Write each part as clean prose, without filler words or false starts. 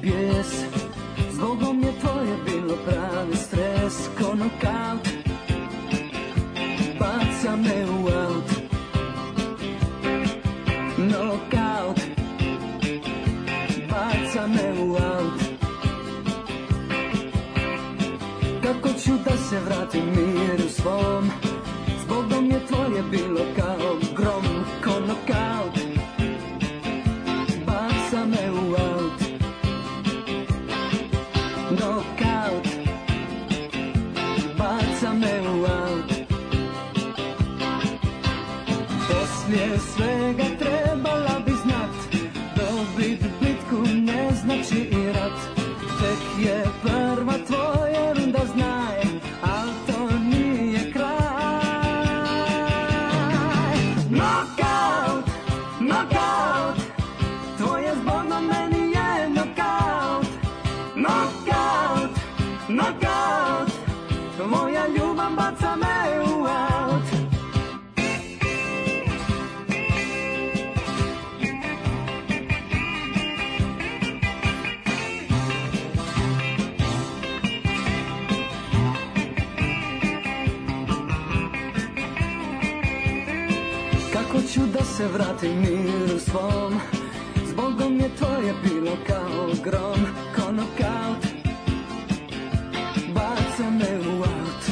bijes. Zbogom je tvoje bilo pravi stres. Ko nokaut baca me u aut. Nokaut baca me u aut. Kako ću da se vratim miru svom. Zbogom je tvoje bilo kao grom. Ko nokaut baca me u aut. Nokaut baca me u aut. Poslije svega trebala bi znat, dobit bitku ne znači i rat. Tek je prva tvoja runda, znaj, al to nije kraj. Nokaut, nokaut, tvoje zbogom meni je nokaut. Nokaut, nokaut, moja ljubav baca me u aut. Kako ću da se vratim miru svom. Zbogom je tvoje bilo kao grom. Ko nokaut baca me u aut.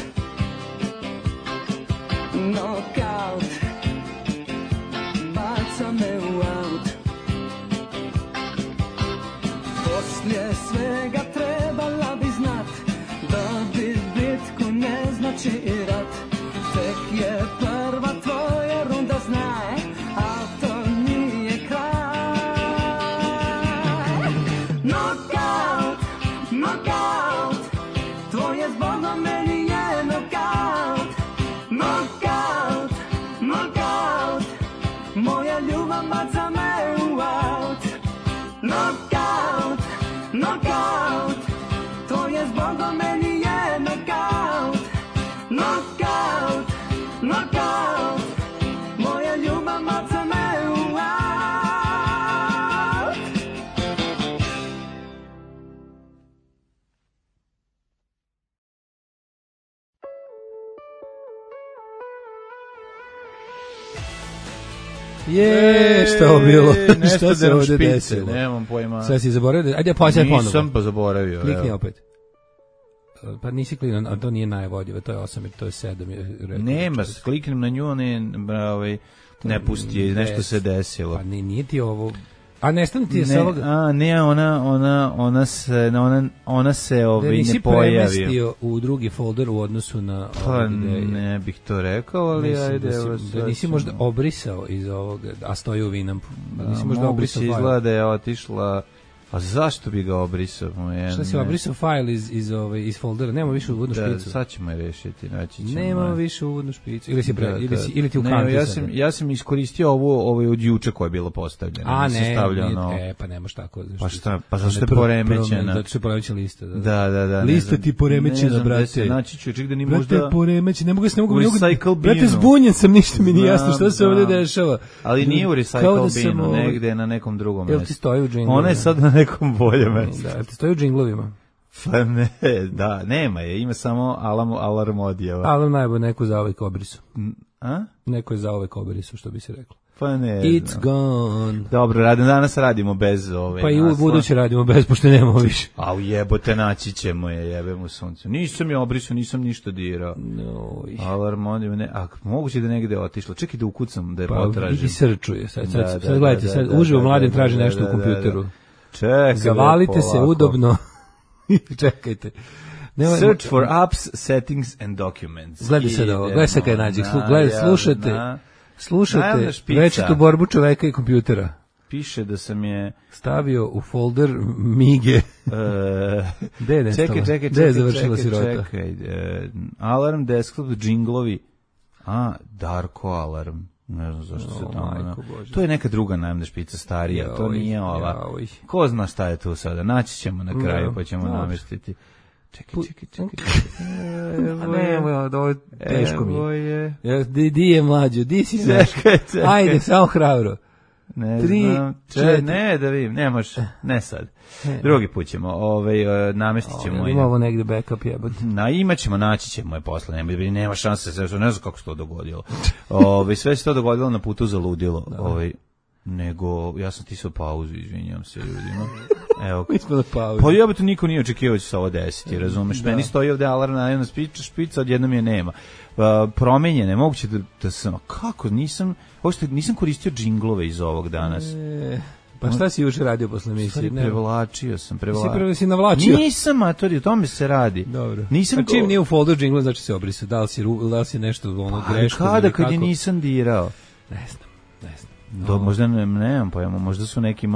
Nokaut baca me u aut. Poslije svega trebala bi znat, dobit bitku ne znači i rat. Tek je prva tvoja runda, znaj, a to nije kraj. Nokaut, nokaut, tvoje zbogom meni je nokaut. Nokaut, nokaut, moja ljubav baca me u aut. Nokaut, nokaut, tvoje zbogom meni je nokaut. Nokaut, nokaut, moja ljubav baca me u aut. Šta je ovo bilo? Nešto se ovdje špice, desilo? nemam pojma. Sve si zaboravio? Ajde, pođaj ponovo. Nisam pa zaboravio. Klikni opet. Pa nisi kliknuo, a to nije najvodljivo, to je 8, to je 7. Nema, kliknem na nju, ne pusti je, nešto se desilo. Pa nije ti ovo... A nestane ti je sa ovoga... A, ne, ona se da ne nisi pojavi. premestio u drugi folder u odnosu na... Pa ne bih to rekao, ali mislim ajde. da nisi možda obrisao iz ovoga, a stoji u Winampu. Da nisi možda obrisao file. Izgleda da je otišla... A zašto bi ga obrisao? Šta si obrisao file iz foldera? Nema više uvodnu špicu. Sad ćemo je rešiti. Nema više uvodnu špicu. Ili ti u kantu. Ja sam iskoristio ovo od juče koje je bilo postavljeno. A ne, pa nemaš tako. Pa šta? Pa zašto je poremećena? Zato što je poremećena lista. Da. Lista ti poremećena, brate. Naći ću, ček da ni možda... Brate, poremećena, ne mogu se... Brate, zbunjen sam, ništa mi nije jasno što se ovdje dešava. Ali nije u recycle binu, negde na nekom drugom mestu. Jel ti stoji u džinglovima? Ona je sad na nekom boljem mestu. Da, ti stoji u džinglovima? Pa ne, da, nema je, ima samo alarm odjeva. Alarm najbolj neko za ovaj kobrisu. A? Neko je za ovaj kobrisu, što bi se reklo. Pa ne. It's gone. Dobro, danas radimo bez ove. Pa i u buduće radimo bez, pošto nemamo više. A ujebote, naći ćemo je, jebemo sunce. Nisam je obrisao, nisam ništa dirao. Alarm odjeva, ne, a moguće da negde otišlo. Čekaj da ukucam, da je potražim. Pa vidi srčuje, sad gledajte, sad uživo Mladen traži nešto u kompjuteru. Čekaj, zavalite se udobno. Čekajte. Search for apps, settings and documents. Gledaj sad ovo, gledaj sad kaj nađe. Slušajte večitu borbu čoveka i kompjutera. Piše da sam je stavio u folder Mige. Gde je nestala? Gde je završila sirota? Alarm, desktop, džinglovi. Darko alarm. Ne znam zašto se tamo... To je neka druga najemna špica starija, to nije ova. Ko zna šta je tu sada? Naći ćemo na kraju, pa ćemo namestiti. Čekaj. Ovo teško mi je. Di je mlađo, di si znaš? Ajde, samo hrabro. Ne, da vidim, ne možeš, ne sad. Drugi put ćemo, namestit ćemo. Ima ovo negde backup jebati. Imaćemo, naći ćemo je posle, nema šanse, ne znam kako se to dogodilo. Sve se to dogodilo na putu za ludilo. Nego, ja sam tisao pauzu, izvinjam se ljudima. Evo, mi smo na pauzu. Pa jebate, niko nije očekivao da će se ovo desiti, razumeš? Meni stoji ovde alarm na jedna špica, odjednom je nema. Promenjene, moguće da sam, kako, nisam koristio džinglove iz ovog danas. Pa šta si juče radio posle emisije? Prevlačio sam. Si navlačio? Nisam, matori, o tome se radi. Dobro. A čim nije u folder džingla, znači se obrisao. Da li si nešto greško? Kada, kad je nisam dirao? Ne znam. Možda nemam pojma, možda su neki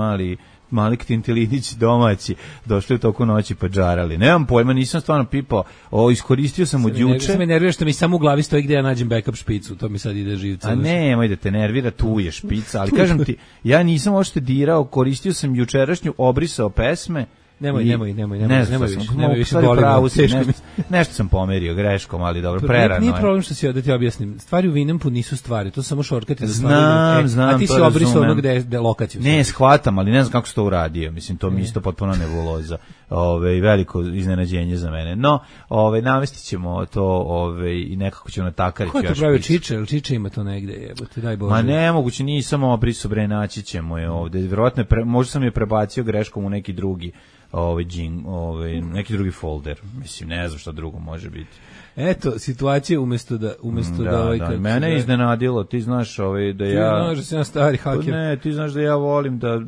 mali ktintelinići domaći došli u toku noći pa džarali. Nemam pojma, nisam stvarno pipao. Iskoristio sam od juče. Sve me nervira što mi samo u glavi stoji gde ja nađem backup špicu, to mi sad ide živce. A nemoj da te nervira, tu je špica, ali kažem ti, ja nisam uopšte dirao, koristio sam jučerašnju, obrisao pesme. Nemoj više nešto sam pomerio greškom, ali dobro, prerano. Nije problem što si da ti objasnim. Stvari u Winampu nisu stvari, to su samo šortkati za stvari. Znam, a ti si obrisao ono gde lokaciju. Ne, shvatam, ali ne znam kako si to uradio. Mislim, to mi isto potpuno nebuloza. Veliko iznenađenje za mene. No, namestit ćemo to i nekako ćemo natakariti još. Ko je to pravio Čiče? Ili Čiče ima to negde? Jebote, daj Bože. Ma nemoguće, nisam obrisao, naći ćemo je ovde. Vjerojatno, možda sam je prebacio greškom u neki drugi neki drugi folder. Mislim, ne znam šta drugo može biti. Eto, situacija umesto da mene je iznenadilo, ti znaš da ja... Ti znaš da sam stari haker. Ne, ti znaš da ja volim da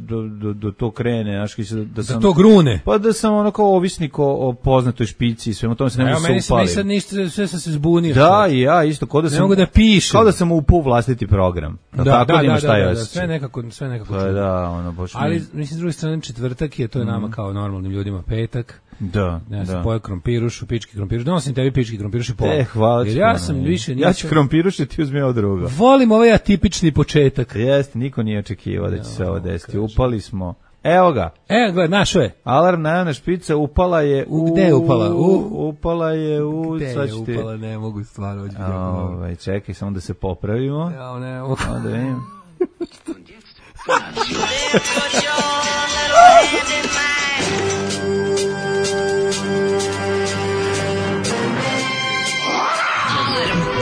to krene, da to grune. Pa da sam kao ovisnik o poznatoj špici i svemu tome se ne mogu se upalim. Meni sad ništa, sve sam se zbunio. Da, i ja isto, ne mogu da pišem. Kao da sam upao u vlastiti program. Da, sve nekako. Baš ali, mislim, s druge strane, četvrtak je, to je nama kao normalnim ljudima petak. Da. Ja sam pojeo krompirušu, pički krompiruš. Donosim tebi pički krompiruš i pola. Hvala ti. Jer ja sam više... Ja ću krompiruš i ti uzmi ovo drugo. Volim ovaj atipični početak. Jeste, niko nije očekivao da će se ovo desiti. Upali smo. Evo ga. Gledaj, našo je. Alarm najavna špica upala je u... Gde je upala? Upala je u... Gde je upala? Ne mogu stvarno. Čekaj, samo da se popravimo. Ja, ne mogu. Da vidim.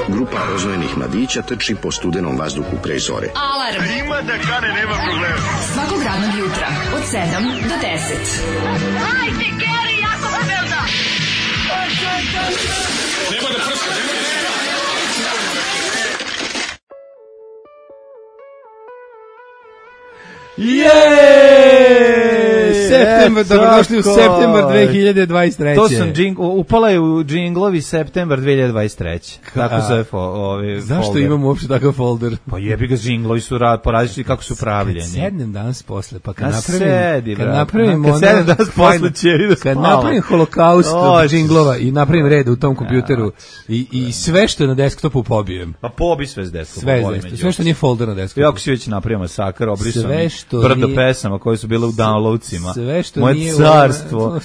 Grupa oznojenih mladića trči po studenom vazduhu pre zore. Alarm! Ima da kane, nema problema. Svakog radnog jutra, od 7 do 10. Hajde, Geri, jako se velda! Nema da prska, nema da prska! Septembar, dobrodošli u septembar 2023. To sam upala je u džinglovi septembar 2023. Tako zove folder. Zašto imamo uopšte takav folder? Pa jebi ga, džinglovi su porazličiti kako su pravljeni. Kad sednem danas posle, pa kad napravim holokaust od džinglova i napravim red u tom kompjuteru i sve što je na desktopu pobijem. Pa pobi sve s desktopu. Sve što nije folder na desktopu. Jako si već napravio masakar, obrisam brdo pesama koje su bile u downloadsima. Moje carstvo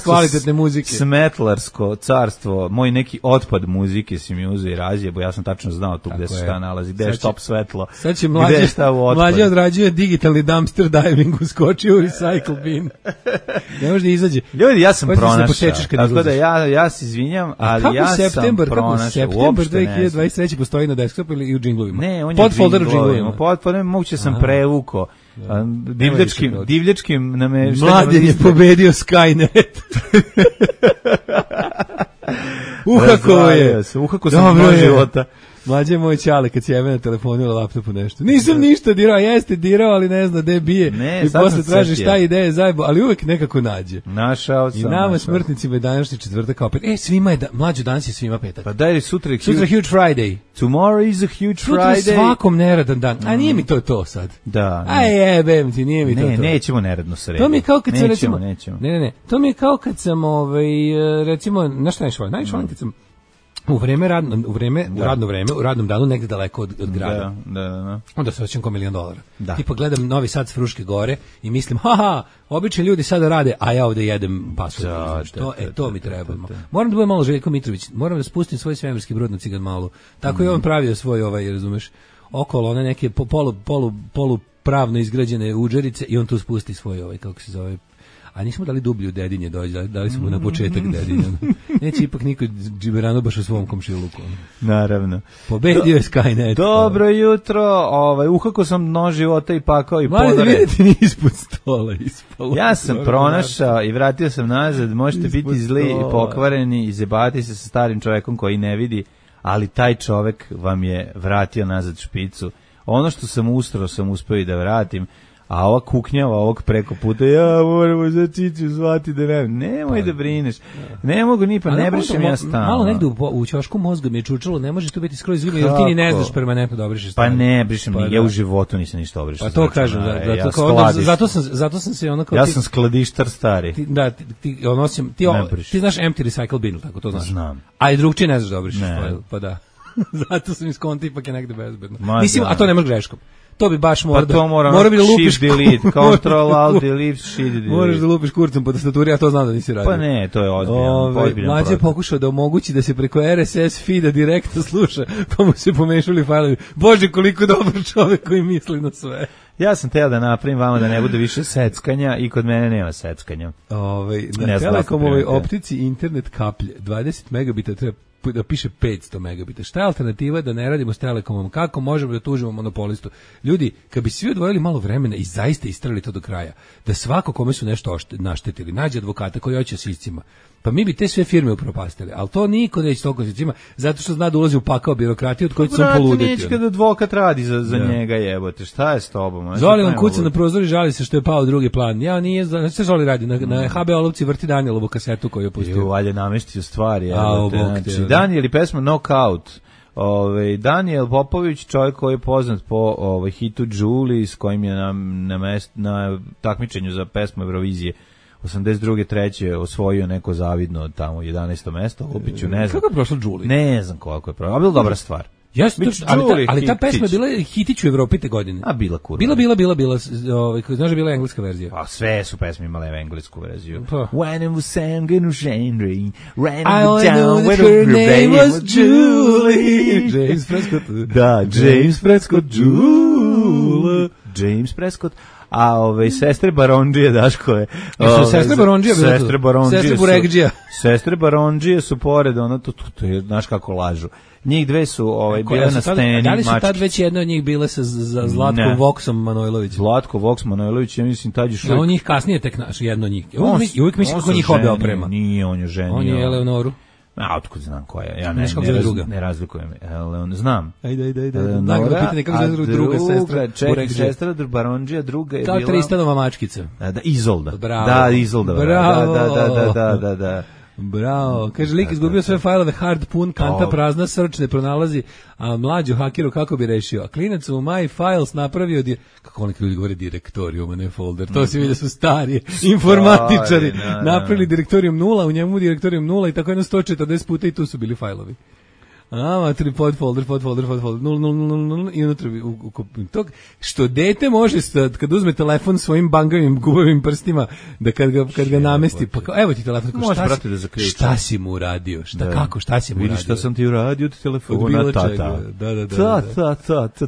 kvalitetne muzike, smetlarsko carstvo, moj neki otpad muzike si mi uzeo i razjebo, ja sam tačno znao tu gde se šta nalazi, gde je štop svetlo, sad će mlađe odrađuje digitalni dumpster diving, uskočio u recycle bin, ne može da izađe. Ljudi, ja sam pronašao, tako da ja se izvinjam, ali ja sam pronašao. Septembar 2023 postoji na desktopu ili u džinglovima? Ne, on je u džinglovima, podfolder moguće sam prevuko divljačkim nameštenjem. Mladen je pobedio Skynet. Uhako sam dva života. Mlađe moj čale kad si jebe na telefonu ili laptopu nešto. Nisam ništa dirao, jeste dirao, ali ne zna gde bije. I posle traži šta ideje zajebo, ali uvek nekako nađe. Našao sam. I nama smrtnicima je današnji četvrtak opet. Svima je, mlađo, danas je svima petak. Pa daj sutra Huge Friday. Tomorrow is a huge Friday. Sutra svakom neradan dan. A nije mi to sad. Da. Jebem ti, nije mi to. Ne, nećemo neradno srediti. To mi je kao kad sam recimo... Nećemo. Ne. To mi je kao kad sam, recimo, znaš šta najviše volim kad sam u radno vreme, u radnom danu negde daleko od grada. Da. Onda se osjećam kao $1.000.000. Tipa gledam Novi Sad s Fruške gore i mislim, obični ljudi sada rade, a ja ovde jedem pasulj. To mi treba. Moram da budem malo Željko Mitrović, moram da spustim svoj svemirski brod na Cigan Malu. Tako je on pravio svoj razumeš, okolo one neke polu pravno izgrađene udžerice i on tu spusti svoj kako se zove, a nismo dali dublju Dedinje dođe, dali smo na početak Dedinja. Neće ipak niko džiberano baš u svom komšiluku. Naravno. Pobedio je Skynet. Dobro jutro, uhako sam nož života i pakao i podare. Mali, vidite, ni ispod stola ispalo. Ja sam pronašao i vratio sam nazad, možete biti zli i pokvareni i zebati se sa starim čovekom koji ne vidi, ali taj čovek vam je vratio nazad špicu. Ono što sam ustrao sam uspeo i da vratim, a ova kuknjava ovog preko puta, ja moramo za Čiću zvati da nemoj da brineš, ne mogu ni pa ne brišem ja stalno. Malo negde u ćošku mozga mi je čučalo, ne može tu biti skroz izgledno, jer ti ni ne znaš permanentno da obrišeš stalno. Pa ne brišem, ja u životu nisam ništa obrišao. Pa to kažem, zato sam se onako... Ja sam skladištar stari. Ti znaš empty recycle bin, tako to znaš? Znam. A i drugčije ne znaš da obrišeš, pa da. Zato sam iskonto ipak je negde bezbedno. Mislim, a to ne može greškom. To bi baš mora bi da lupiš shift delete, control alt delete, shift delete. Moraš da lupiš kurcem po tastaturi, ja to znam da nisi radio. Pa ne, to je ozbiljan. Mlađe je pokušao da omogući da se preko RSS feeda direktno sluša, pa mu se pomešali fajlovi. Bože, koliko dobar čovek koji misli na sve. Ja sam teo da napravim vama da ne bude više seckanja i kod mene nema seckanja. Na Telekomovoj optici internet kaplje 20 megabita treba da piše 500 megabita. Šta je alternativa da ne radimo s Telekomom? Kako možemo da tužimo monopolistu? Ljudi, kad bi svi odvojili malo vremena i zaista istrali to do kraja, da svako kome su nešto naštetili, nađe advokata koji hoće s iscima, pa mi bi te sve firme upropastili, ali to niko neće toliko s iscima, zato što zna da ulazi u pakao birokratije od koje će sam poluditi. Neće kada advokat radi za njega, jebote, šta je s tobom? Zoli vam kuca na prozor i žali se što je pao drugi plan. Ja nije, šta Zoli radi? Na HB Olovci vrti Danielovu kasetu koju je pustio. Valje nameštio stvari. Daniel i pesma Knockout. Daniel Popović, čovjek koji je poznat po hitu Julie, s kojim je na takmičenju za pesmu Eurovizije 82. treće osvojio neko zavidno tamo 11. mesto, Lupiću, ne znam. Kako je prošlo Julie? Ne znam koliko je prošlo, a bila dobra stvar. Ali ta pesma je bila hitić u Evropi te godine. A bila kurva. Bila, znaš da je bila engleska verzija. A sve su pesme imale englesku verziju. When it was sang in Shandry, ran down when her name was Julie. James Prescott. Da, James Prescott, Julie. James Prescott. A sestre Barondžije, Daškove. Sestre Barondžije, Sestre Barondžije su pored, to je, znaš kako lažu. Njih dve su bile na sceni. Da li su tad već jedna od njih bile sa Zlatkom Voksom Manojlović? Zlatko Voks Manojlović, ja mislim tad još... On njih kasnije tek naš, jedno od njih. Uvijek mislim kako njih obe oprema. Nije, on je ženio. On je Eleonoru. A otkud znam koja je? Ja ne razlikujem. Znam. Ajde. Nagrada pitanje kako se zove druga sestra. Sestra Barondžija, druga je bila... Kao Tristanova mačkica. Da, Izolda. Bravo. Da, Izolda. Bravo. Da. Bravo. Kaže, lik izgubio sve fajlove, hard pun, kanta prazna, srč ne pronalazi, a mlađu hakeru kako bi rešio? A klinac u My Files napravio, kako neki ljudi govore direktorijum, a ne folder, to se vidi da su stari informatičari, napravili direktorijum 0, u njemu direktorijum 0 i tako jedno 140 puta i tu su bili fajlovi. Tri podfolder, 0 i unutra tog, što dete može kad uzme telefon svojim bangavim gubavim prstima, da kad ga namesti, pa kao, evo ti telefon, šta si mu uradio, šta si mu uradio? Vidiš šta sam ti uradio od telefona, tata.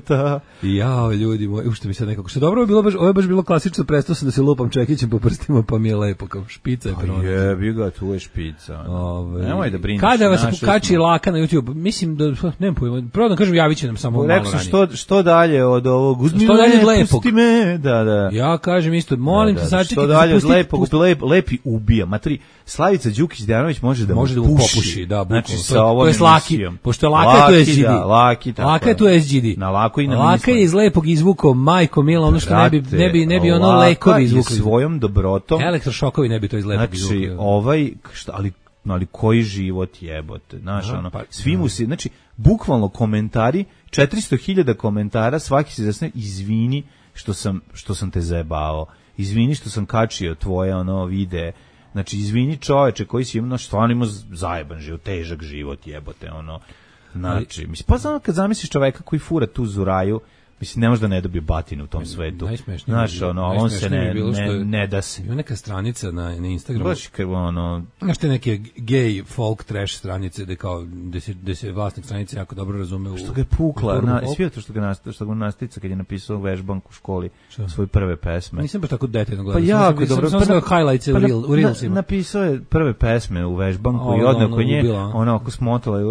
Da. Jao, ljudi moji, ušte mi sad nekako, što dobro, ovo je baš bilo klasično, prestao sam da se lupam čekićem po prstima, pa mi je lepo, kao špica je pronađena. Jebi ga, tu je špica. Nemoj da brineš. Kada vas kači laka na YouTube, mislim da nemam pojma. Prvo da kažem, javit će nam samo malo ranije. Što dalje od ovog? Uzmi što dalje od lepog? Pusti me. Da. Ja kažem isto, molim te sačekaj. Što dalje od lepog? Lepi ubija. Matri, Slavica Đukić Dejanović može da mu popuši. Da, znači sa ovom emisijom. Pošto je laka, to je SGD. Laka je to SGD. Na lako i na laka je iz lepog izvukao majko mila, ono što ne bi ono lekovi izvukli. Svojom dobrotom. Elektrošokovi ne bi to iz lepog izvukli. Znači, ali koji život jebote, znaš, svi mu se, znači, bukvalno komentari, 400.000 komentara, svaki se zasne, izvini što sam te zajebao, izvini što sam kačio tvoje videe, znači, izvini čoveče koji si imao, stvarno imao zajeban život, težak život jebote, znači, mislim, pa znam kad zamisliš čoveka koji fura tu zuraju, Mislim, ne može da ne dobije batinu u tom svetu. Znaš, on se ne da se. Ima neka stranica na Instagramu. Baš kao znaš te neke gay folk trash stranice gde se vlasnik stranice jako dobro razume. Što ga je pukla, svi to što ga nastica kad je napisao vežbank u školi svoje prve pesme. Nisam baš tako detaljno gledao. Pa jako dobro. Sam highlights u Reelsima. Napisao je prve pesme u vežbanku i odneo kod nje, ona oko smotala i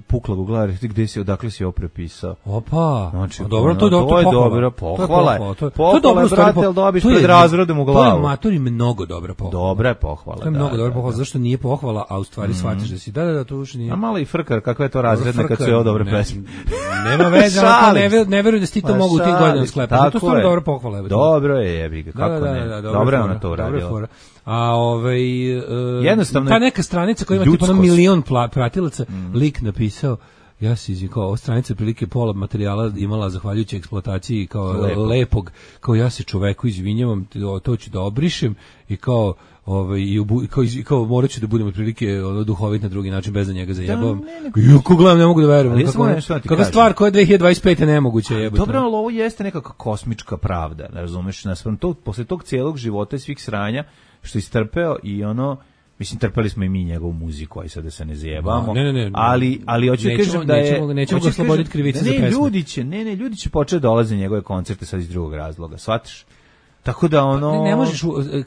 pukla u glavi, gde si, odakle si ovo prepisao. Opa, znači, dobro, to je dobra pohvala. To je dobro, brate, ali dobiš pred razredom u glavu. To je matori mnogo dobra pohvala. Dobra je pohvala, to je mnogo dobra pohvala, zašto nije pohvala, a u stvari shvatiš da si, da, to uopšte nije. A malo i frkar, kakva je to razredna kad su je dobre pesme. Nema veze, ne veruju da si to mogu u tim godinama sklepati. To je stvarno dobra pohvala. Dobro je, jebi ga, kako ne. Dobro je ona to uradila. A jednostavno ta neka stranica koja ima tipa milion pratilaca, lik napisao, ja se izvinjam, kao ova stranica prilike pola materijala imala zahvaljujući eksploataciji kao lepog, kao ja se čoveku izvinjavam, to ću da obrišem i kao kao morat ću da budem otprilike duhovit na drugi način bez da njega zajebavam. Kako gledam, ne mogu da verujem. Kakva stvar koja je 2025. nemoguća jebati. Dobro, ali ovo jeste nekakva kosmička pravda, razumeš, posle tog cijelog života i svih sranja što istrpeo i mislim, trpeli smo i mi njegovu muziku, aj sad da se ne zajebamo. Ne. Ali hoću da kažem da je... Nećemo ga osloboditi krivice za pesme. Ljudi će početi dolaze njegove koncerte sad iz drugog razloga, shvatiš? Tako da ne možeš,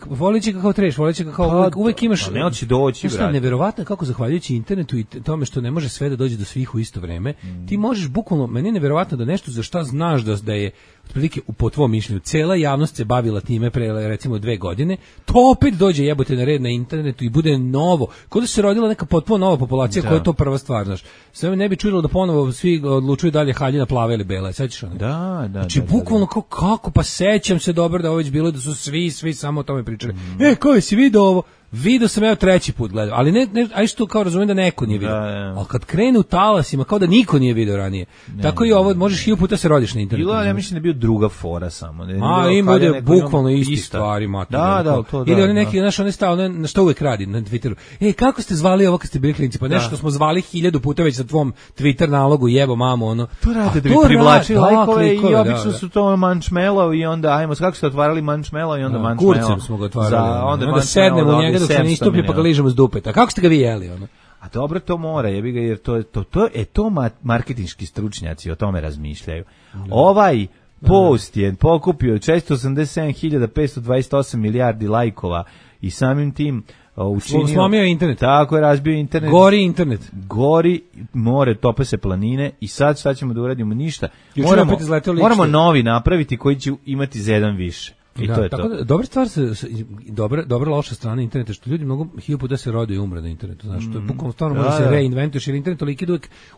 volići ga kao treš, volići ga kao uvek imaš... Ne hoće doći, brate. Neverovatno kako zahvaljujući internetu i tome što ne može sve da dođe do svih u isto vreme, ti možeš bukvalno, meni je neverovatno da nešto za šta znaš da je otprilike po tvom mišljenju cela javnost se bavila time pre recimo 2 godine, to opet dođe jebote na red na internetu i bude novo. Kao da se rodila neka potpuno nova populacija koja je to prva stvar, znaš. Sve me ne bi čudilo da ponovo svi odlučuju dalje haljina plave ili bela, sećaš ono? Da. Znači bukvalno kako pa sećam se dobro da ovo već bilo da su svi samo o tome pričali. Ko si video ovo? Video sam ja 3. put gledao, ali ne aj što kao razumijem da neko nije video. Ali kad krene u talasima kao da niko nije video ranije. Tako i ovo možeš 1000 puta se rodiš na internetu. Ja mislim da je bio druga fora samo. Ima da bukvalno isti stvari mater. To. Ili oni neki naš on stao na što uvek radi na Twitteru. Kako ste zvali ovo kad ste bili klinci? Pa nešto smo zvali 1000 puta već sa tvom Twitter nalogu jebo mamo ono. To rade da bi privlačili lajkove i obično su to Marshmallow i onda ajmo kako ste otvarali Marshmallow i onda Marshmallow. Kurcem smo ga otvarali. Onda sednemo u njega dok se ne istupi pa ga ližemo s dupeta. Kako ste ga vi jeli ono? A dobro, to mora, jebi ga, jer to marketinški stručnjaci o tome razmišljaju. Ovaj post je pokupio 487.528 milijardi lajkova i samim tim učinio... Slomio internet. Tako je, razbio internet. Gori internet. Gori more, tope se planine i sad šta ćemo da uradimo? Ništa. Moramo novi napraviti koji će imati za jedan više. I to je tako to. Dobra stvar dobra loša strana interneta što ljudi mogu 1000 puta se rode i umre na internetu, znači to je bukvalno stvarno može se reinventuješ jer internet toliki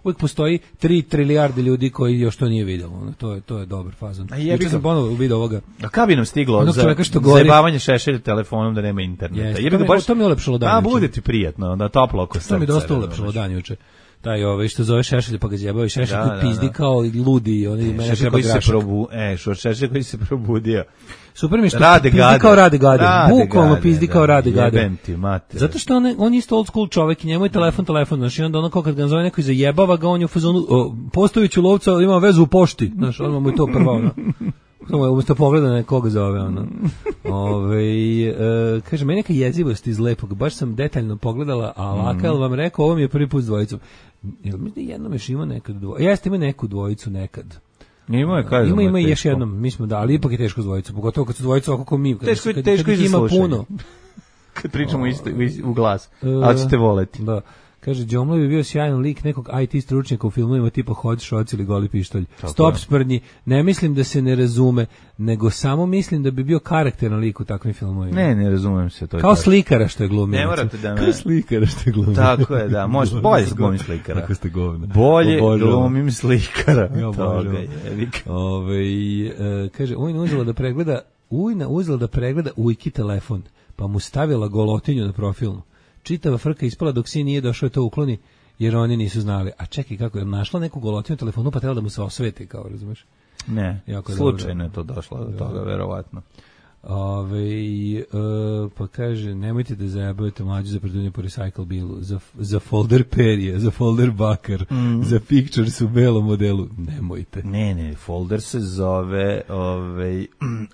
uvek postoji 3 trilijarde ljudi koji još to nije videlo. To je dobar fazon. Juče sam ponovo video ovoga. A kad bi nam stiglo za zajebavanje šešelja telefonom da nema interneta? To mi je ulepšalo dan. A bude ti prijatno, da toplo oko srca. To mi dosta ulepšalo dan juče. Taj što zove Šešelj pa ga zjebao i Šešelj pizdi kao ludi, oni mene preko grašak. Šešelj koji se probudio. Super mi što pizdi kao Rade Gade. Bukvalno pizdi kao Rade Gade. Zato što on isto old school čovek i njemu je telefon, znači onda ono kao kad ga zove neko i zajebava ga, on je u fazonu postojuću lovca, ima vezu u pošti, znaš, on mu je to prvo, ono. Umesto pogleda nekoga zove, ono. Kaže, meni neka jezivost iz lepog, baš sam detaljno pogledala, a laka, jel vam rekao, ovo mi je prvi put s dvojicom. Jel mi da jednom još ima nekad dvojicu? Jeste, ima neku dvojicu nekad. Ima još jednom, mi smo da, ali ipak je teško s dvojicom, pogotovo kad su dvojicu ovako kao mi, teško ima puno. Kad pričamo u glas, ali ćete voleti. Da. Kaže, Đomlo bi bio sjajan lik nekog IT stručnjaka u filmovima tipa Hot Shots ili Goli pištolj. Stop sprdnji, ne mislim da se ne razume, nego samo mislim da bi bio karakteran lik u takvim filmovima. Ne razumem se. To je kao slikara što je glumio. Ne morate da me... Kao slikara što je glumio. Tako je, da. Može, bolje glumim slikara. Tako ste govna. Bolje glumim slikara. Kaže, Ujna uzela da pregleda Ujki telefon, pa mu stavila golotinju na profilnu. Čitava frka ispala dok sin nije došao to ukloni, jer oni nisu znali. A čekaj, kako je našla neku golotinu telefonu, pa trebala da mu se osveti, kao, razumeš? Ne, slučajno je to došlo do toga, verovatno. Pa kaže, nemojte da zajebavate mlađu za predavanje po recycle bilu, za folder perije, za folder bakar, za pictures u belom modelu, nemojte. Ne, folder se zove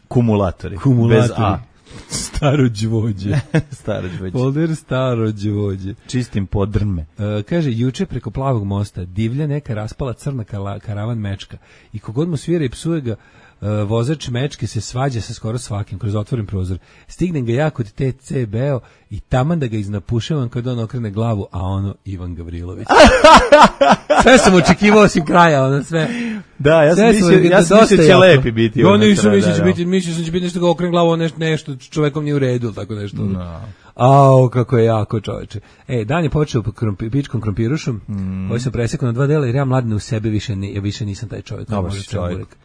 kumulatori. Bez A. Starođvođe. Folder starođvođe. Čistim podrme. Kaže, juče preko Plavog mosta divlja neka raspala crna karavan mečka i kogod mu svira i psuje ga, vozač mečke se svađa sa skoro svakim kroz otvoren prozor. Stignem ga ja kod TCB-o i taman da ga iznapušavam kad on okrene glavu, a ono Ivan Gavrilović. Sve sam očekivao osim kraja, ono sve. Da, ja sam mislio će lepi biti. Ja nisam mislio sam će biti nešto ga okrene glavu, nešto čovekom nije u redu, tako nešto. No. Au, kako je jako, čoveče. Dan je počeo pičkom krompirušom, koji sam presekao na 2 dela, jer ja mladine u sebe više nisam taj čovjek. Dobar si čovjek.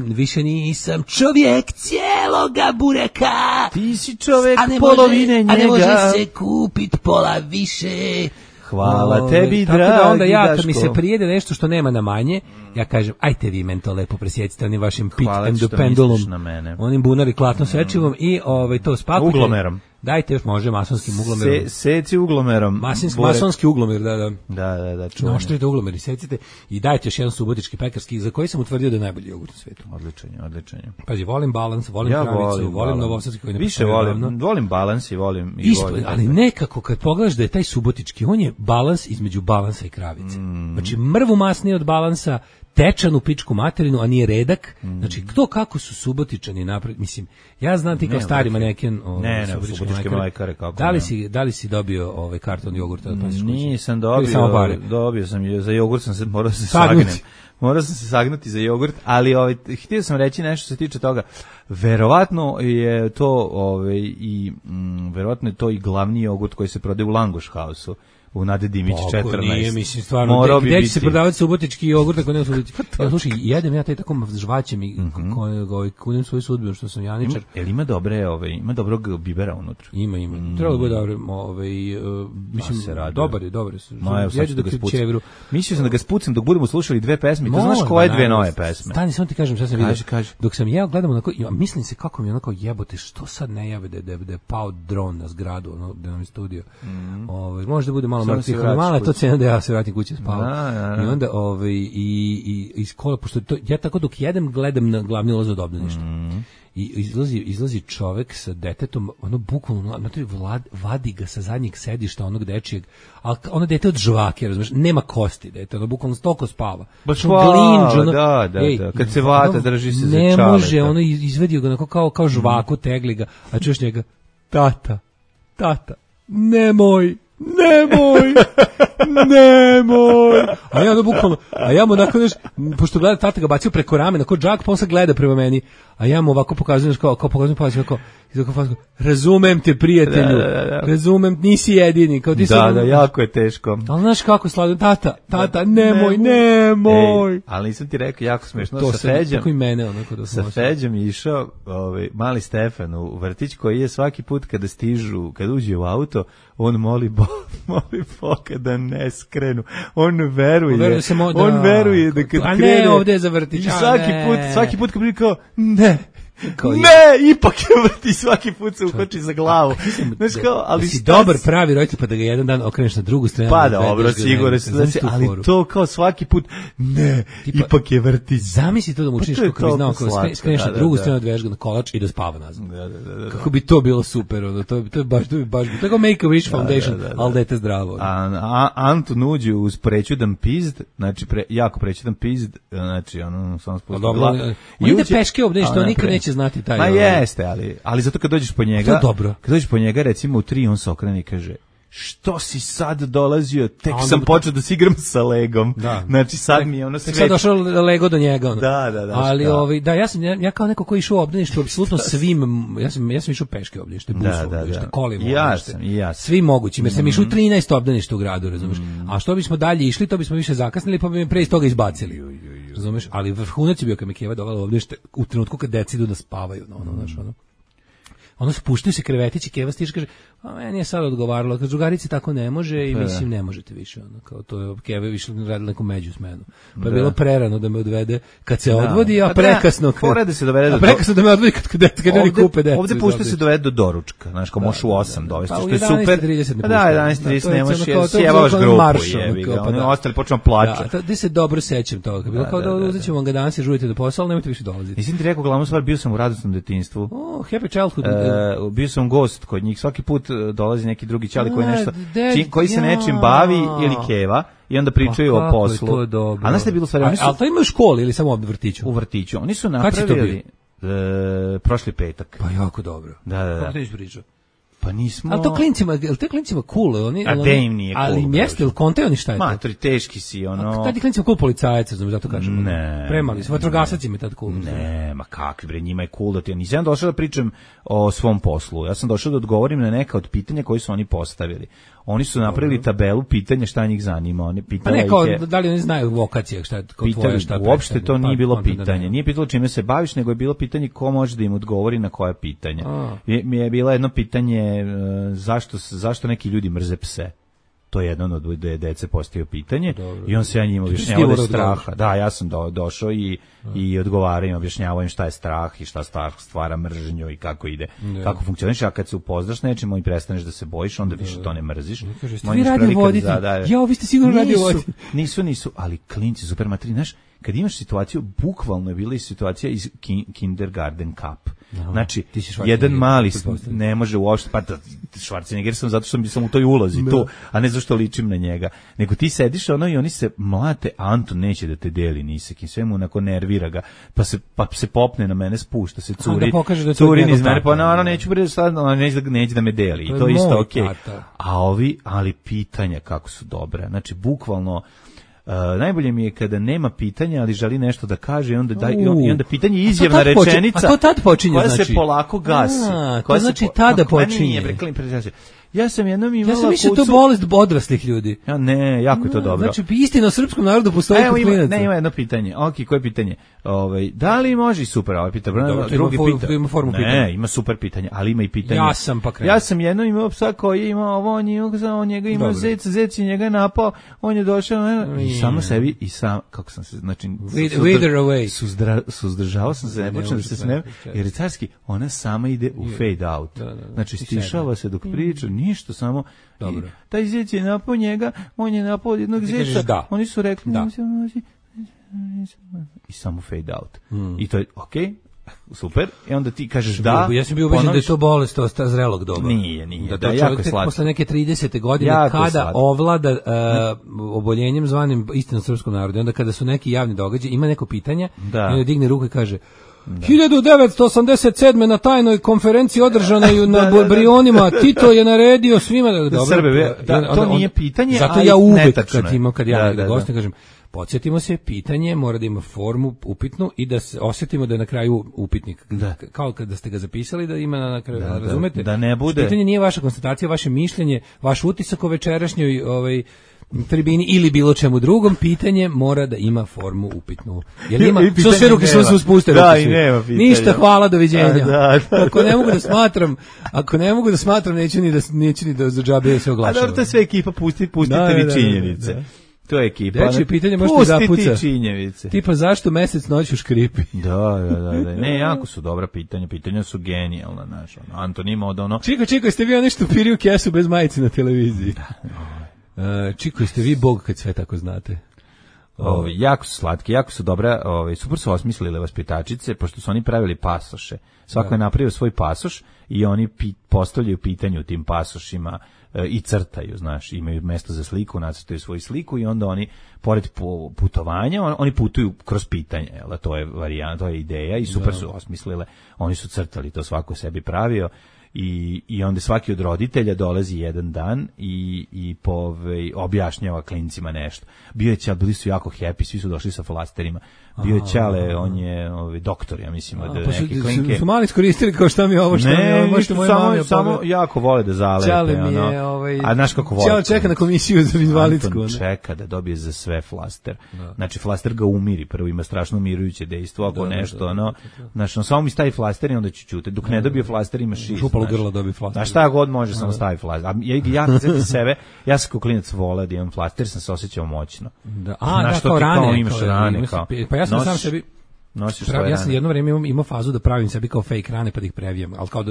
Više nisam čovjek cijeloga bureka. Ti si čovjek polovine njega. A ne može se kupit pola više. Hvala tebi, dragi Daško. Tako da onda ja, kad mi Daško. se prijede nešto što nema na manje, ja kažem, ajte vi men to lepo presjecite onim vašim pit and pendulum, onim bunari klatno sečivom i to spakujte. Uglomerom. Dajte još, može, masonskim uglomerom. Seci uglomerom. Masonski uglomer, da. Da, čuveno. Noštrite uglomer i secite i dajte još jedan subotički pekarski, za koji sam utvrdio da je najbolji jogurt u svetu. Odličan. Pazi, volim balans, volim kravicu, volim novosadski koji ne više volim balans i volim... Isto, ali nekako kad pogledaš da je taj subotički, on je balans između balansa i kravice. Znači, mrvu masnije od balansa, tečanu pičku materinu, a nije redak. Znači, to kako su Subotičani napred, mislim, ja znam ti kao stari maneken subotičke mlekare, kako da li si dobio karton jogurta od Pasiš kuće? Nisam dobio sam, za jogurt sam se, morao sam se sagnuti za jogurt, ali htio sam reći nešto se tiče toga. Verovatno je to i glavni jogurt koji se prodaje u Langoš House-u. U Nade Dimić 14. Nije, mislim, stvarno, gde će se prodavati subotički jogurt ako nema subotički? Ja, slušaj, jedem ja taj tako žvaćem i kunem svoju sudbinu što sam Janičar. Jel ima dobrog bibera unutra? Ima. Treba da bude dobro, mislim, dobar je. Jeđu dok je u Čevru. Mislio sam da ga spucam dok budemo slušali 2 pesme. To znaš koje 2 nove pesme? Stani, samo ti kažem šta sam vidio. Dok sam jeo, gledam onako, mislim se kako mi je onako jebote, što sad ne jave da je pao dron na zgradu, da nam je studio. Možda bude malo mrtvih, ali malo je to cena da ja se vratim kući spavam. I onda i iz kola, pošto ja tako dok jedem gledam na glavni ulaz od obdaništa. I izlazi čovek sa detetom, ono bukvalno, vadi ga sa zadnjeg sedišta onog dečijeg, ali ono dete od žvake, razumiješ, nema kosti dete, ono bukvalno stoko spava. Baš glinđ, da, kad se vata drži se za čaleta. Ne može, ono izvedio ga kao žvaku, tegli ga, a čuješ njega, tata, nemoj. A ja bukvalno, mu onako pošto gleda, tata ga bacio preko ramena, kao džak, pa on se gleda prema meni, a ja mu ovako pokazujem, kao pokazujem palacima, kao razumem te, prijatelju, razumem, nisi jedini, kao ti da, jako je teško. Ali znaš kako slavim, tata, nemoj. Ali nisam ti rekao, jako smešno, sa Feđom je išao mali Stefan u vrtić, koji je svaki put kada uđe u auto, on moli Boga da ne skrenu. On veruje da kad krene... A ne, ovdje je za vrtić. Svaki put kad bi kao, ne, ipak je vrti, svaki put se uhoči za glavu. Znaš kao, ali si dobar pravi roditelj, pa da ga jedan dan okreneš na drugu stranu. Pa dobro, sigurno se, ali to kao svaki put, ne, ipak je vrti. Zamisli to da mu učiniš kako bi znao, skreneš na drugu stranu, odveješ ga na kolač i da spava nazad. Kako bi to bilo super, to je baš, to je kao Make-A-Wish Foundation, ali dete zdravo. Anton uđe uz prećudan pizd, znači jako prećudan pizd, znači ono, sam spustio glavu. On ide peške obdeš, to nikad neće znati taj. Ma jeste, ali zato kad dođeš po njega, kad dođeš po njega recimo u 3, on se okrene i kaže: što si sad dolazio, tek sam počeo da se igram sa Legom. Znači sad mi je ono sve. Sad došao Lego do njega. Da. Ali ja kao neko ko je išao u obdaništu, apsolutno svim, ja sam išao peške obdanište, busom obdanište, kolima obdanište. Ja svim mogućim, jer sam išao u 13 obdaništa u gradu, razumiješ. A što bismo dalje išli, to bismo više zakasnili, pa bi me pre iz toga izbacili. Razumeš, ali vrhunac je bio kad me Keva dovela ovdje u trenutku kad deca idu da spavaju, znaš, ono. ono spuštaju se krevetići, Keva stiže kaže, a meni je sad odgovaralo, kad drugarici tako ne može i mislim ne možete više, ono, kao to je Keva više radila neku među smenu. Pa je bilo prerano da me odvede kad se odvodi, a prekasno da se dovede prekasno da me odvodi kad ljudi kupe decu. Ovde pušta se dovede do doručka, znaš, kao možeš u 8 dovesti, što je super. Da, 11:30 ne možeš, sjevaš grupu, jebi ga, oni ostali počnu plačati. Da, gde se dobro sećam toga, bilo kao da uzećemo ga danas i žurite do posla, ali nemojte više dolaziti. Nisam ti rekao glavnu stvar, bio sam u radosnom detinjstvu. Happy childhood. Bio sam gost kod njih, svaki put dolazi neki drugi ćali koji nešto, koji se nečim bavi ili Keva. I onda pričaju o poslu. A znaš šta je bilo stvari? Ali to ima u školi ili samo u vrtiću? U vrtiću. Oni su napravili prošli petak. Pa jako dobro. Da. Kako ti pričao? Pa nismo... Ali to klincima cool, oni... A de im nije cool. Ali im jeste, ili kontaju oni šta je to? Matori, teški si, ono... Tad je klincima cool policajaca, znam, zato kažem. Ne. Premali su, vatrogasac im je tad cool. Ne, ma kakvi bre, njima je cool da ti... Nisam došao da pričam o svom poslu, ja sam došao da odgovorim na neka od pitanja koje su oni postavili. Oni su napravili tabelu pitanja šta njih zanima. Oni pitali pa ne, kao, da li oni znaju vokacije, šta je tvoje, šta je uopšte to nije bilo pitanje. Nije pitalo čime se baviš, nego je bilo pitanje ko može da im odgovori na koje pitanje. Mi je bilo jedno pitanje zašto neki ljudi mrze pse. To je jedan od dece postavio pitanje. Dobro. I on se ja njima objašnjavao da je straha. Da, ja sam došao i odgovarao im, objašnjavao im šta je strah i šta strah stvara mržnju i kako ide, kako funkcioniš. A kad se upoznaš nečim i prestaneš da se bojiš, onda više to ne mrziš. Vi radio voditi. Ja, vi ste sigurno radio voditi. Nisu, ali klinci super materi, znaš, kad imaš situaciju, bukvalno je bila i situacija iz Kindergarten Cup. Znači, jedan mali ne može uopšte, pa Schwarzenegger sam zato što sam u toj ulozi tu, a ne zašto ličim na njega. Nego ti sediš ono i oni se mlate, Anton neće da te deli nisekim, sve mu onako nervira ga, pa se popne na mene, spušta se, curi niz mene, pa naravno neću neće da me deli, i to je isto okej. Ali pitanja kako su dobre, znači bukvalno najbolje mi je kada nema pitanja, ali želi nešto da kaže i onda pitanje je izjavna rečenica. A to tad počinje, koja znači. Se polako gasi. To znači tada počinje. Ja sam jednom imala kucu. Ja sam mislio to bolest odraslih ljudi. Ja ne, jako je to dobro. Znači istina o srpskom narodu postoji kod klinaca. Ima jedno pitanje. Okej, koje pitanje? Da li može super, pitanje. Drugi pitanje. Ima formu pitanja. Ne, ima super pitanje, ali ima i pitanje. Ja sam jednom imao psa koji je imao ovo, on njega imao zec i njega napao, on je došao i samo sebi i sam, kako sam se, znači suzdržavao sam se, ne počnem da se smijem, jer carski, ona sama ide u fade out. Znači stišava se dok priča, ništa, samo taj zec je napao njega, on je napao jednog zeca, oni su rekli i samo fade out. I to je okej, super, i onda ti kažeš da. Ja sam bio ubeđen da je to bolest zrelog doba. Nije. Da jako slatko. Posle neke 30. godine kada ovlada oboljenjem zvanim istinom srpskom narodu, onda kada su neki javni događaji, ima neko pitanje, i onda digne ruku i kaže 1987. na tajnoj konferenciji održanoj na Brionima Tito je naredio svima Srbe, to nije pitanje, zato ja uvek kad ja gostim kažem podsjetimo se, pitanje mora da ima formu upitnu i da se osjetimo da je na kraju upitnik. Kao kada ste ga zapisali da ima na kraju, razumete? Da ne bude. Pitanje nije vaša konstatacija, vaše mišljenje, vaš utisak o večerašnjoj tribini ili bilo čemu drugom, pitanje mora da ima formu upitnu. Jer ima, što sve ruke su spuste. Ništa, hvala, doviđenja. Ako ne mogu da smatram, neću ni da za džabe se oglašavam. A dobro, to je sve ekipa, pustite vi činjenice. To je ekipa. Deči, pitanje možete zapuca. Pusti ti činjevice. Tipa zašto mesec noću škripi? Da. Ne, jako su dobra pitanja. Pitanja su genijalna, znaš. Anton ima od ono... Čiko, jeste vi nešto piri u kesu bez majice na televiziji? Čiko, jeste vi bog kad sve tako znate? Jako su slatki, jako su dobra, super su osmislile vaspitačice, pošto su oni pravili pasoše. Svako je napravio svoj pasoš i oni postavljaju pitanje u tim pasošima i crtaju, znaš, imaju mesto za sliku, nacrtaju svoju sliku i onda oni, pored putovanja, oni putuju kroz pitanje, jel, to je varijanta, to je ideja i super su osmislile, oni su crtali, to svako sebi pravio i onda svaki od roditelja dolazi jedan dan i objašnjava klincima nešto. Bili su jako happy, svi su došli sa flasterima. Bio je Ćale, on je doktor, ja mislim, od neke klinke. Su mali iskoristili kao šta mi je ovo, šta mi je ovo, možete moje mami. Samo jako vole da zalepe. Ćale mi je, a znaš kako vole. Ćale čeka na komisiju za invalidsku. Anton čeka da dobije za sve flaster. Znači, flaster ga umiri, prvo ima strašno umirujuće dejstvo, ako nešto, znači, samo mi stavi flaster i onda ću čuti. Dok ne dobije flaster, ima šist. Župalo grlo dobije flaster. A šta god može, samo stavi flaster. A ja kad setim sebe, ja sam kao klinac voleo da imam flaster, sam se osjećao moćno. Kao rane. Imaš rane, kao. Pa ja sam sam sebi ja sam jedno vrijeme imao fazu da pravim sebi kao fake rane pa da ih previjem, ali kao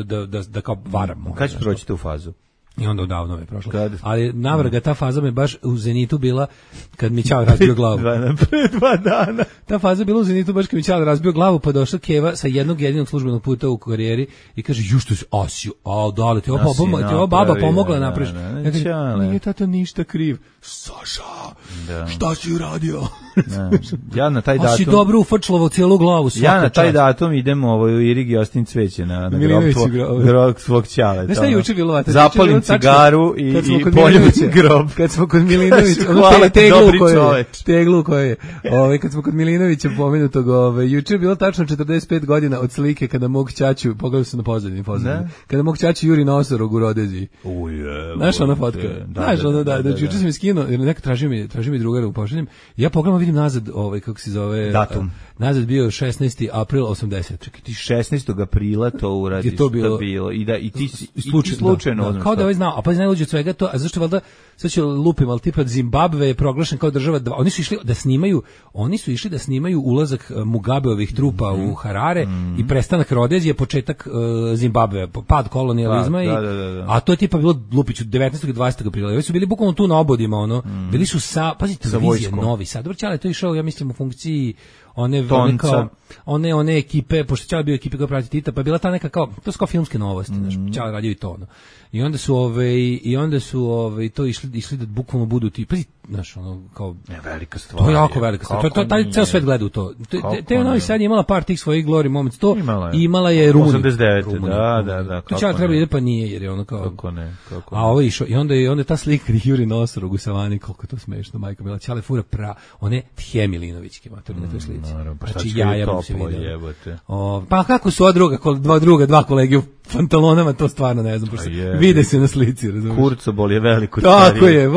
da kao varam. Kad ćeš proći tu fazu? I onda odavno je prošlo. Ali navrga, ta faza me baš u zenitu bila kad mi Ćale razbio glavu. Pre 2 dana. Ta faza bila u zenitu baš kad mi Ćale razbio glavu, pa došla Keva sa jednog jedinog službenog puta u karijeri i kaže, ju što si Asiju, da li ti ova baba pomogla napraviš. Ja kažem, nije tata ništa kriv. Saša, šta si uradio? Ja na taj datum... A si dobro ufačlovo cijelu glavu. Ja na taj datum idem u Irigi Ostin cveće na grob svog Ćale. Znaš šta je juče bilo? Zapalim cigaru i poljubim grob. Kad smo kod Milinovića, teglu koje je. Kad smo kod Milinovića pomenutog, juče je bilo tačno 45 godina od slike kada mog ćaću, pogledao sam na pozadini, kada mog ćaću juri na osorog u Rodeziji. Znaš ona fotka? Znaš ono da, juče sam je skinuo, jer neka traži mi drugara u pošaljem, ja pogledam, vidim nazad, kako se zove... Datum. Nazad bio 16. april 80. Čekaj, ti 16. aprila to uradiš, to bilo. I ti slučajno. Kao da ovaj znao, a pa najluđe od svega to, a zašto valjda, sad ću lupim, ali tipa Zimbabve je proglašen kao država, oni su išli da snimaju ulazak Mugabeovih trupa u Harare i prestanak Rodezije, početak Zimbabve, pad kolonijalizma, a to je tipa bilo Lupiću 19. i 20. aprila. Ovi su bili bukvalno tu na obodima, bili su pazite, televizije Novi Sad. Dobro, Ćale, to je išao, ja mislim, u funkciji one ekipe, pošto Ćale bio ekipe koja prati Tita, pa je bila ta neka kao, to su kao filmske novosti, Ćale radio i to, I onda su to išli da bukvalno budu ti, znaš, kao velika stvar. To je jako velika stvar. To taj ceo svet gleda u to. Te Novi Sad je imala par tih svojih glory moments, to imala je Rumunija. 89. Da. To Ćale treba ide, pa nije, jer je ono kao... Kako ne. A ovo išao, i onda ta slika Juri na osorogu u savani, koliko to smešno, majka bila. Ćale fura one Tje Milinovićke matori na toj slici. Znači jaja mu se vidio. Pa kako su dva kolege u pantalonama, to stvarno ne znam, vide se na slici, razumiješ? Kurcobol je veliko starije. Tako je,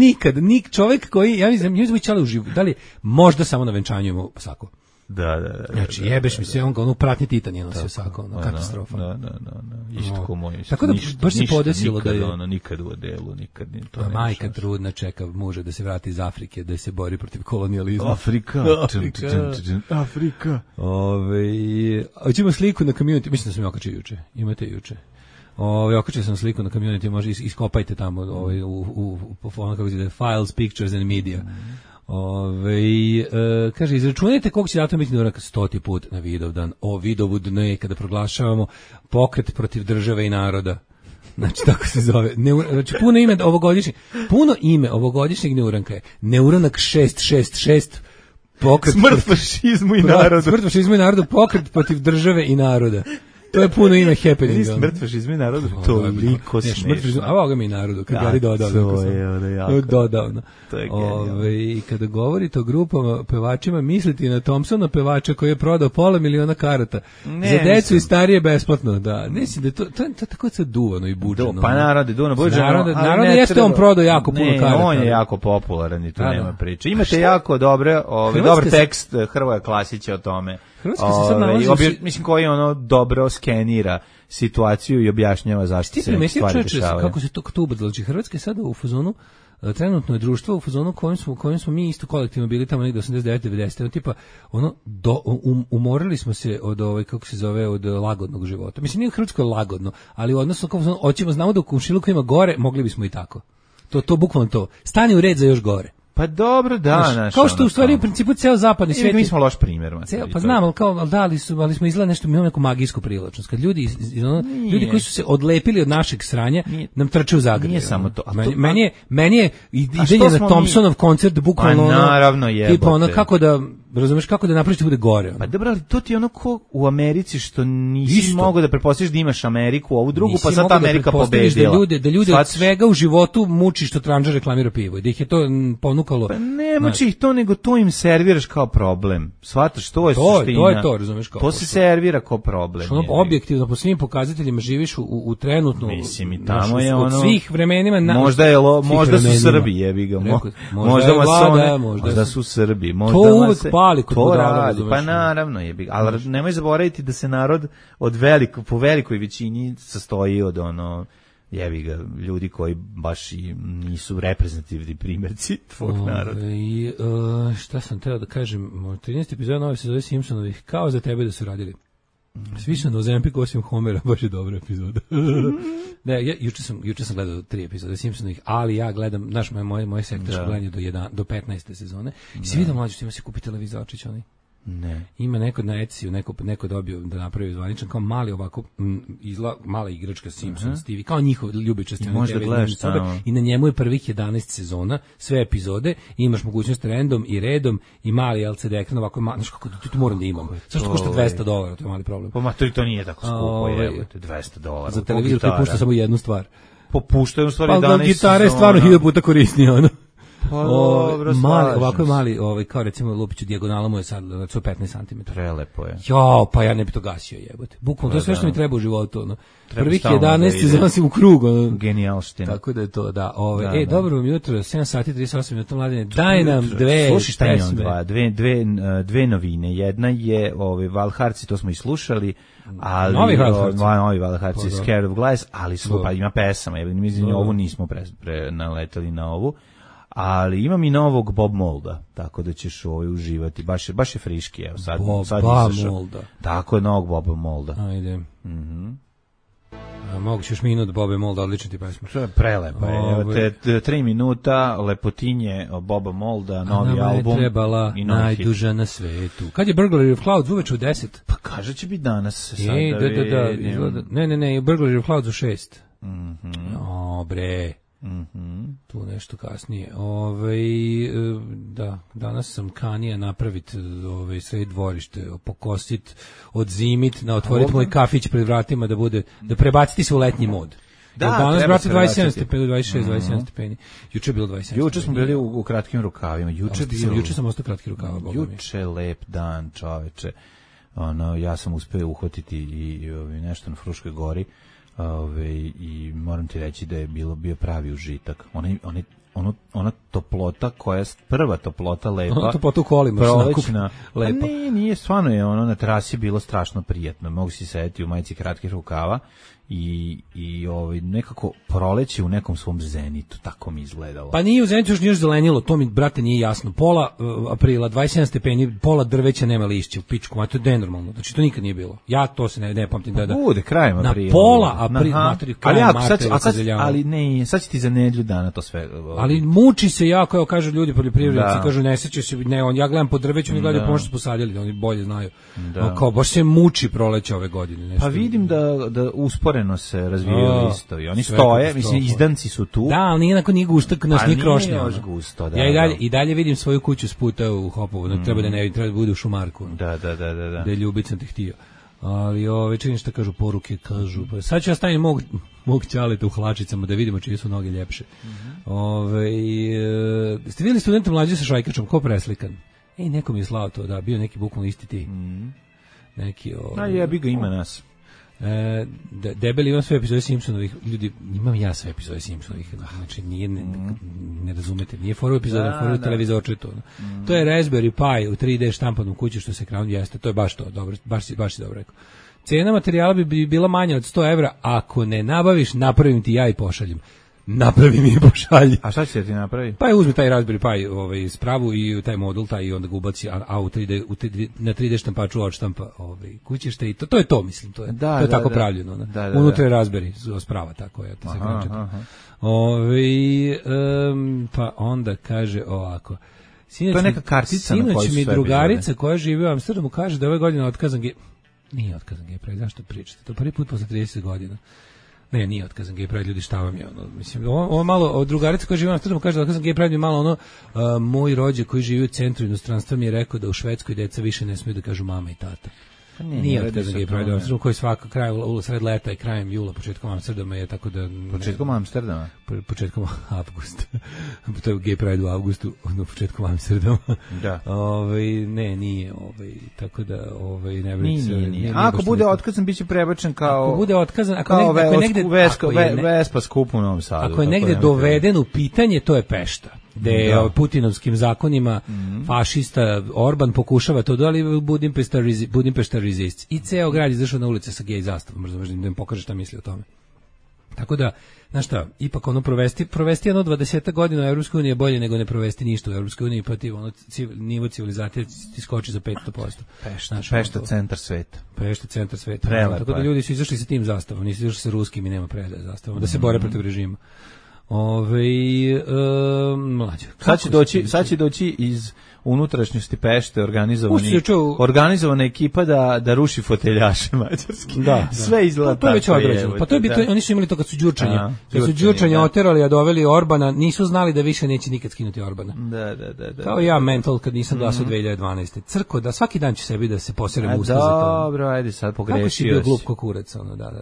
nikad, čovjek koji, ja mislim, Ćale uživo, da li možda samo na venčanju imao sako. Da. Znači, jebeš mi se, on kao pratnji Titan je nosio sako, katastrofa. Da. Isto ko moj. Tako da baš se podesilo da je... Nikad u odelu, nikad to ne. Majka trudna čeka muža da se vrati iz Afrike, da se bori protiv kolonijalizma. Afrika. Hoćemo sliku na community, mislim da sam okačio juče. Imate juče. Okačio sam sliku na community, može iskopajte tamo kako se zove, files, pictures and media. Kaže, izračunajte koliko će datum biti uranka 100. put na Vidovdan, Vidovudne, kada proglašavamo pokret protiv države i naroda. Znači, tako se zove. Znači, puno ime ovogodišnjeg neuranka je Neuranak 666, pokret... Smrt fašizmu i narodu. Smrt fašizmu i narodu, pokret protiv države i naroda. To je puno ime happening. Smrt fašizmu i narodu, toliko smešno. A ovoga mi i narodu, kad Gari dodao. To je genijalno. I kada govorite o grupama pevačima, mislite na Thompsona pevača koji je prodao 500.000 karata. Za decu i starije besplatno, da. Mislim da to je tako sad duvano i buđeno. Pa narode, duvano, buđeno. Narode jeste on prodao jako puno karata. Ne, on je jako popularan i tu nema priče. Imate jako dobar tekst Hrvoja Klasića o tome. Hrvatska se sad nalazi... Mislim, koji dobro skenira situaciju i objašnjava zašto se neke stvari dešavaju. Kako se to ubrzalo? Znači, Hrvatska je sada u fazonu, trenutno je društvo u fazonu kojim smo mi isto kolektivno bili tamo negdje 89-90. Tipa, umorili smo se od kako se zove, od lagodnog života. Mislim, nije u Hrvatskoj lagodno, ali odnosno, znamo da u Komšiluku ima gore, mogli bismo i tako. To bukvalno to. Stani u red za još gore. Pa dobro, da, kao što u stvari u principu ceo zapadni svijet. Mi smo loš primjer, pa znam, ali smo izgleda nešto, mi imamo neku magijsku privlačnost. Kad ljudi koji su se odlepili od našeg sranja nam trče u Zagreb. Nije samo to. Meni je idenje na Thompsonov koncert bukvalno naravno je. Tipa kako da razumeš kako da napraviš da bude gore. Ono. Pa dobro, ali to ti je ono ko u Americi što nisi mogao da pretpostaviš da imaš Ameriku, ovu drugu, pa sad Amerika pobedila. Da ljude od svega u životu muči što Tranža reklamira pivo i da ih je to ponukalo. Pa ne muči ih to, nego to im serviraš kao problem. Shvataš, to je suština. To je to, razumeš kao. To se servira kao problem. Što objektivno po svim pokazateljima živiš u trenutnu. Mislim i tamo je ono. Od svih vremenima možda su Srbi, jebi ga. Možda su Srbi. To uvek pali kod budala. Pa naravno jebi ga. Ali nemoj zaboraviti da se narod po velikoj većini sastoji od ono jebi ga, ljudi koji baš i nisu reprezentativni primjerci tvog naroda. I šta sam teo da kažem, 13. epizoda nove sezone Simpsonovih, kao za tebe da su radili. Svi su na Ozempik osim Homera, baš je dobra epizoda. Ne, juče sam gledao 3 epizode Simpsonovih, ali ja gledam, znaš, moje sektorsko gledanje do 15. sezone. I si vidio mlađe što ima se kupi televizorčić, oni? Ne. Ima neko na Etsy, neko dobio da napravi zvaničan, kao mali ovako, mala igračka Simpsons TV, kao njihov ljubičasti. Možda gledaš tamo. I na njemu je prvih 11 sezona, sve epizode, imaš mogućnost random i redom i mali LCD ekran, ovako, znaš kako, to moram da imam. Zašto košta $200, to je mali problem. Pa matori, to nije tako skupo, jebote, $200. Za televizor koji pušta samo jednu stvar. Popuštaju u stvari 11 sezona. Pa gitara je stvarno 1000 puta korisnija, ono. Ovako je mali, kao recimo Lupiću dijagonala mu je sad 15 cm. Prelepo je. Jo, pa ja ne bi to gasio, jebote. Bukvalno, to je sve što mi treba u životu, ono. Prvih 11 zanosim u krug, ono. Genijalština. Tako da je to, da. Dobro vam jutro, 7 sati 38 minuta, mladine. Daj nam dve. Slušaj šta imam dve novine. Jedna je Valharci, to smo i slušali. Ali novi Valharci, Scared of Glass, ali pa ima pesama, mislim ovu nismo naletali na ovu. Ali imam i novog Bob Molda, tako da ćeš uživati. Baš je friški, evo sad. Bob Molda. Tako je, novog Boba Molda. Ajde. Mogu ćeš minut Boba Molda, odlična ti pesma. To je prelepa. Evo te 3 minuta, lepotinje Boba Molda, novi album. Nama je trebala najduža na svetu. Kad je Burglary of Clouds uveče u 10? Pa kaže će biti danas. Da. Ne, Burglary of Clouds u 6. O, bre. Tu nešto kasnije. Da, danas sam kanija napraviti sred dvorište, pokosit, odzimit, otvoriti moj kafić pred vratima da prebaciti se u letnji mod. Da, danas, brate, 27 stepeni, 26, 27 stepeni. Juče je bilo 27 stepeni. Juče smo bili u kratkim rukavima. Juče sam ostao kratki rukava. Juče lep dan, čoveče. Ja sam uspeo uhvatiti i nešto na Fruškoj gori. I moram ti reći da je bio pravi užitak. Ona toplota koja je prva toplota lepa. Ona toplota u kolima. Prolećna. Lepa. Nije, stvarno je na trasi bilo strašno prijatno. Mogu si sedeti u majici kratkih rukava i nekako proleće u nekom svom zenitu, tako mi izgledalo. Pa nije u zenitu još zelenilo, to mi, brate, nije jasno. Pola aprila, 27 stepeni, pola drveća nema lišća u pičku, ma to je nenormalno. Znači to nikad nije bilo. Ja to se ne pamtim da. Bude krajem aprila. Na pola aprila, krajem marta. Ali ne, sad će ti za nedelju dana to sve. Ali muči se jako, evo kažu ljudi poljoprivrednici, kažu ne seća se, ja gledam po drveću, oni gledaju pomoć posadili, oni bolje znaju. Kao baš se muči proleće ove godine. Pa vidim da usporeno se razvijaju listovi. Oni stoje, mislim, izdanci su tu. Da, ali nije gusto, nas nije krošnja. Još gusto, da. Ja i dalje vidim svoju kuću s puta u Hopovu, treba da bude u Šumarku. Da. Da je Ljubica te htio. Ali čini šta kažu poruke, kažu. Pa sad ću ja stavim mog ćaleta u hlačicama da vidimo čije su noge ljepše. Ste vidjeli studenta mlađe sa šajkačom, ko preslikan? Neko mi je slao to, da, bio neki bukvalno isti ti. Neki jebi ga, ima nas. Debeli imam sve epizode Simpsonovih, ljudi, imam ja sve epizode Simpsonovih, znači nije, ne razumete, nije foru epizoda, foru televizorčetu. To je Raspberry Pi u 3D štampanom kući što se ekranom jeste, to je baš to, dobro, baš si dobro rekao. Cena materijala bi bila manja od 100 evra, ako ne nabaviš, napravim ti ja i pošaljem. Napravi mi i pošalji. A šta će ti napravi? Pa uzmi taj Raspberry Pi spravu i taj modul i onda ga ubaci u 3D, na 3D štampaču odštampa kućište i to je to, mislim, to je tako pravljeno. Unutra je Raspberry sprava tako, ja to se kaže. Pa onda kaže ovako. To je neka kartica na kojoj su sve mi drugarica koja živi u Amsterdamu kaže da ove godine otkazan nije otkazan gej, zašto pričate? To prvi put posle 30 godina. Ne, nije otkazan gej pride, ljudi, šta vam je ono, mislim, ovo malo, drugarica koja živi na Amsterdamu kaže da otkazan gej pride je malo ono, moj rođak koji živi u centru inostranstva mi je rekao da u Švedskoj deca više ne smiju da kažu mama i tata. Nije otkazan gej pride, koji svaka kraj sred leta i krajem jula, početkom Amsterdama je tako da... Početkom Amsterdama? Početkom avgusta. To je gej pride u avgustu, početkom Amsterdama. Da. Nije, tako da, ne nije. Ako bude otkazan, bit će prebačen kao... Ako bude otkazan, ako je negde... Vespa skup u Novom Sadu. Ako je negde doveden u pitanje, to je Pešta. Gde putinovskim zakonima fašista Orban pokušava to, ali Budimpešta resists. I ceo grad izašao na ulice sa gej zastavom, možda da im pokaže šta misli o tome. Tako da, znaš šta, ipak ono provesti jedno 20 godina u Evropskoj uniji je bolje nego ne provesti ništa u Evropskoj uniji, pa ti ono nivo civilizacije ti skoči za 500%. Pešta centar sveta. Pešta centar sveta. Tako da ljudi su izašli sa tim zastavom, nisu izašli sa ruskim i nema predaje zastavom, da se bore protiv režima. Mlađe. Sad će doći iz unutrašnjosti Pešte organizovana ekipa da ruši foteljaše mađarski. Da. Sve izgleda to je već odrađeno. Pa to je bitno, oni su imali to kad su Đurčanja oterali, a doveli Orbana, nisu znali da više neće nikad skinuti Orbana. Da. Kao ja mental kad nisam glasao 2012. Crko da svaki dan će sebi da se poserem usta za to. Dobro, ajde sad pogrešio. Kako si bio glup ko kurac, ono, da.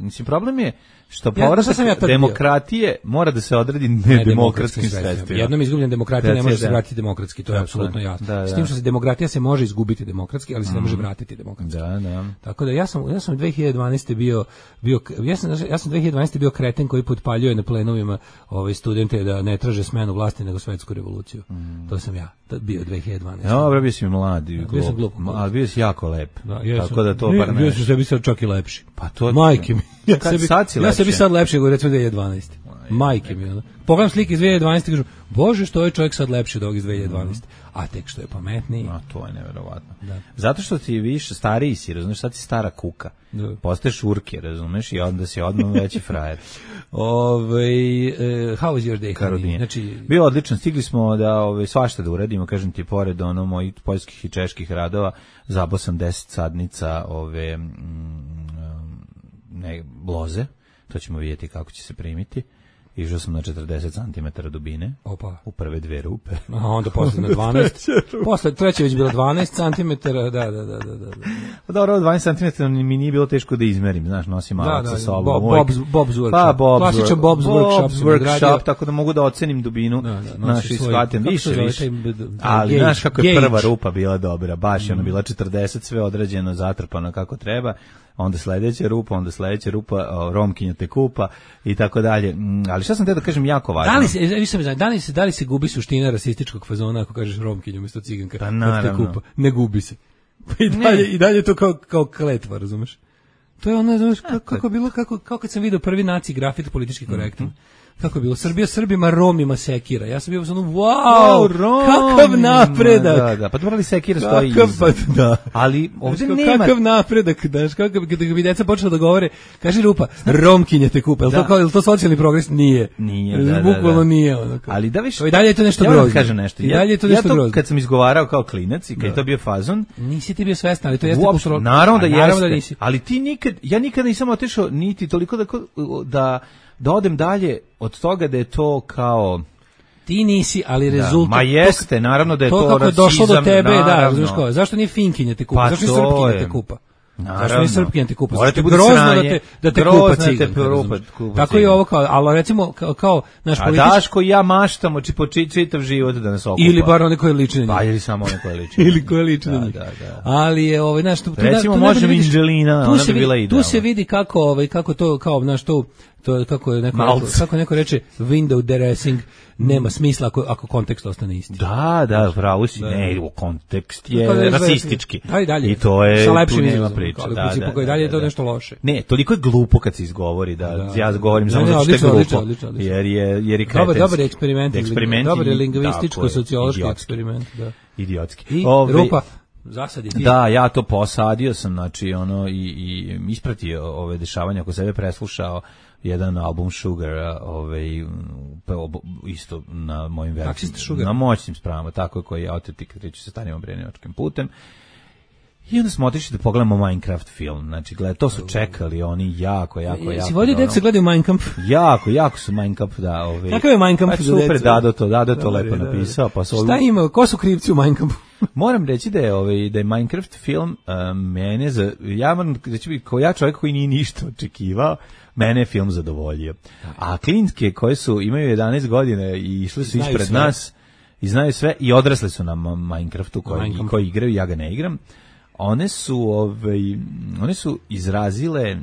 Mislim, problem je što povratak demokratije mora da se odredi nedemokratskim sredstvima. Jednom izgubljen demokratija ne može se vratiti demokratski, to je apsolutno jasno. S tim što se demokratija se može izgubiti demokratski, ali se ne može vratiti demokratski. Da. Tako da ja sam 2012. bio 2012. bio kreten koji potpaljuje na plenovima studente da ne traže smenu vlasti nego svetsku revoluciju. To sam ja bio 2012. Dobro, bio si mladi, ali bio si jako lep. Tako da to bar ne. Bio si sebi sad čak i lepši. Pa to majke mi. Ja sebi sad lepši nego recimo 2012. Majke mi. Pogledam slike iz 2012 i kažem, bože, što je čovjek sad lepši od ovog iz 2012. A tek što je pametniji. A to je neverovatno. Da. Zato što ti više stariji si, razumeš, sad si stara kuka. Da. Postaješ urke, razumeš, i onda si odmah veći frajer. How was your day? Karolina. Znači, bio odličan, stigli smo da svašta da uradimo, kažem ti, pored mojih poljskih i čeških radova, zabao sam 10 sadnica bloze, to ćemo vidjeti kako će se primiti. Išao sam na 40 cm dubine. Opa. U prve dve rupe. A onda posle na 12. Posle treće već bilo 12 cm. Da. Pa dobro, 12 cm mi nije bilo teško da izmerim, znaš, nosim alat sa sobom. Bob's Workshop. Pa, klasičan Bob's Workshop, tako da mogu da ocenim dubinu. Naši shvatim više. Ali znaš kako je prva rupa bila dobra, baš je ona bila 40, sve odrađeno, zatrpano kako treba. Onda sledeća rupa, Romkinja te kupa i tako dalje. Ali šta sam te da kažem jako važno. Da li se gubi suština rasističkog fazona ako kažeš Romkinju umjesto ciganka? Pa naravno. Ne gubi se. I dalje to kao kletva, razumeš? To je ono, znaš, kako bilo, kako kad sam vidio prvi naci grafit politički korektan. Kako je bilo? Srbija Srbima, Romima sekira. Ja sam bio ono, wow, kakav napredak. Da. Pa dobro li sekira stoji iza. Da. Ali ovdje nema. Kakav napredak, znaš, kako bi deca počela da govore, kaže Rupa, Romkinje te kupa. Je to socijalni progres? Nije. Nije, bukvalno nije. Ali da više. I dalje je to nešto grozno. Ja kažem nešto. Ja to kad sam izgovarao kao klinac i kad je to bio fazon. Nisi ti bio svestan, ali to jeste kulturno. Naravno da jeste. Ali ti ja nikad nisam otišao niti toliko da odem dalje od toga da je to kao... Ti nisi, ali rezultat... Ma jeste, naravno da je to kako je došlo do tebe, naravno. Da, zašto nije Finkinja te kupa? Pa zašto nije Srpkinja te kupa? Zašto nije Srpkinja te kupa? Morate biti sranje. Da te kupa ciganka. Tako je ovo kao, ali recimo kao naš politički... A Daško i ja maštamo čitav život da nas okupa. Ili bar one koje liče na njih. Pa ili samo one koje liče. Ili koje liče na njih. Ali je, znaš... Recimo može Anđelina, ona bi bila idealna. Tu se vidi kako to, kao, znaš, to kako neko reče window dressing nema smisla ako kontekst ostane isti. Da, pravo si, ne, kontekst je rasistički. Dalje. I to je sa lepšim nema priča. Ali u principu koji dalje je to nešto loše. Ne, toliko je glupo kad se izgovori da ja govorim samo zato što je glupo. Jer je kretenski. Dobar eksperiment. Dobar je lingvističko-sociološki eksperiment. Idiotski. I Rupa, zasadi ti. Da, ja to posadio sam, znači, i ispratio ove dešavanja oko sebe, preslušao jedan album Sugar, isto na mojim vercijama, na moćnim spravama, tako koji je autentik, kreću se starim obrenivačkim putem. I onda smo otišli da pogledamo Minecraft film. Znači, to su čekali oni jako. Si vodio deca gledaju Minecraft? Jako su Minecraft, da. Kakav je Minecraft za deca? Super, Dado to lepo napisao. Pa šta ima, ko su krivci u Minecraftu? Moram reći da je Minecraft film mene, ja moram reći, kao ja čovjek koji nije ništa očekivao, mene je film zadovoljio. A klinke koje imaju 11 godina i išli su ispred nas i znaju sve i odrasli su na Minecraftu koji igraju, ja ga ne igram. One su izrazile,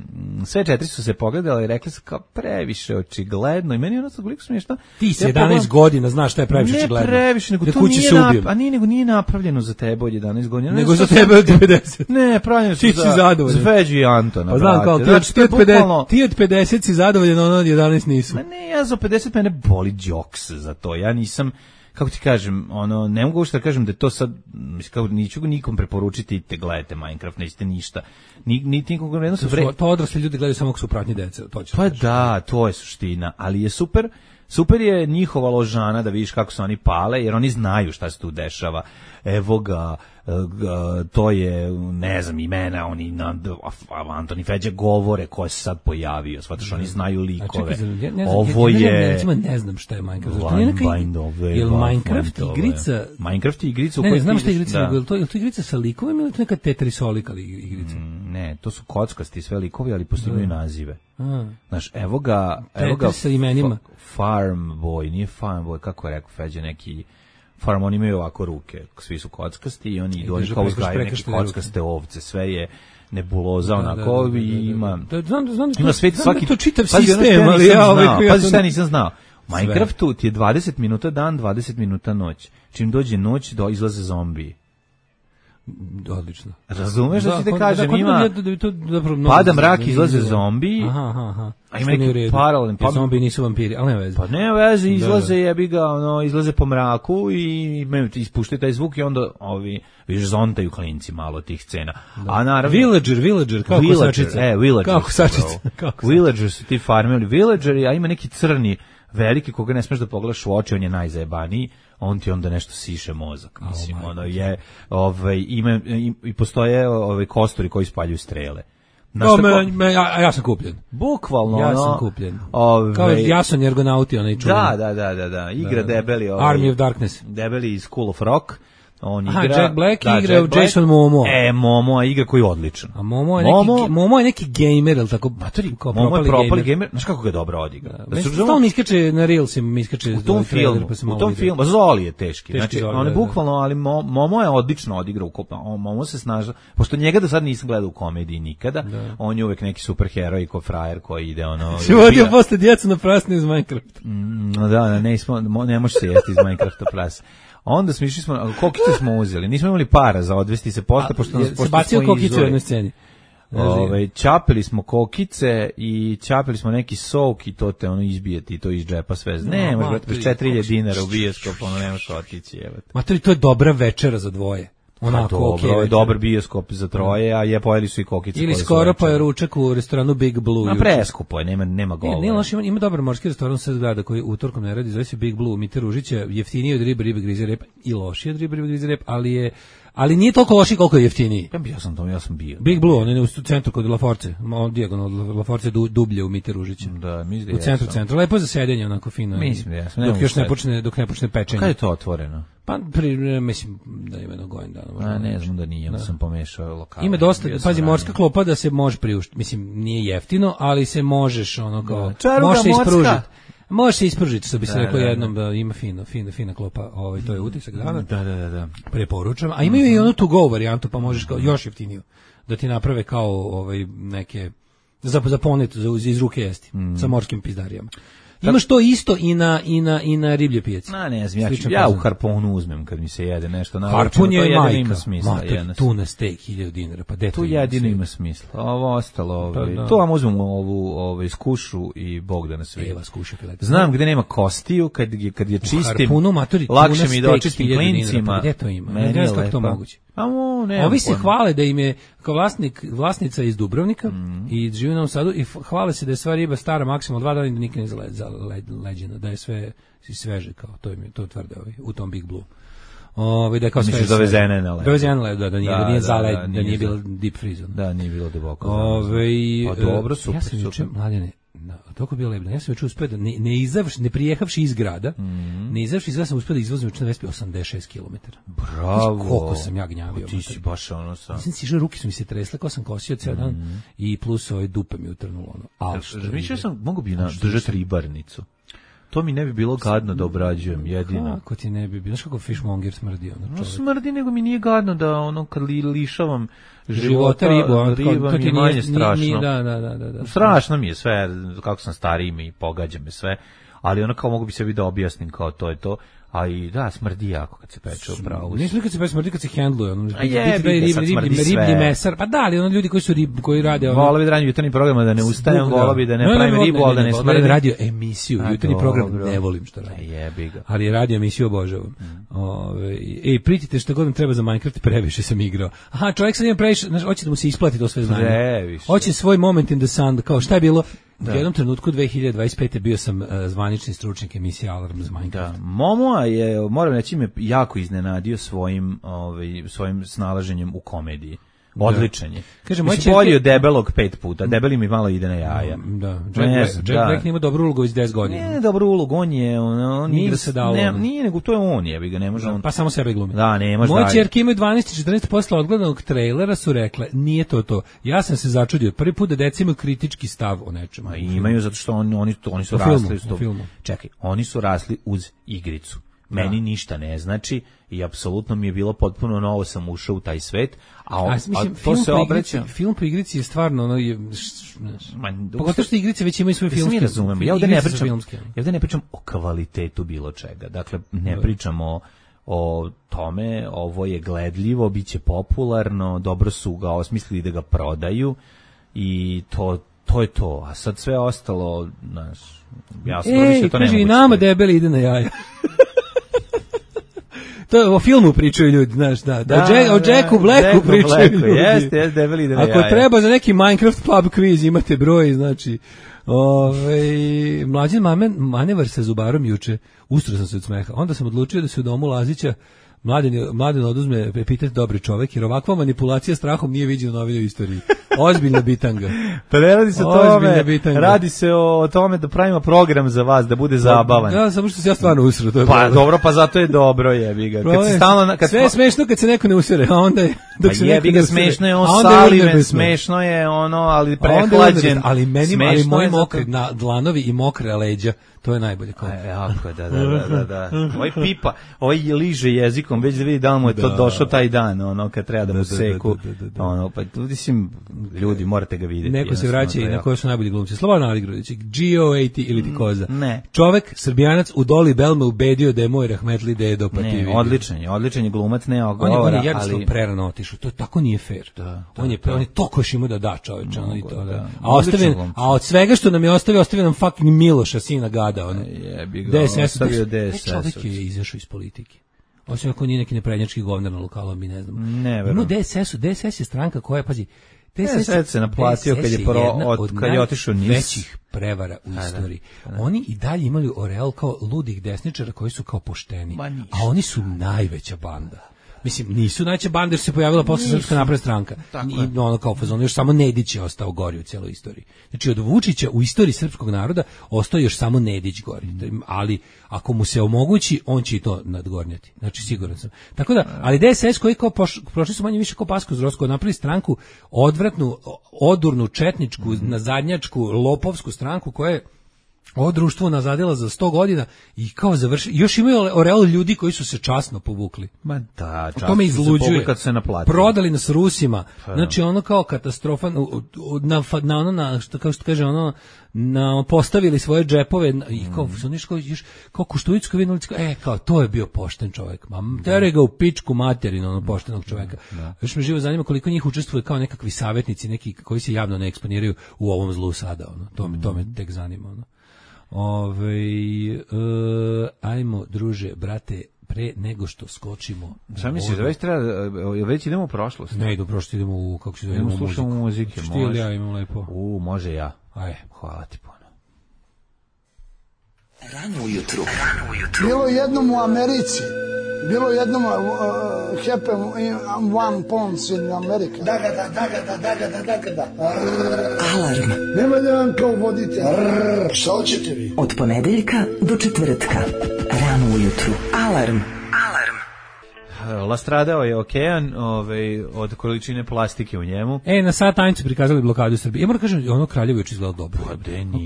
sve 4 su se pogledale i rekli su kao previše očigledno i meni ono sad koliko smiješno. Ti si 11 godina, znaš šta je previše očigledno. Ne previše, nego to nije napravljeno za tebe od 11 godina. Nego za tebe od 90. Ne, pravljeno su za Feđu i Antona. Pa znam, kao ti od 50 si zadovoljen, ono od 11 nisu. Ne, ja za 50 mene boli džoks za to, ja nisam, kako ti kažem, ne mogu što da kažem da je to sad, kao niću nikom preporučiti, te gledajte Minecraft, nećete ništa. Niti nikom vredno su to odrasli ljudi gledaju samo ako su pratnji deca, to će. Pa da, to je suština, ali je super. Super je njihova ložana da vidiš kako se oni pale, jer oni znaju šta se tu dešava. Evo ga, to je, ne znam, imena, oni Antoni Feđa govore ko se sad pojavio, shvataš, oni znaju likove. Ovo je... Recimo, ne znam šta je Minecraft. Je li Minecraft igrica? Minecraft je igrica u kojoj... Ne, znam šta je igrica, je li to igrica sa likovima ili to neka Tetrisolika igrica? Ne, to su kockasti sve likovi, ali postignuju nazive. Znaš, evo ga sa imenima. Farm Boy, nije Farm Boy, kako je rekao Feđa, neki Farm, oni imaju ovako ruke, svi su kockasti i oni idu kao uzgajaju neke kockaste ovce, sve je nebuloza onako i ima... Ima svet svaki... To čitav sistem, ali pazi šta nisam znao. U Minecraftu ti je 20 minuta dan, 20 minuta noć. Čim dođe noć, izlaze zombiji. Odlično. Razumeš da ti te kažem, ima pada mrak, izlaze zombiji, a ima neki paralelni... Zombiji nisu vampiri, ali nema veze. Pa nema veze, izlaze jebiga, izlaze po mraku i ispuštaju taj zvuk i onda viš zontaju klinci malo tih scena. A naravno... Villager, kako sačica. Kako sačica. Villager su ti farmeri, Villageri, a ima neki crni veliki koga ne smeš da pogledaš u oči, on je najzajebaniji. On ti onda nešto siše mozak, mislim, ima i postoje kosturi koji spaljuju strele. Ja sam kupljen. Bukvalno, ja sam kupljen. Kao Jason Jergonauti, onaj čuven. Da, igra debeli, Army of Darkness. Debeli iz School of Rock. On igra, Jack Black igra u Jason Momoa. Momoa igra koji je odličan. A Momoa je neki gamer, ili tako? Momoa je propali gamer. Znaš kako ga dobro odigra? Stalno mi iskače na Reelsima, u tom filmu, Zoli je teški. Znači, on je bukvalno, ali Momoa je odlično odigrao ukupno. Momoa se snaža, pošto njega do sad nisam gledao u komediji nikada, on je uvek neki superheroj ko frajer koji ide si vodio posle djecu na prasne iz Minecrafta. Ne može se jesti iz Minecrafta prasa. Onda smo išli, kokice smo uzeli, nismo imali para za odvesti se posle, pošto se bacio kokice u jednoj sceni. Čapili smo kokice i čapili smo neki sok i to te izbije ti to iz džepa sve. Ne, možda 4.000 dinara u bioskop, nemaš otići. Materi, to je dobra večera za dvoje. Dobro, je dobar bioskop za troje, a pojeli su i kokice. Ili skoro pa je ručak u restoranu Big Blue. A preskupo je, nema govora. Nije loš, ima dobar morski restoran sad grada koji utorkom ne radi, zove se Big Blue, Mite Ružića, jeftiniji od ribe grize rep i lošiji od ribe grize rep, ali nije toliko loši koliko je jeftiniji. Ja sam bio. Big Blue, on je u centru kod La Force, dijagonalno od La Force dublje u Mite Ružića. Da, mislim u centru, lepo za sedenje, onako fino. Mislim da jesam. Dok ne počne pečenje. Kada je to otvoreno? Pa mislim da ima jedno godin dana. Ne znam da nije, sam pomešao lokale. Ima dosta, pazi, morska klopa da se može priuštiti. Mislim, nije jeftino, ali se možeš može se ispružiti. Može se ispružiti, što bi se rekao jednom, da ima fina klopa, to je utisak dana. Da. Preporučam. A imaju i onu to go varijantu, pa možeš još jeftiniju da ti naprave kao neke za ponet, iz ruke jesti, sa morskim pizdarijama. Imaš to isto i na riblje pijaci. Ne znam, ja u harpunu uzmem kad mi se jede nešto. Harpun je majka. Ima smisla. Tuna steak 1.000 dinara, pa to jedino ima smisla. Ovo ostalo, to vam uzmem ovu skušu i Bog da nas vidi. Znam gde nema kostiju, kad je čistim, harpunu, matori, lakše mi da očistim klincima. Pa gde to ima? Ne znam kako to moguće. Ovi se hvale da im je kao vlasnica iz Dubrovnika i živi u Novom Sadu i hvale se da je sva riba stara maksimalno 2 dana i da nikad nije zaleđena, da je sve sveže, kao to tvrde u tom Big Blue. Da je kao sve dovezene na ledu. Dovezene na ledu, da nije zaled, da nije bilo deep freeze. Da, nije bilo duboko. Pa dobro, super, super. Mladene, toliko je bilo lepo. Ja sam već uspio da ne prijehavši iz grada, ne izavši iz grada sam uspio da izvozim na Vespi 86 km. Bravo. Koliko sam ja gnjavio. Ti si baš ono sam. Ruke su mi se tresle, kao sam kosio ceo dan i plus dupe mi utrnulo. Razmišljao sam, mogu bi držati ribarnicu. To mi ne bi bilo gadno da obrađujem, jedino. Kako ti ne bi bilo? Znaš kako fishmonger smrdi? Smrdi, nego mi nije gadno da kad lišavam života riba mi je manje strašno. Da. Strašno mi je sve, kako sam stariji mi pogađa me sve, ali ono kao mogu bi sebi da objasnim kao to je to. A i da, smrdi jako kad se peče upravo. Nisam kad se peče, smrdi kad se hendluje. Riblji mesar. Pa da, ali ono ljudi koji rade... Volao bi da radim jutarnji program, da ne ustajem, volao bi da ne pravim ribu, ali da ne smrdim. Da radio emisiju, jutarnji program ne volim što radim. Jebi ga. Ali radio emisiju obožavam. Pritite što god nam treba za Minecraft, previše sam igrao. Aha, čovjek sad ima previše, hoće da mu se isplati to sve znanje. Hoće svoj moment in the sun, kao šta je bilo? U jednom trenutku 2025. bio sam zvanični stručnjak emisije Alarm za Minecraft. Da, Momoa je, moram reći, me jako iznenadio svojim snalaženjem u komediji. Odličan je. Kaže, bolji od debelog 5 puta. Debeli mi malo ide na jaja. Da. Jack Black nema dobru ulogu iz 10 godina. Ne, dobru ulogu, on je... Nije se dalo. Nije, nego to je on, jebi ga, ne može on... Pa samo sebe glumi. Da, ne može. Moje ćerke imaju 12-14 posla odgledanog trejlera su rekle, nije to. Ja sam se začudio. Prvi put da deca imaju kritički stav o nečemu. Imaju, zato što oni su rasli u filmu. Čekaj, oni su rasli uz igricu. Meni ništa ne znači i apsolutno mi je bilo potpuno novo, sam ušao u taj svet, a to se obraća. Film po igrici je stvarno pogotovo što igrice već imaju svoj filmski. Mi razumemo. Ja ovdje ne pričam o kvalitetu bilo čega. Dakle, ne pričamo o tome, ovo je gledljivo, bit će popularno, dobro su ga osmislili da ga prodaju i to je to. A sad sve ostalo, jasno, više to ne mogu. I nama debeli ide na jaja. To o filmu pričaju ljudi, znaš, o Jacku Blacku pričaju ljudi. Jeste, debeli ide na jaja. Ako treba za neki Minecraft pub quiz, imate broj, znači... Mlađan manevar sa zubarom juče, ustro sam se od smeha. Onda sam odlučio da se u domu Lazića Mladen oduzme epitet dobri čovek, jer ovakva manipulacija strahom nije viđena u novinoj istoriji. Ozbiljna bitanga. Pa ne radi se o tome, radi se o tome da pravimo program za vas, da bude zabavan. Da, samo što se ja stvarno usro. To je pa dobro, pa zato je dobro, jebi ga. Sve je smešno kad se neko ne usere, a onda je... Jebi ga, smešno je on Saliven, smešno je ono, ali prehlađen. Ali moji mokri dlanovi i mokre leđa, to je najbolje. Jako, da. Ovaj pipa, ovaj liže jezikom, već da vidi da li mu je to došao taj dan, ono, kad treba da mu seku. Ono, pa mislim, ljudi, morate ga vidjeti. Neko se vraća i na koje su najbolji glumci. Slobodan Aligrudić, Gio-AT ili ti Koza. Ne. Čovek, Srbijanac, u Doli Bel me ubedio da je moj rahmetli dedo, pa ti vidi. Odličan je glumac, ne ogovara, on je jednostavno prerano otišao, to tako nije fair. On je toliko još imao da da čoveče, ono i to, da. A od svega što nam je ostavio nam fucking Miloša, sina gada, ono. Ostavio DSS. Čovek je izašao iz politike. Osim ako nije neki neprednjački govnar na lokalu, mi ne znamo. Ne, verujem. DSS je stranka koja, pazi, DSS se naplatio kad je otišao niz većih prevara u istoriji. Oni i dalje imali oreal kao ludih desničara koji su kao pošteni, a oni su najveća banda. Mislim, nisu najveća banda jer se pojavila posle Srpska napredna stranka. I ono kao fazon, još samo Nedić je ostao gori u cijeloj istoriji. Znači, od Vučića u istoriji srpskog naroda ostao još samo Nedić gori. Ali ako mu se omogući, on će i to nadgornjati. Znači, siguran sam. Tako da, ali DSS koji kao prošli su manje više kao Pasko Zrosko, napravili stranku odvratnu, odurnu, četničku, nazadnjačku, lopovsku stranku koja je ovo društvo nazadila za 100 godina i kao završi. Još imaju oreal ljudi koji su se časno povukli. Ma da, časno to me izluđuje. Kad se naplatili. Prodali nas Rusima. Znači ono kao katastrofa postavili svoje džepove i kao Koštuničko vidjeli, kao to je bio pošten čovjek. Tere ga u pičku materinu, poštenog čovjeka. Još me živo zanima koliko njih učestvuje kao nekakvi savjetnici, neki koji se javno ne eksponiraju u ovom zlu sada. To me tek zanima. Ajmo, druže, brate, pre nego što skočimo. Šta misliš, već idemo u prošlost? Ne, idemo u prošlost, idemo u, kako se zove, idemo slušamo muzike. Štil ja imam lepo. Može ja. Ajde. Hvala ti puno. Rano ujutru. Bilo jednom u Americi Bilo jednom happen one pounds in America. Da. Alarm. Nema da vam kao vodite. Šta hoćete vi? Od ponedeljka do četvrtka. Rano ujutru. Alarm. Lastradao je okean od količine plastike u njemu. Na Satanicu prikazali blokadu Srbije. Ja moram kažem, ono Kraljevo je izgledalo dobro.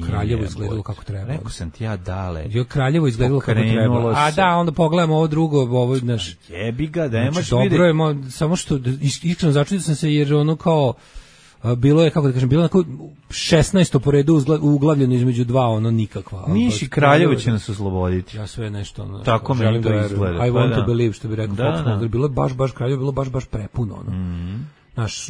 Kraljevo izgledalo kako treba. Rekao sam ti ja dale. Kraljevo izgledalo kako treba. A da, onda pogledamo ovo drugo, ovo znaš. Jebi ga, da nemaš znači, dobro je, samo što iskreno začudio sam se jer ono kao bilo je, kako da kažem, bilo onako 16. po redu uglavljeno između dva, ono nikakva. Niš i Kraljevo će nas osloboditi. Ja sve nešto, ono, tako meni to izgleda. I want to believe, što bi rekao Fox. Bilo je baš Kraljevo, bilo baš prepuno, ono. Naš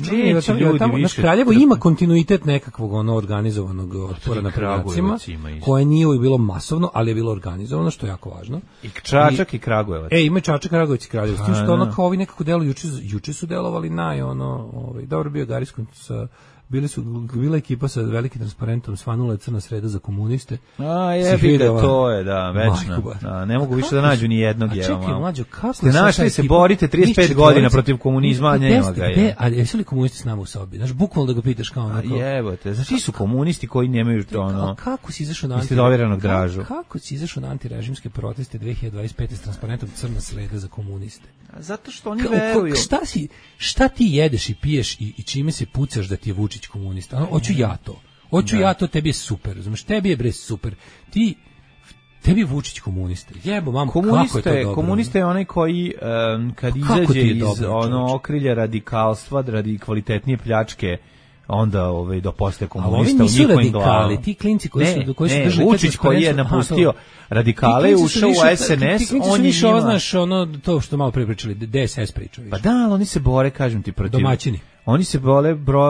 Kraljevo ima kontinuitet nekakvog organizovanog otpora na predacima, koje nije uvijek bilo masovno, ali je bilo organizovano, što je jako važno. I Čačak i Kragujevac. Ima Čačak, Kragujevac i Kraljevo. S tim što ono kao ovi nekako deluju, juče su delovali dobro bio Gariskon sa... Bila ekipa sa velikim transparentom, svanula je crna sreda za komuniste. Jebi ga, to je, da, večno. Ne mogu više da nađu ni jednog. Čekaj, mlađo, kako ste našli se borite 35 godina protiv komunizma, a nema ga je. A jesu li komunisti s nama u sobi? Znaš, bukvalno da ga pitaš kao onako. Jebote, znači su komunisti koji nemaju to kako si izašao na dražu? Kako si izašao na antirežimske proteste 2025 s transparentom crna sreda za komuniste? Zato što oni veruju. Šta ti jedeš i piješ i čime se pucaš da ti je Vučić komunista? Hoću ja to, tebi je super, razumiješ, tebi je bre super. Tebi je Vučić komunista. Jebo, mamo, kako je to dobro? Komunista je onaj koji kad izađe iz okrilja radikalstva, radi kvalitetnije pljačke, onda da postaje komunista u njihovim glavama. Ti klinci koji su držali Vučić koji je napustio radikale, ušao u SNS, on je njima... Znaš, to što malo pričali, DSS pričao. Pa da, ali oni se bore, kažem ti, protiv... Domaćini. Oni se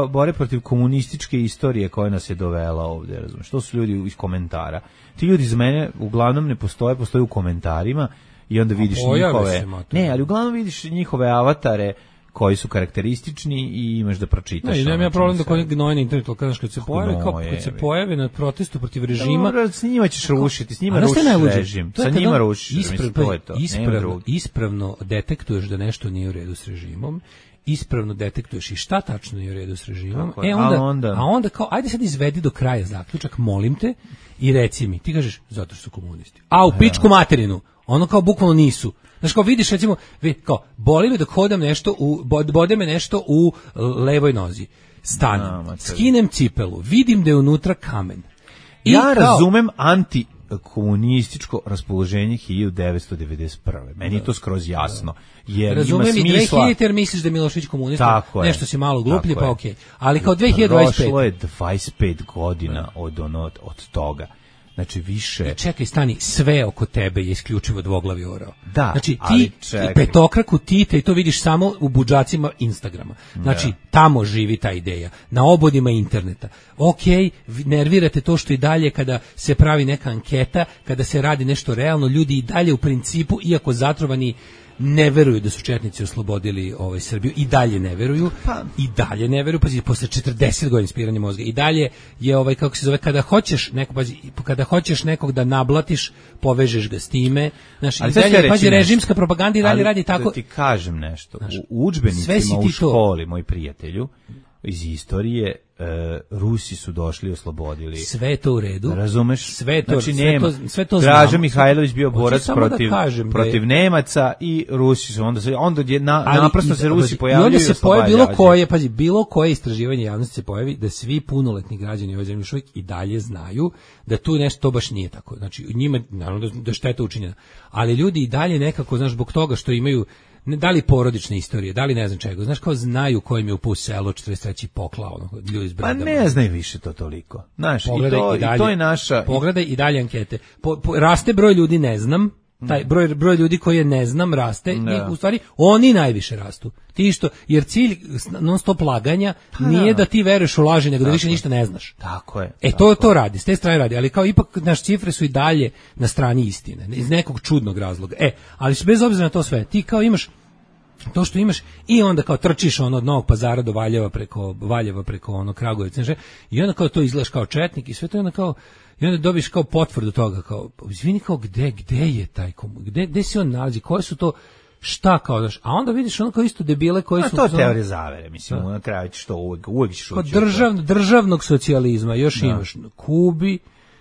bore protiv komunističke istorije koja nas je dovela ovdje, razumiješ? To su ljudi iz komentara. Ti ljudi za mene uglavnom ne postoje u komentarima i onda vidiš njihove... ali uglavnom vidiš njihove avatare koji su karakteristični i imaš da pročitaš. Nema ja problem da koji gnoje na internetu, kad se pojave na protestu protiv režima... S njima ćeš rušiti, s njima rušiš režim, sa njima rušiš, to je to. Ispravno detektuješ da nešto nije u redu s režimom, ispravno detektuješ i šta tačno nije u redu s režimom, a onda kao, ajde sad izvedi do kraja zaključak, molim te, i reci mi, ti kažeš, zato što su komunisti. A u pičku materinu, ono kao bukvalno nisu. Znaš, kao vidiš, recimo, kao, boli me dok hodam nešto, bode me nešto u levoj nozi. Stanem, skinem cipelu, vidim da je unutra kamen. Razumem antikomunističko raspoloženje 1991. Meni je to skroz jasno. Jer razumem ima smisla... i 2000 jer misliš da je Milošević komunista, nešto si malo gluplji, pa okej. Ali kao 2025... Prošlo je 25 godina od toga. Znači više... Čekaj, stani, sve oko tebe je isključivo dvoglavi orao. Da, znači ti petokraku Tite i to vidiš samo u budžacima Instagrama. Znači tamo živi ta ideja, na obodima interneta. Okej, nervirate to što i dalje kada se pravi neka anketa, kada se radi nešto realno, ljudi i dalje u principu, iako zatrovani, ne veruju da su četnici oslobodili Srbiju, i dalje ne veruju, pazi, posle 40 godina ispiranja mozga, i dalje je kako se zove, kada hoćeš nekog da nablatiš, povežeš ga s time, znaš, i dalje, pazi, režimska propaganda i dalje radi tako. Da ti kažem nešto, u udžbenicima u školi, moj prijatelju, iz istorije, Rusi su došli i oslobodili. Sve to u redu. Razumeš? Sve to, znači nema. Sve to Draža Mihajlović bio borac protiv Nemaca i Rusi su onda naprosto se Rusi pojavljuju. I onda se pojavi bilo koje istraživanje javnosti se pojavi da svi punoletni građani ove zemlje još uvijek i dalje znaju da tu nešto to baš nije tako. Znači njima naravno da šteta učinjena. Ali ljudi i dalje nekako, znaš, zbog toga što imaju da li porodične istorije, da li ne znam čega, znaš, kao znaju kojim je upao selo 43. poklao, ljudi iz Bredama. Pa ne znaju više to toliko. Znaš, i to je naša... Pogledaj i dalje ankete. Raste broj ljudi, ne znam, taj broj ljudi koji je ne znam raste, i u stvari oni najviše rastu. Ti što, jer cilj non stop laganja nije da ti veruješ u laži, nego da više ništa ne znaš. Tako je. To radi, s te strane radi, ali kao ipak naš cifre su i dalje na strani istine, iz nekog čudnog razloga. Ali bez obzira na to sve, ti kao imaš to što imaš i onda kao trčiš od Novog Pazara do Valjeva preko Kragujevca, i onda kao to izgledaš kao četnik i sve to, i onda dobiš kao potvrdu toga, kao, izvini, kao, gde je taj gde se on nalazi, koje su to, šta kao daš, a onda vidiš ono kao isto debile koji su... To je teorija zavere, mislim, na kraju ćeš to uvijek ćeš ući. Kod državnog socijalizma još imaš na Kubi,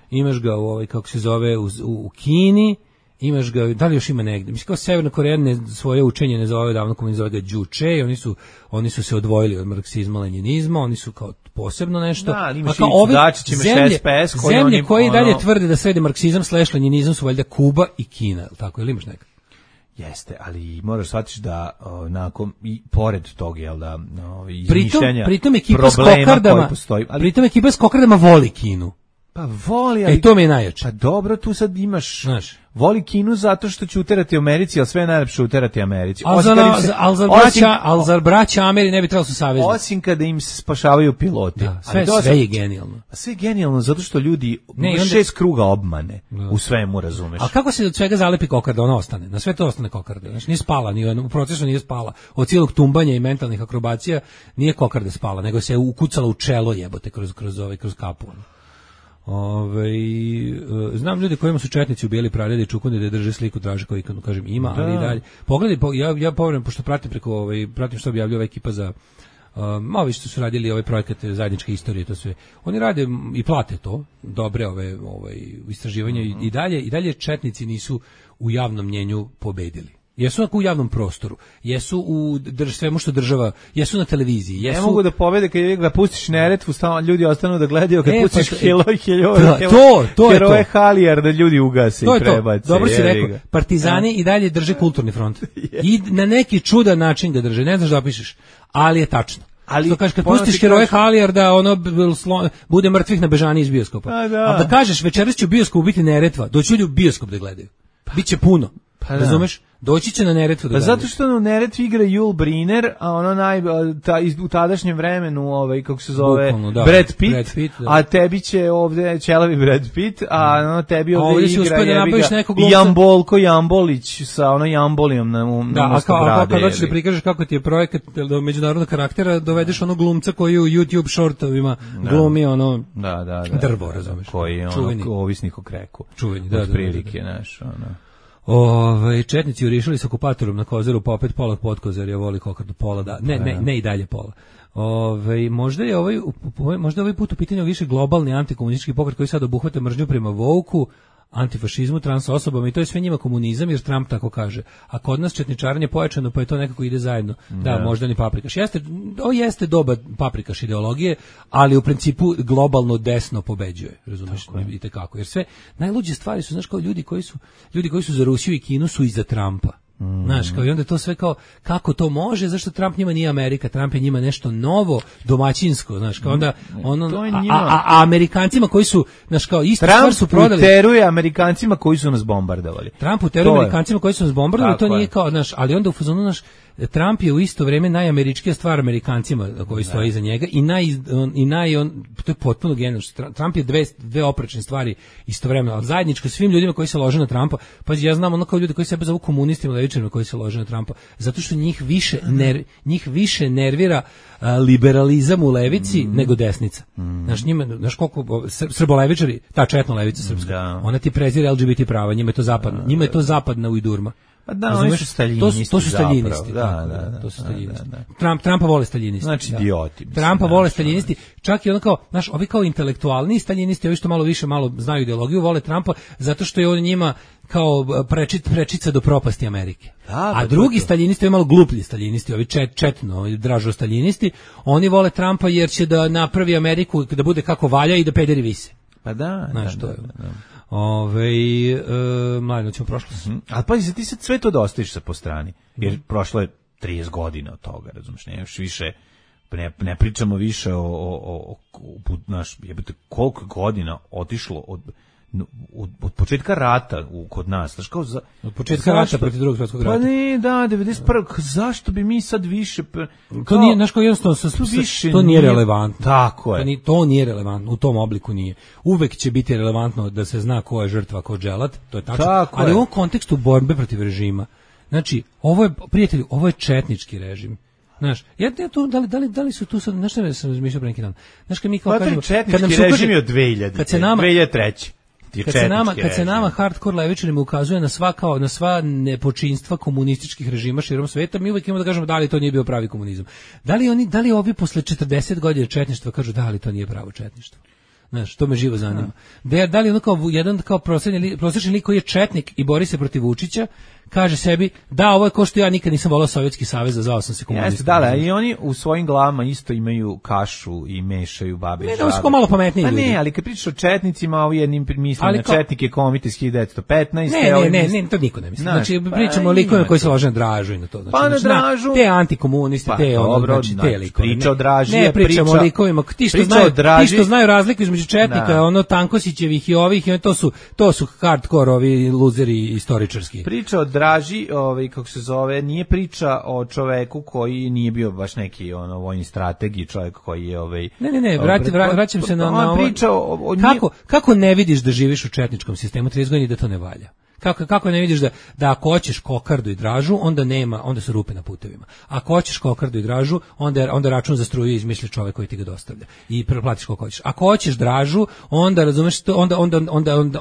imaš ga u kako se zove, u Kini, imaš ga, da li još ima negde? Mislim, kao Severna Koreja svoje učenje ne zove davno, kao zove ga Juche, oni su se odvojili od marksizma, lenjinizma, oni su kao posebno nešto. Da, ali imaš i Dačić, imaš SPS, zemlje koje i dalje tvrde da sredi marksizam / lenjinizam su valjda Kuba i Kina, tako, ili imaš neka? Jeste, ali moraš shvatiti da nakon i pored tog, jel da, izmišljanja pritom ekipa s kokardama, pritom ekipa s kokardama voli Kinu. Pa voli, ali... to mi je najjače. Pa dobro, tu sad imaš... Znaš, voli Kinu zato što će uterati Americi, ali sve je najlepše uterati Americi. Ali za braća Ameri ne bi trebalo su savezni. Osim kada im se spašavaju piloti. Da, sve je genijalno. Sve je genijalno zato što ljudi 6 kruga obmane u svemu, razumeš. A kako se od svega zalepi kokarda, ona ostane? Na sve to ostane kokarda. Znači, nije spala, u procesu nije spala. Od cijelog tumbanja i mentalnih akrobacija nije kokarda spala, nego se ukucala u čelo, jebote, kroz kapu. Znam ljudi kojima su četnici ubijali pradede i čukunde da drže sliku Draža koji kažem ima, ali i dalje. Pogledaj, ja povredim, pošto pratim pratim što objavljuje ova ekipa za ovi što su radili ovaj projekat zajedničke istorije, to sve. Oni rade i plate to, dobre ove istraživanja i dalje četnici nisu u javnom mnjenju pobedili. Jesu u javnom prostoru, jesu u svemu što država, jesu na televiziji. Ne mogu da pobede kad ga pustiš Neretvu, ljudi ostanu da gledaju, kad pustiš heroje Halijar da ljudi ugase i prebace. Dobro si rekao, partizani i dalje drže kulturni front. I na neki čudan način ga drže, ne znaš da opišeš, ali je tačno. Ali kažeš, kad pustiš heroje Halijar da bude mrtvih na bežani iz bioskopa. A da kažeš večeras će u bioskopu biti Neretva, doći ljudi u bioskop da gledaju. Biće puno. Razumeš? Doći će na Neretvu. Pa zato što u Neretvi igra Yul Brynner, a u tadašnjem vremenu, kako se zove, Brad Pitt, a tebi će ovde ćelavi Brad Pitt, a tebi ovde igra Jambolko Jambolić sa Jambolijom na mesto brade. Kad hoćeš da prikažeš kako ti je projekat međunarodnog karaktera, dovedeš glumca koji u YouTube shortovima glumi drvo, razumeš? Koji je ovisnik o kreku. Čuveni, da. Prilike, znaš, četnici urišali s okupatorom na Kozaru, pa opet pola Podkozarja voli kokardu, pola da. Ne i dalje pola. Možda je ovaj put u pitanju više globalni antikomunistički pokret koji sad obuhvata mržnju prema Vouku, antifašizmu, trans osobama i to je sve njima komunizam jer Trump tako kaže. A kod nas četničarenje pojačano pa je to nekako ide zajedno. Da, možda ni paprikaš. Jeste doba paprikaš ideologije, ali u principu globalno desno pobeđuje, razumeš? Vidite kako. Jer sve najluđe stvari su, znaš, kao ljudi koji su za Rusiju i Kinu su iza Trumpa. Znaš, kao i onda to sve kao kako to može, zašto Trump njima nije Amerika, Trump je njima nešto novo, domaćinsko, znaš, kao onda a Amerikancima koji su, znaš, kao isto stvar su prodali. Trump uteruje Amerikancima koji su nas bombardovali. Trump uteruje Amerikancima koji su nas bombardovali, to nije kao, znaš, ali onda u fazonu, znaš, Trump je u isto vrijeme najameričkija stvar Amerikancima koji stoje iza njega to je potpuno genijalno. Trump je dve oprečne stvari istovremeno, ali zajedničko svim ljudima koji se lože na Trumpa. Pa ja znam kao ljudi koji sebe zovu komunistima, levičarima koji se lože na Trumpa, zato što njih više nervira liberalizam u levici nego desnica. Znaš koliko srbolevičari, ta četna levica srpska, ona ti prezira LGBT prava, njima je to zapadna ujdurma. Pa da, oni su staljinisti. To su staljinisti. To su staljinisti. Trumpa vole staljinisti. Znači idioti. Trumpa vole staljinisti. Čak i ono kao, znaš, ovi kao intelektualni staljinisti, ovi što malo znaju ideologiju, vole Trumpa zato što je on njima kao prečica do propasti Amerike. A drugi staljinisti, ovi malo gluplji staljinisti, ovi ovi dražo staljinisti, oni vole Trumpa jer će da napravi Ameriku da bude kako valja i da pederi vise. Pa da. Znaš, to je. Mladino ćemo prošlost. Ali pazi, ti sad sve to da ostaviš sa po strani, jer prošlo je 30 godina od toga, razumiješ, ne pričamo više o jebate, koliko godina otišlo od početka rata kod nas, znaš, kao od početka rata protiv drugog svjetskog rata. Pa ne, da, 91. Zašto bi mi sad više to nije, znaš, kao jednostavno to nije relevantno. Tako je. To nije relevantno, u tom obliku nije. Uvek će biti relevantno da se zna ko je žrtva, ko je dželat, to je tačno. Ali u ovom kontekstu borbe protiv režima, znači, prijatelju, ovo je četnički režim. Znaš, da li su tu sad, znaš šta sam razmišljao pre neki dan? Znaš, kad mi kao kažemo, četnički režim je od 2000, 2003. Kad se nama hardcore levičarima ukazuje na sva nepočinstva komunističkih režima širom sveta, mi uvijek imamo da kažemo da li to nije bio pravi komunizam. Da li ovi posle 40 godina četništva kažu da li to nije pravo četništvo? Znaš, to me živo zanima. Da li ono kao jedan kao prosječni lik koji je četnik i bori se protiv Vučića, kaže sebi, da, ovo je ko što ja nikad nisam volao Sovjetski savez, a zvao sam se komunistom. Da, i oni u svojim glavama isto imaju kašu i mešaju babe i žabe. Ne, su malo pametniji ljudi. Ne, ali kad pričaš o četnicima, ovi jednim misli na četnike komite iz 1915. Ne, to niko ne misli. Znači, pričamo o likovima koji se lože na Dražu i na to. Znači, pa na Dražu. Te antikomunisti, te likove. Priča o Draži. Ne, pričamo o likovima. Ti što znaju razliku između četnika, ono Tankosićevih i ovih, to su hardcore ovi luzeri istoričarski. Priča o Draži, kako se zove, nije priča o čoveku koji nije bio baš neki vojni strateg i čovjek koji je Ne, vraćam se na priča o kako ne vidiš da živiš u četničkom sistemu 30 godina i da to ne valja? Kako ne vidiš da ako hoćeš kokardu i Dražu, onda su rupe na putevima. Ako hoćeš kokardu i Dražu, onda račun za struju izmisli čovjek koji ti ga dostavlja i preplatiš koliko hoćeš. Ako hoćeš Dražu, onda razumeš to,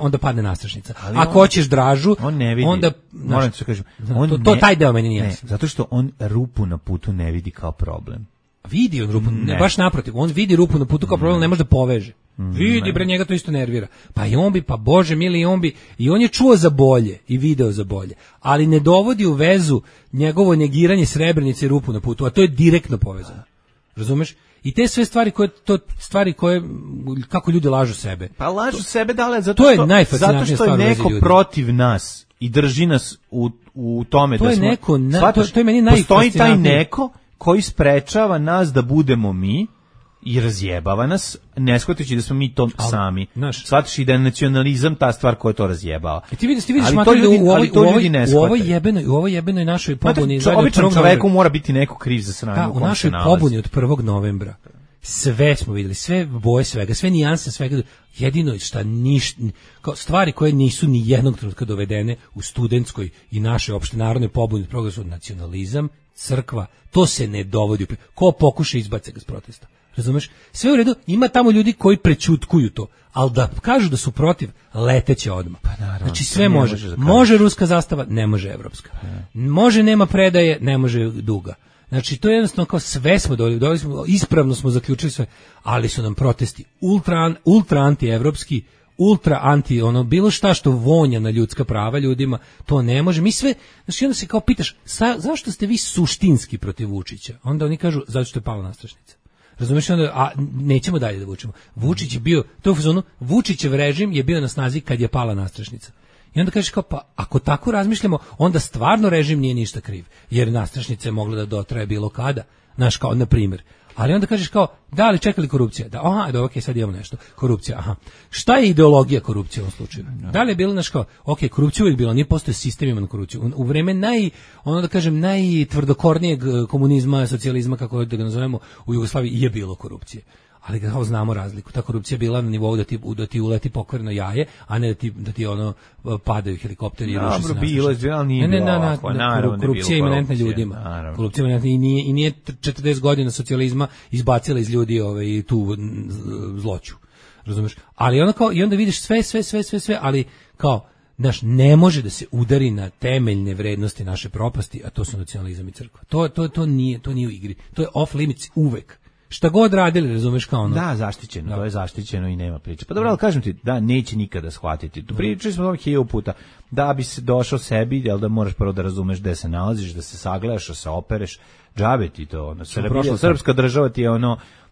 onda padne nastrašnica. Ako hoćeš Dražu, on ne vidi. Onda moram ti kažem, taj deo meni nije jasno. Zato što on rupu na putu ne vidi kao problem. Vidi on rupu, baš naprotiv, on vidi rupu na putu kao problem, ne može da poveže. Vidi, bre, njega to isto nervira. Pa i on bi, pa Bože mili, i on je čuo za bolje i video za bolje, ali ne dovodi u vezu njegovo negiranje Srebrenice i rupu na putu, a to je direktno povezano. Razumeš? I te sve stvari koje kako ljudi lažu sebe. Pa lažu sebe, dale, zato što je neko protiv nas i drži nas u tome da smo... To je meni najfascinantnije. Postoji taj neko koji sprečava nas da budemo mi i razjebava nas, ne shvatajući da smo mi to sami. Shvataš i da je nacionalizam ta stvar koja to razjebava. Ti vidiš u ovoj jebenoj našoj pobuni. Običnom čoveku mora biti neko kriv za sranje u kom se nalazi. U našoj pobuni od 1. novembra sve smo vidjeli, sve boje svega, sve nijanse svega, jedino šta stvari koje nisu ni jednog trenutka dovedene u studentskoj i našoj opštenarodnoj pobuni od progresu, nacionalizam, crkva, to se ne dovodi. Ko pokuša izbace ga s protesta. Razumeš? Sve u redu, ima tamo ljudi koji prećutkuju to, ali da kažu da su protiv, leteće odmah. Pa naravno, znači sve može. Može ruska zastava, ne može evropska. Može nema predaje, ne može duga. Znači to je jednostavno kao sve smo doveli smo, ispravno smo zaključili sve, ali su nam protesti ultra anti-evropski, ultra anti, bilo šta što vonja na ljudska prava ljudima, to ne može. Mi sve, znači onda se kao pitaš, zašto ste vi suštinski protiv Vučića? Onda oni kažu, zato što je pala nastrašnica. Razumiješ, onda, a nećemo dalje da vučemo. Vučić je bio, to je u fazonu, Vučićev režim je bio na snazi kad je pala nastrašnica. I onda kažeš kao, pa ako tako razmišljamo, onda stvarno režim nije ništa kriv, jer nastrašnica je mogla da dotraje bilo kada, znaš, kao na primjer. Ali onda kažeš kao, da li čekali korupcija? Da, aha, okej, sad imamo nešto. Korupcija, aha. Šta je ideologija korupcije u ovom slučaju? Da li je bilo, znaš kao, okej, korupcija uvijek bilo, nije postoje sistem ima na korupciju. U vreme najtvrdokornijeg komunizma, socijalizma, kako da ga nazovemo, u Jugoslaviji je bilo korupcije. Ali kao znamo razliku, ta korupcija je bila na nivou da ti uleti pokvareno jaje, a ne da ti padaju helikopteri i ruši se nastrašnice. Bilo je, ali nije bilo ovako, naravno. Korupcija je imanentna ljudima. Korupcija je imanentna i nije 40 godina socijalizma izbacila iz ljudi tu zloću. Razumeš? Ali i onda vidiš sve, ali kao, znaš, ne može da se udari na temeljne vrednosti naše propasti, a to su nacionalizam i crkva. To nije u igri. To je off limits uvek. Šta god radili, razumeš, kao ono. Da, zaštićeno, to je zaštićeno i nema priče. Pa dobro, ali kažem ti, da, neće nikada shvatiti. Tu pričali smo ovih 1000 puta, da bi se došao sebi, jel da moraš prvo da razumeš gde se nalaziš, da se sagledaš, da se opereš, džabe ti to, srpska država ti je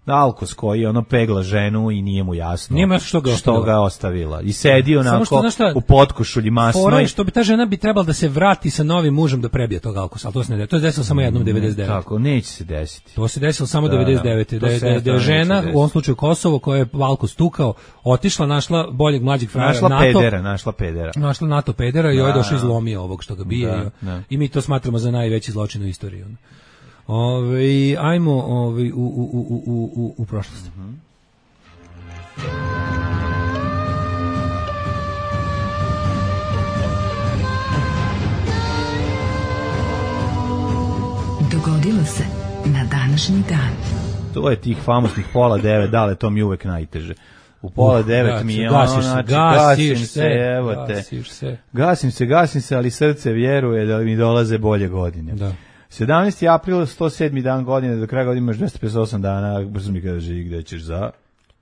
alkos koji pegla ženu i nije mu jasno što ga ostavila. I sedi onako u potkošulji masnoj. Što bi ta žena bi trebala da se vrati sa novim mužem da prebije tog alkosa, ali to se ne desilo. To je desilo samo jednom 99. Tako, neće se desiti. To se desilo samo 99. Da je žena, u ovom slučaju Kosovo, koja je alkos tukao, otišla, našla boljeg mlađeg frajera našla NATO pedera i ovaj došao izlomio ovog što ga bije. I mi to smatramo za najveći zločin u istoriji. Ajmo u prošlost. Dogodilo se na današnji dan. To je tih famosnih 8:30, dale, to mi je uvek najteže. u pola 9 mi je ono, znači, gasim se, ali srce vjeruje da mi dolaze bolje godine. Da. 17. april, 107. dan godine, do kraja godine imaš 258 dana, brzo mi kaže, gde ćeš za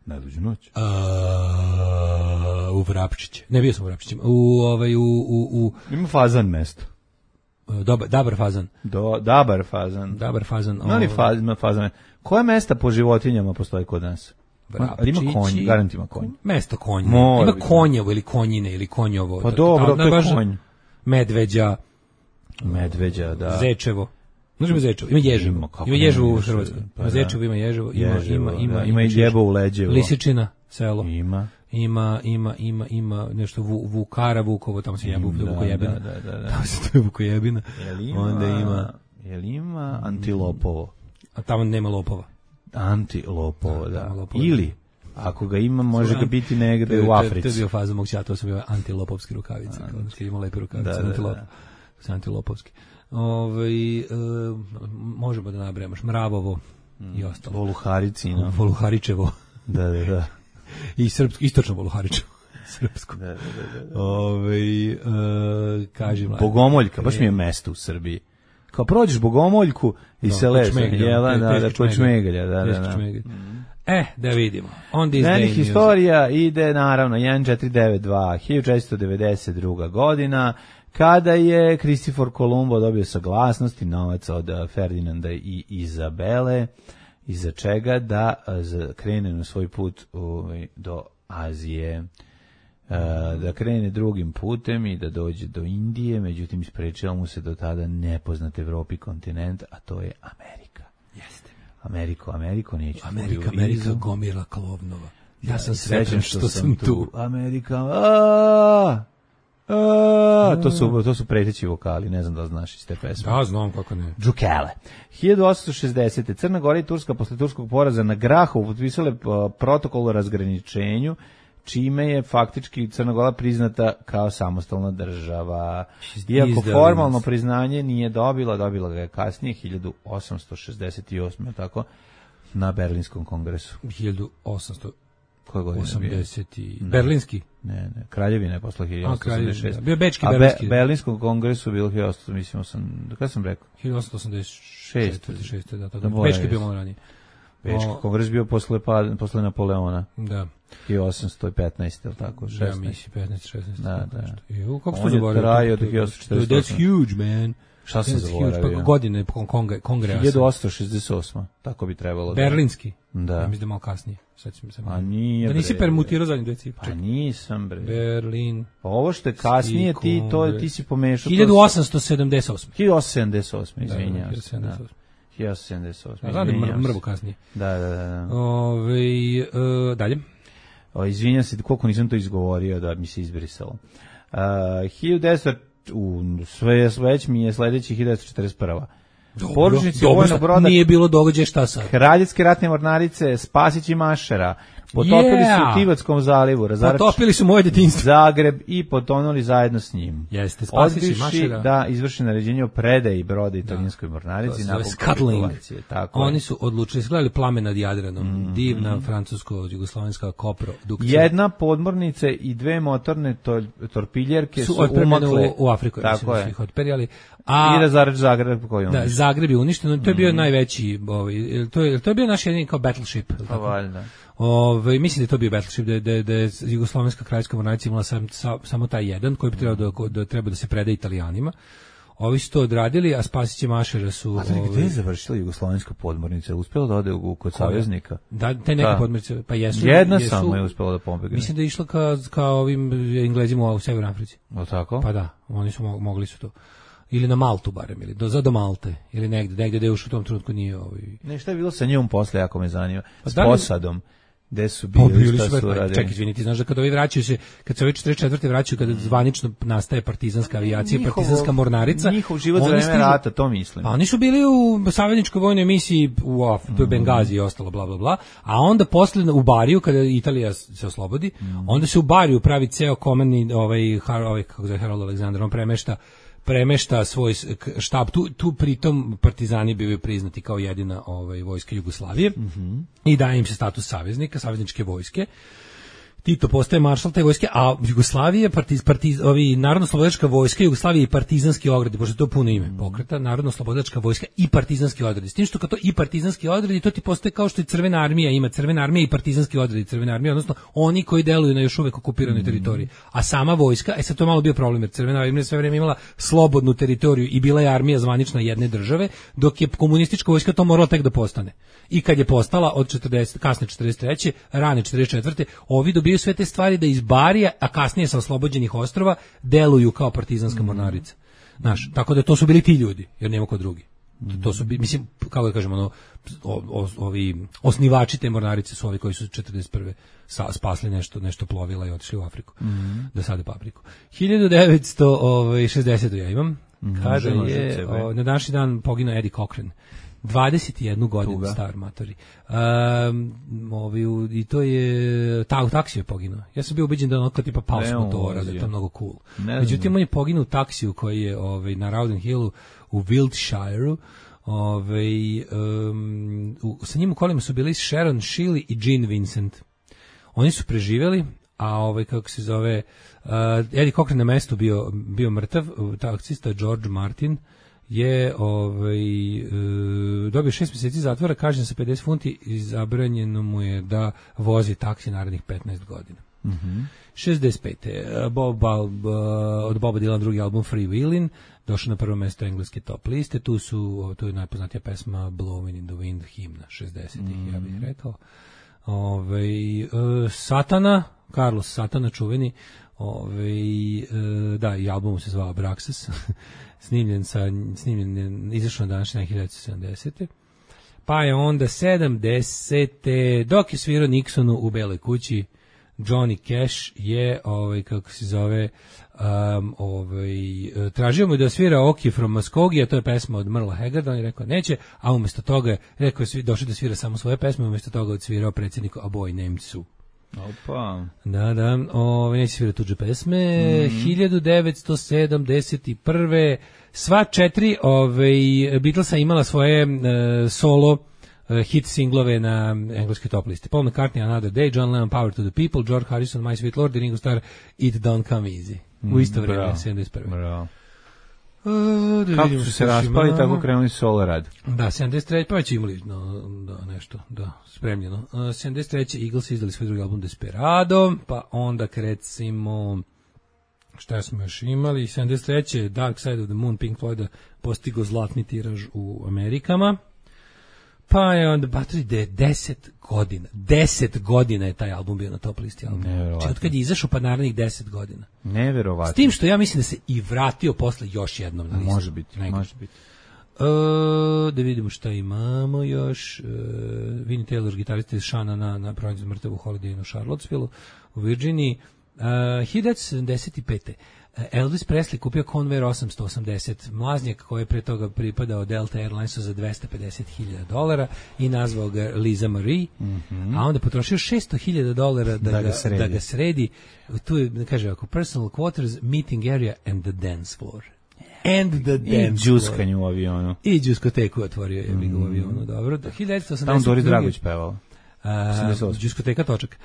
najluđu noć? U Vrapčiće. Ne, bio sam u Vrapčićima. Ima Fazan mesto. Dabar Fazan. Dabar Fazan. Ima Fazan. Koje mesta po životinjama postoji kod nas? Ali ima konj, garant ima konj. Mesto konja. Ima konjevo ili konjine ili konjovo. Pa dobro, to je konj. Medveđa, da. Zečevo. Možemo Zečevo. Ima Ježevo. Ima Ježevo u Hrvatskoj. Ima Zečevo, ima Ježevo. Ima i Ljebo u Leđevo. Lisičina, selo. Ima nešto Vukara, Vukovo, tamo se jebe Vukojebina. Da. Tamo se to je Vukojebina. Onda ima Antilopovo. A tamo nema lopova. Antilopovo, da. Ili, ako ga ima, može ga biti negde u Africi. To je bio faza mog čata, to su bio antilopovski rukavice. Kada ima lepe rukavice, antilopovski. Možemo da nabrajamo Mravovo i ostalo. Voluharicino. Voluharičevo. Da. I srpsko, istočno Voluharičevo. Srpsko. Da. Kažem. Bogomoljka, baš mi je mesto u Srbiji. Kao prođeš Bogomoljku i se leš, da, Čmegelja, da. Da vidimo. Dnevnih historija ide, naravno, 1492, 1492. godina, kada je Kristofor Kolumbo dobio saglasnost i novac od Ferdinanda i Izabele, iza čega da krene na svoj put do Azije, da krene drugim putem i da dođe do Indije, međutim isprečilo mu se do tada nepoznat Evropi kontinent, a to je Amerika. Jeste. Ameriko, neću Amerika gomila Klovnova. Ja sam srećan što sam tu. Amerika, to su preteći vokali, ne znam da znaš iz te pesme. Da, znam kako ne. Džukele. 1860. Crna Gora i Turska posle turskog poraza na Grahovu potpisale protokol o razgraničenju, čime je faktički Crna Gora priznata kao samostalna država. Iako formalno priznanje nije dobila ga je kasnije, 1868. tako, na Berlinskom kongresu. 1880. Berlinski? Ne, Kraljevina je posle 1886. Bio Bečki Berlinski. A Berlinskom kongresu bilo 1800, mislim, kada sam rekao? 1886. Da, Bečki je bio malo ranije. Bečki kongres bio posle Napoleona. Da. 1815, ili tako? 16. Ja mislim, 15, 16. Da. Kako on je trajao do 1848. That's huge, man. Šta sam zaboravio? Pa godine kongresa. 1868. Tako bi trebalo. Berlinski? Da. Ja mislim da malo kasnije. A nije. Da nisi permutirao zadnje dve cifre? Pa nisam, bre. Berlin. Ovo što je kasnije, ti si pomešao. 1878. 1878, izvinjavam se. 1878. Znam da mrvu kasnije. Da. Dalje. Izvinjam se, koliko nisam to izgovorio da mi se izbrisalo. 1900 već mi je sledeći 1941. Poručnici vojnog broda nije bilo događaja, šta sad? Kraljevske ratne mornarice Spasić i Mašera potopili su u Tivatskom zalivu, potopili su moje detinjstvo Zagreb i potonuli zajedno s njim. Jeste, Spasić i Mašera. Da izvrši naređenje o predaji broda italijanskoj mornarici nakon kapitulacije. Oni su odlučili, gledali Plame nad Jadranom, divna francusko-jugoslovenska koprodukcija. Jedna podmornica i dve motorne torpiljerke su umakle u Afriku, tako je. Ih otperijali. I razarač Zagreb koji da, Zagreb je uništen, to je bio najveći, to je bio naš jedini kao battleship. Pa valjda. Mislim da je to bio battleship, da je Jugoslovenska kraljevska mornarica imala samo taj jedan koji bi trebao da se preda Italijanima. Ovi su to odradili, a Spasić i Mašera su... A gde je završila Jugoslovenska podmornica? Uspela da ode kod saveznika? Da, te neke podmornice, pa jesu. Jedna samo je uspela da pobegne. Mislim da je išla ka ovim Englezima u Severnoj Africi. O tako? Pa da, oni su mogli su to. Ili na Maltu barem, ili do Malte, ili negde da još u tom trenutku nije Ne, šta je bilo sa njom posle, ako me zanima? S posadom. Gde su bili, šta su radili? Čekaj, izvini, ti znaš da kada ovi vraćaju se, kad se ovi 44. vraćaju, kada zvanično nastaje partizanska avijacija, partizanska mornarica. Njihov život za vreme rata, to mislim. Pa oni su bili u savezničkoj vojnoj misiji u Bengazi i ostalo, bla, bla, bla. A onda posle u Bariju, kada Italija se oslobodi, onda se u Bariju pravi ceo komandni, kako zove Harold Alexander, on premešta svoj štab, tu pritom partizani bivaju priznati kao jedina vojska Jugoslavije i daje im se status saveznika, savezničke vojske. Tito postaje maršal te vojske, a Jugoslavija, Narodno-slobodačka vojska, Jugoslavija i partizanski odredi, pošto je to puno ime pokreta, Narodno-slobodačka vojska i partizanski odredi. S tim što kad to i partizanski odredi, to ti postaje kao što i Crvena armija ima, Crvena armija i partizanski odredi Crvena armija, odnosno oni koji deluju na još uvek okupiranoj teritoriji. A sama vojska, sad to je malo bio problem, jer Crvena armija sve vreme imala slobodnu teritoriju i bila je armija zvanična jedne države, dok je komunistička vojska to morala tek da postane. I kad je postala od 40, kasne 43. rane 44. ovi dobiju sve te stvari da iz Barija, a kasnije sa oslobođenih ostrva, deluju kao partizanska mornarica. Znaš, tako da to su bili ti ljudi, jer nema ko drugi. To su, mislim, kako da kažem, ovi osnivači te mornarice su ovi koji su 41. spasli nešto plovila i otišli u Afriku da sade papriku. 1960. ja imam, kada je na današnji dan poginuo Eddie Cochran. 21 godinu star matori. I to je u taksiju je poginuo. Ja sam bio ubeđen da on tipa pao s motora, da je to mnogo cool. Međutim, on je poginuo u taksiju koji je na Rowden Hillu u Wiltshireu. Sa njim u kolima su bili Sharon Shelley i Gene Vincent. Oni su preživjeli, a kako se zove, Eddie Cochran na mestu bio mrtav, taksista George Martin je dobio 6 mjeseci zatvora, kažnjen sa 50 funti i zabranjeno mu je da vozi taksi narednih 15 godina. 65. Od Boba Dylan drugi album Free Willin', došao na prvo mjesto engleske top liste, tu je najpoznatija pesma Blowing in the Wind, himna 60-ih, ja bih rekao. Satana, Carlos Satana, čuveni, da, i album se zvao Abraxas, snimljen izašao na današnji 1970. Pa je onda 70. dok je svirao Nixonu u Beloj kući, Johnny Cash je, kako se zove, tražio mu da svira Oki from Muskogee, to je pesma od Merla Haggarda, on je rekao neće, a umjesto toga rekao je došao da svira samo svoje pesme, umjesto toga odsvirao predsjedniku A Boy Named Sue. Opa. Da, neće svirati tuđe pesme. 1971. Sva 4 Beatlesa imala svoje solo hit singlove na engleskoj top listi. Paul McCartney, Another Day, John Lennon, Power to the People, George Harrison, My Sweet Lord, i Ringo Starr, It Don't Come Easy. U isto vrijeme, 71. Bravo. Kako su se raspali, tako krenuli solo rad. Da, 73. pa već imali nešto spremljeno. 73. Eagles izdali svoj drugi album Desperado, pa onda recimo šta smo još imali, 73. Dark Side of the Moon, Pink Floyda postigo zlatni tiraž u Amerikama. Pa je onda Battery Day 10 godina je taj album bio na top listi albuma. Znači od kad je izašao pa narednih 10 godina. Neverovatno. S tim što ja mislim da se i vratio posle još jednom na listu. Može biti. Da vidimo šta imamo još. Vinnie Taylor, gitarista iz Shana na pronađu mrtav u Holiday Inn u Charlottesville u Virginiji. 1975. Elvis Presley kupio Convair 880, mlaznjak koji je pre toga pripadao Delta Airlinesu za $250,000 i nazvao ga Lisa Marie, a onda potrošio $600,000 da ga sredi. Tu je, kaže ovako, personal quarters, meeting area and the dance floor. I džuskanje u avionu. I džuskoteku otvorio je u avionu, dobro. 1982. Tamo Doris Dragović pevala. Diskoteka Točak.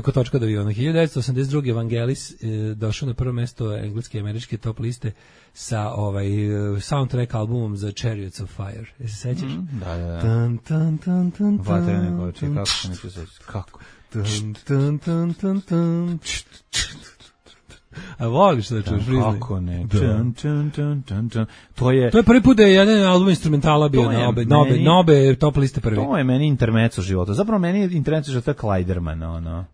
Kod Točka od aviona. 1982. Evangelis došao na prvo mjesto engleske i američke top liste sa soundtrack albumom za Chariots of Fire. Je se sećaš? Da. Vatrene koče, kako se neću sećati? Kako? A voliš da čuješ priznaj? Kako ne? To je prvi put da je jedan album instrumentala bio na obe top liste prvi. To je meni intermezzo života. Zapravo meni je intermezzo života Kleiderman, ono.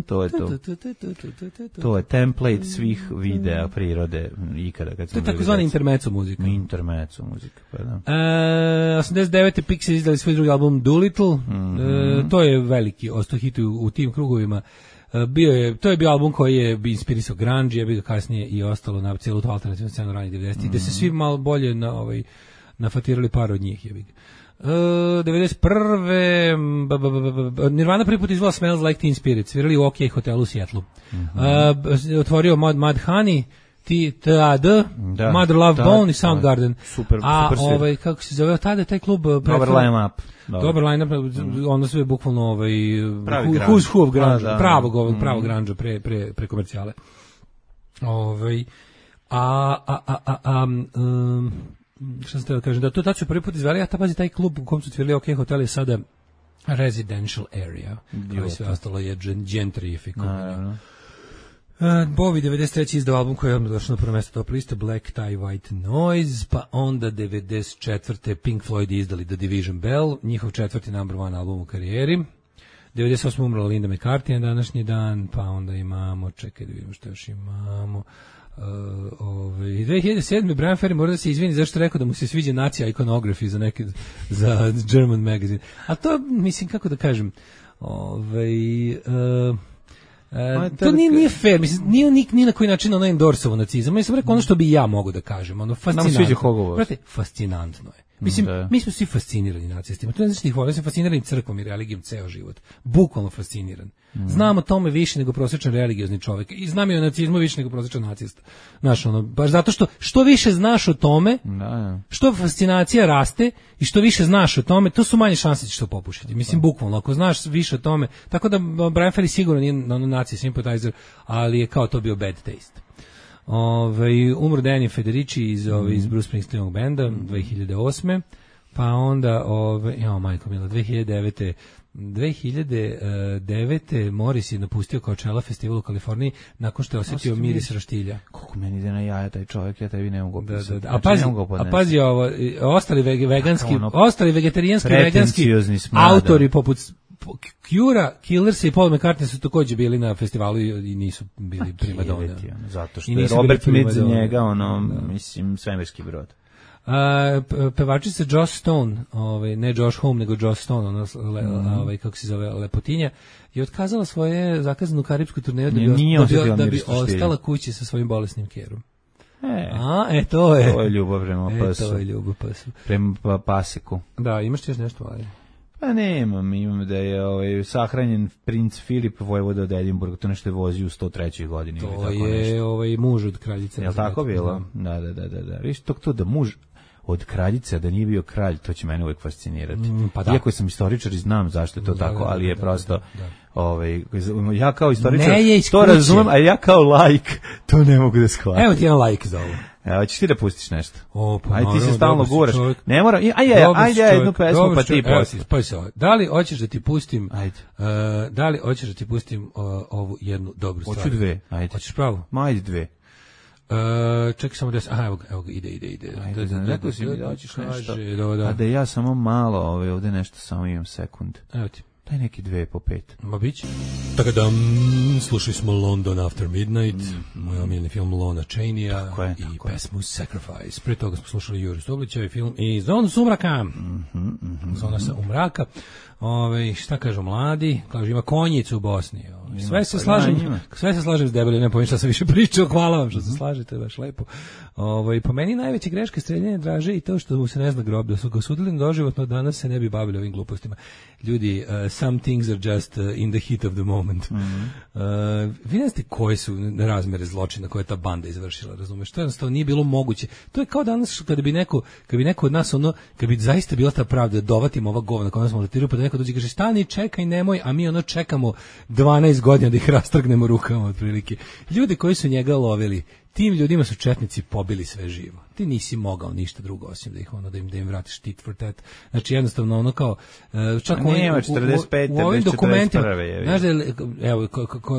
To je to. To je template svih videa prirode ikada. To je takozvani intermezzo muzika. Intermezzo muzika, pa da. 89. Pixies izdali svoj drugi album Doolittle, to je veliki ostao hit u tim krugovima. To je bio album koji je inspirisao grunge, je bio kasnije i ostalo na cijelu tu alternativnu scenu ranih 90-ih, gde se svi malo bolje nafatirali par od njih. 91. Nirvana prvi put izvala Smells Like Teen Spirit, svirali u OK hotelu u Seattlu. Otvorio Mud Honey, TAD, Mother Love Bone i Soundgarden. Super, a kako se zove, tada je taj klub dobar line-up. Dobar line-up, onda sve bukvalno who's who of grunge, pravog grunge pre komercijale. Šta sam teo da kažem, da to tad su prvi put izveli, a pazi, taj klub u kom su cvirali OK Hotel je sada residential area, koji sve ostalo je gentrifikovanje. Bowie 93. izdao album koji je odmah došao na prvo mjesto top liste, Black Tie White Noise, pa onda 94. Pink Floyd izdali The Division Bell, njihov 4. number one album u karijeri. 98. umrla Linda McCartney na današnji dan, pa onda imamo, čekaj da vidimo što još imamo. 2007. Brian Ferry mora da se izvini zašto rekao da mu se sviđa nacija iconography za German magazine. A to, mislim, kako da kažem, to nije fair, mislim, nije na koji način ono endorsovo nacizam. Ja sam rekao ono što bi ja mogu da kažem, ono fascinantno. Fascinantno je. Mislim, mi smo svi fascinirani nacistima. To ne znači da ih volim, sam fasciniran crkvom i religijom ceo život. Bukvalno fasciniran. Znam o tome više nego prosječan religiozni čovjek. I znam i o nacizmu više nego prosječan nacista. Znaš, ono, baš zato što više znaš o tome, što fascinacija raste i što više znaš o tome, to su manje šanse da ćeš to popušiti. Mislim, bukvalno, ako znaš više o tome, tako da Brian Ferry sigurno nije naci sympathizer, ali je kao to bio bad taste. Umro Danny Federici iz Bruce Springsteenovog benda 2008. Pa onda majko mila 2009. Morris je napustio kao čela festival u Kaliforniji nakon što je osjetio miris roštilja. Koliko meni ide na jaja taj čovjek, ja tebi ne mogu opisati. A pazi ovo, ostali vegetarijanski veganski autori poput Cure, Killers i Paul McCartney su također bili na festivalu i nisu bili primadona. Zato što je Robert Smith za njega, mislim, svemirski brod. Pevačica Joss Stone, ne Josh Homme, nego Joss Stone, kako se zove, lepotinja, je otkazala svoje zakazanu karipsku turneju da bi ostala kući sa svojim bolesnim kerom. To je ljubav prema pasu. To je ljubav pasu. Prema pasiku. Da, imaš ti još nešto, ali? Pa imam da je sahranjen princ Filip vojvoda od Edinburga, to nešto je vozio u 103. godini. To je muž od kraljice. Je li tako bilo? Da. Viš, to da muž od kraljice, da nije bio kralj, to će mene uvijek fascinirati. Iako sam istoričar i znam zašto je to tako, ali je prosto... ja kao istoričar to razumem, a ja kao laik to ne mogu da shvatim. Evo ti jedan laik za ovo. Hoćeš ti da pustiš nešto? Ajde, ti se stalno guraš. Ne mora, ajde jednu pesmu pa ti pustiš. Da li hoćeš da ti pustim? Da li hoćeš da ti pustim ovu jednu dobru stvar? Hoću dve, ajde. Hoćeš pravo? Ajde dve. Čekaj samo da evo ga, ide. Rekao si mi da hoćeš nešto. A da ja samo malo, ovdje nešto samo imam sekund. Evo ti. Daj neki 2 po 5. Ma bić. Tako da slušali smo London After Midnight, moj omiljeni film Lona Chaney-a i pesmu Sacrifice. Prije toga smo slušali Jure Stublića i film i Zonu sumraka. Zona sa umraka. Šta kažu mladi? Kažu ima konjicu u Bosni. Sve se slažem s debelim, ne povijem šta sam više pričao, hvala vam što se slažete, baš lepo. Po meni najveća greška streljanja Draže i to što mu se ne zna grob, da su ga osudili na doživotno, danas se ne bi bavili ovim glupostima. Ljudi, some things are just in the heat of the moment. Vi ne znate koje su razmere zločina koje je ta banda izvršila, razumeš? To jednostavno nije bilo moguće. To je kao danas kada bi neko od nas kad bi zaista bila ta pravda, dovatimo ova govna koja nas maltretiraju, pa da neko dođe i kaže stani, čekaj, nemoj, a mi čekamo 12 godina da ih rastrgnemo rukama otprilike. Ljudi koji su njega lovili, tim ljudima su četnici pobili sve živo. Ti nisi mogao ništa drugo osim da im vratiš tit for tat. Znači jednostavno kao čak u ovim dokumentima, znaš da je, evo,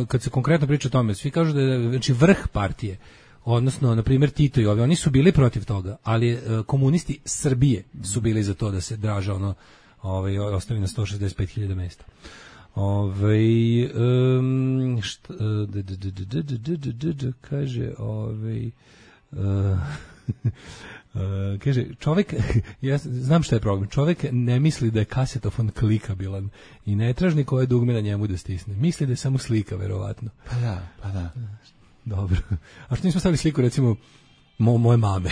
kad se konkretno priča o tome, svi kažu da je znači vrh partije, odnosno na primjer Tito i oni su bili protiv toga, ali komunisti Srbije su bili za to da se Draža ostavi na 165.000 mesta. Kaže kaže čovjek, ja znam šta je problem, čovjek ne misli da je kasetofon klikabilan i ne traži koje dugme na njemu da stisne, misli da je samo slika verovatno. Pa da. Dobro, a što nismo stavili sliku recimo moje mame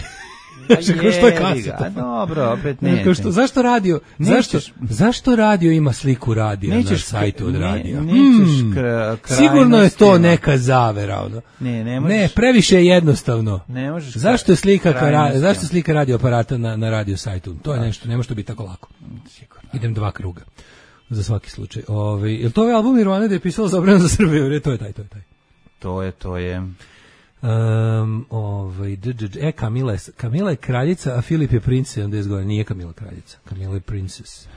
Što je kaseta? Dobro, opet ne. Zašto radio? Zašto radio ima sliku radija na sajtu od radija? Sigurno je to neka zavera, ono. Ne, previše je jednostavno. Zašto je slika radio aparata na radio sajtu? To je nešto, ne može to biti tako lako. Idem 2 kruga. Za svaki slučaj. Jel to je album Nirvane da je pisalo Zabrana za Srbiju? To je taj. To je. Kamila je kraljica, a Filip je princ 70 godina. Nije Kamila kraljica, Kamila je princess.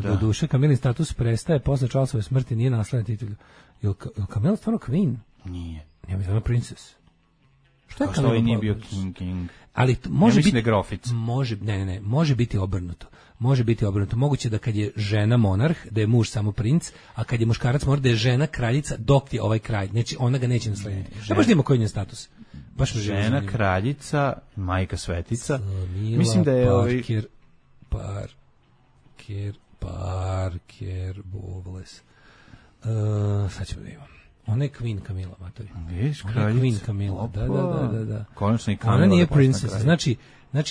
Do duše, Kamilin status prestaje posle Charlesove smrti, nije nasledna titul. Je Kamila stvarno queen? Nije. Nije mi stvarno princess. Što je Kamila? Što nije bio king? Ali može biti grofic. Može biti obrnuto. Može biti obrnuto. Moguće da kad je žena monarh, da je muž samo princ, a kad je muškarac mora da je žena kraljica dok je ovaj kralj. Znači, ona ga neće naslediti. Da baš da ima koji je status. Baš žena kraljica, majka svetica. Mislim da je Parker Bowles. Sad ćemo da imamo. Ona je Queen Camila, matori. Queen Camila. Da. Konačno i Camila. Ona nije princess. Znači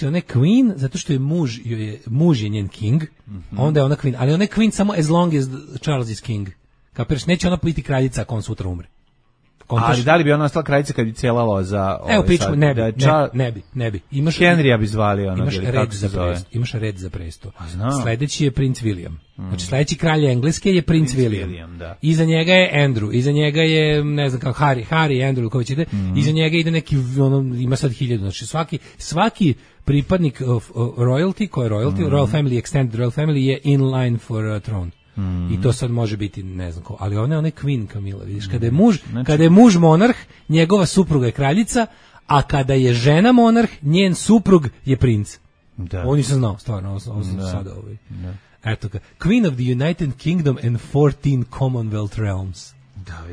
ona je queen zato što je muž je njen king, onda je ona queen, ali ona je queen samo as long as Charles is king. Kapiraš, neće ona biti kraljica ako on sutra umre. Ali da li bi ona ostala kraljica kad bi cijela loza? Evo pičku, ne bi. Henrya bi zvali ona. Imaš red za presto. Sledeći je princ William. Znači sledeći kralj Engleske je princ William. Da. Iza njega je Andrew, iza njega je ne znam kako Harry Andrew koji će ide. Iza njega ide neki ima sad 1000. Znači svaki pripadnik of royalty, ko je royalty, royal family, extended royal family je in line for throne. I to sad može biti ne znam ko, ali ona je Queen Camila, vidiš, kada je muž monarh, njegova supruga je kraljica, a kada je žena monarh, njen suprug je princ. Da. Ovo nisam znao, stvarno, ovo sam sada Eto ga, Queen of the United Kingdom and 14 Commonwealth Realms.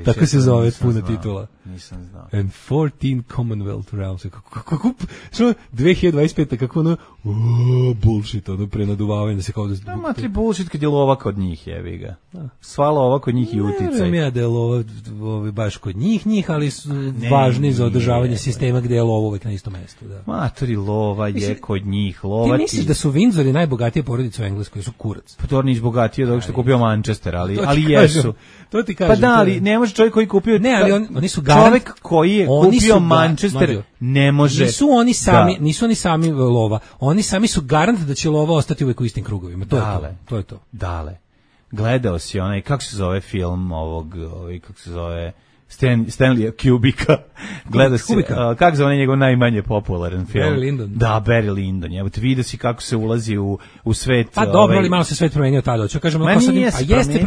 Tako se zove puna titula. Nisam znao. And 14 Commonwealth Realms. Kako 2025. kako ono bullshit, ono prenaduvavanje da se kao da... Matri bullshit kad je lova kod njih, jevi ga. Sva lova kod njih i uticaj. Ne vem ja da je lova baš kod njih, ali su važni za održavanje sistema gde je lova uvek na istom mestu. Matri lova je kod njih. Ti misliš da su Windsori najbogatije porodice u Engleskoj, su kurac? Pa to nisu bogatije dok što je kupio Manchester, ali jesu. To ti kažem. Pa da, ali ne može čovjek koji kupio... Ne, ali oni su čovjek koji je kupio Manchester ne može... Nisu oni sami lova. Oni sami su garant da će lova ostati uvek u istim krugovima. To je to. Dale. Gledao si onaj, kako se zove film kako se zove... Stanleya Kubricka. Gleda se, kako zove njegov najmanje popularan film? Barry Lyndon. Da, Barry Lyndon. Evo te vidio si kako se ulazi u svet. Pa dobro, ali malo se svet promenio tada. Hoću kažem,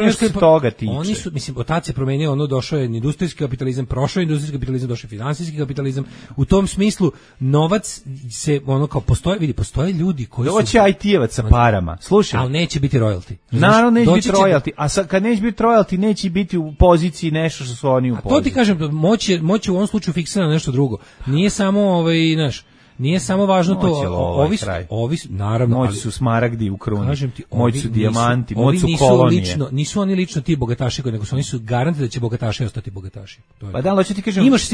jeste toga tiče. Oni su, mislim, otac je promenio, ono došao je industrijski kapitalizam, prošao je industrijski kapitalizam, došao je finansijski kapitalizam. U tom smislu novac se ono kao postoje ljudi koji su doći IT-evac sa parama. Slušaj, ali neće biti royalty. Naravno neće biti royalty, a kad neće biti royalty, neće biti u poziciji nešto što su oni u poziciji. To ti kažem, moć je u ovom slučaju fiksirana nešto drugo. Nije samo nije samo važno to, naravno, moć su smaragdi u kruni, moć su dijamanti, moć su kolonije. Nisu oni lično ti bogataši, nego su oni su garanti da će bogataši ostati bogataši. Pa da, hoću ti kažem, imaš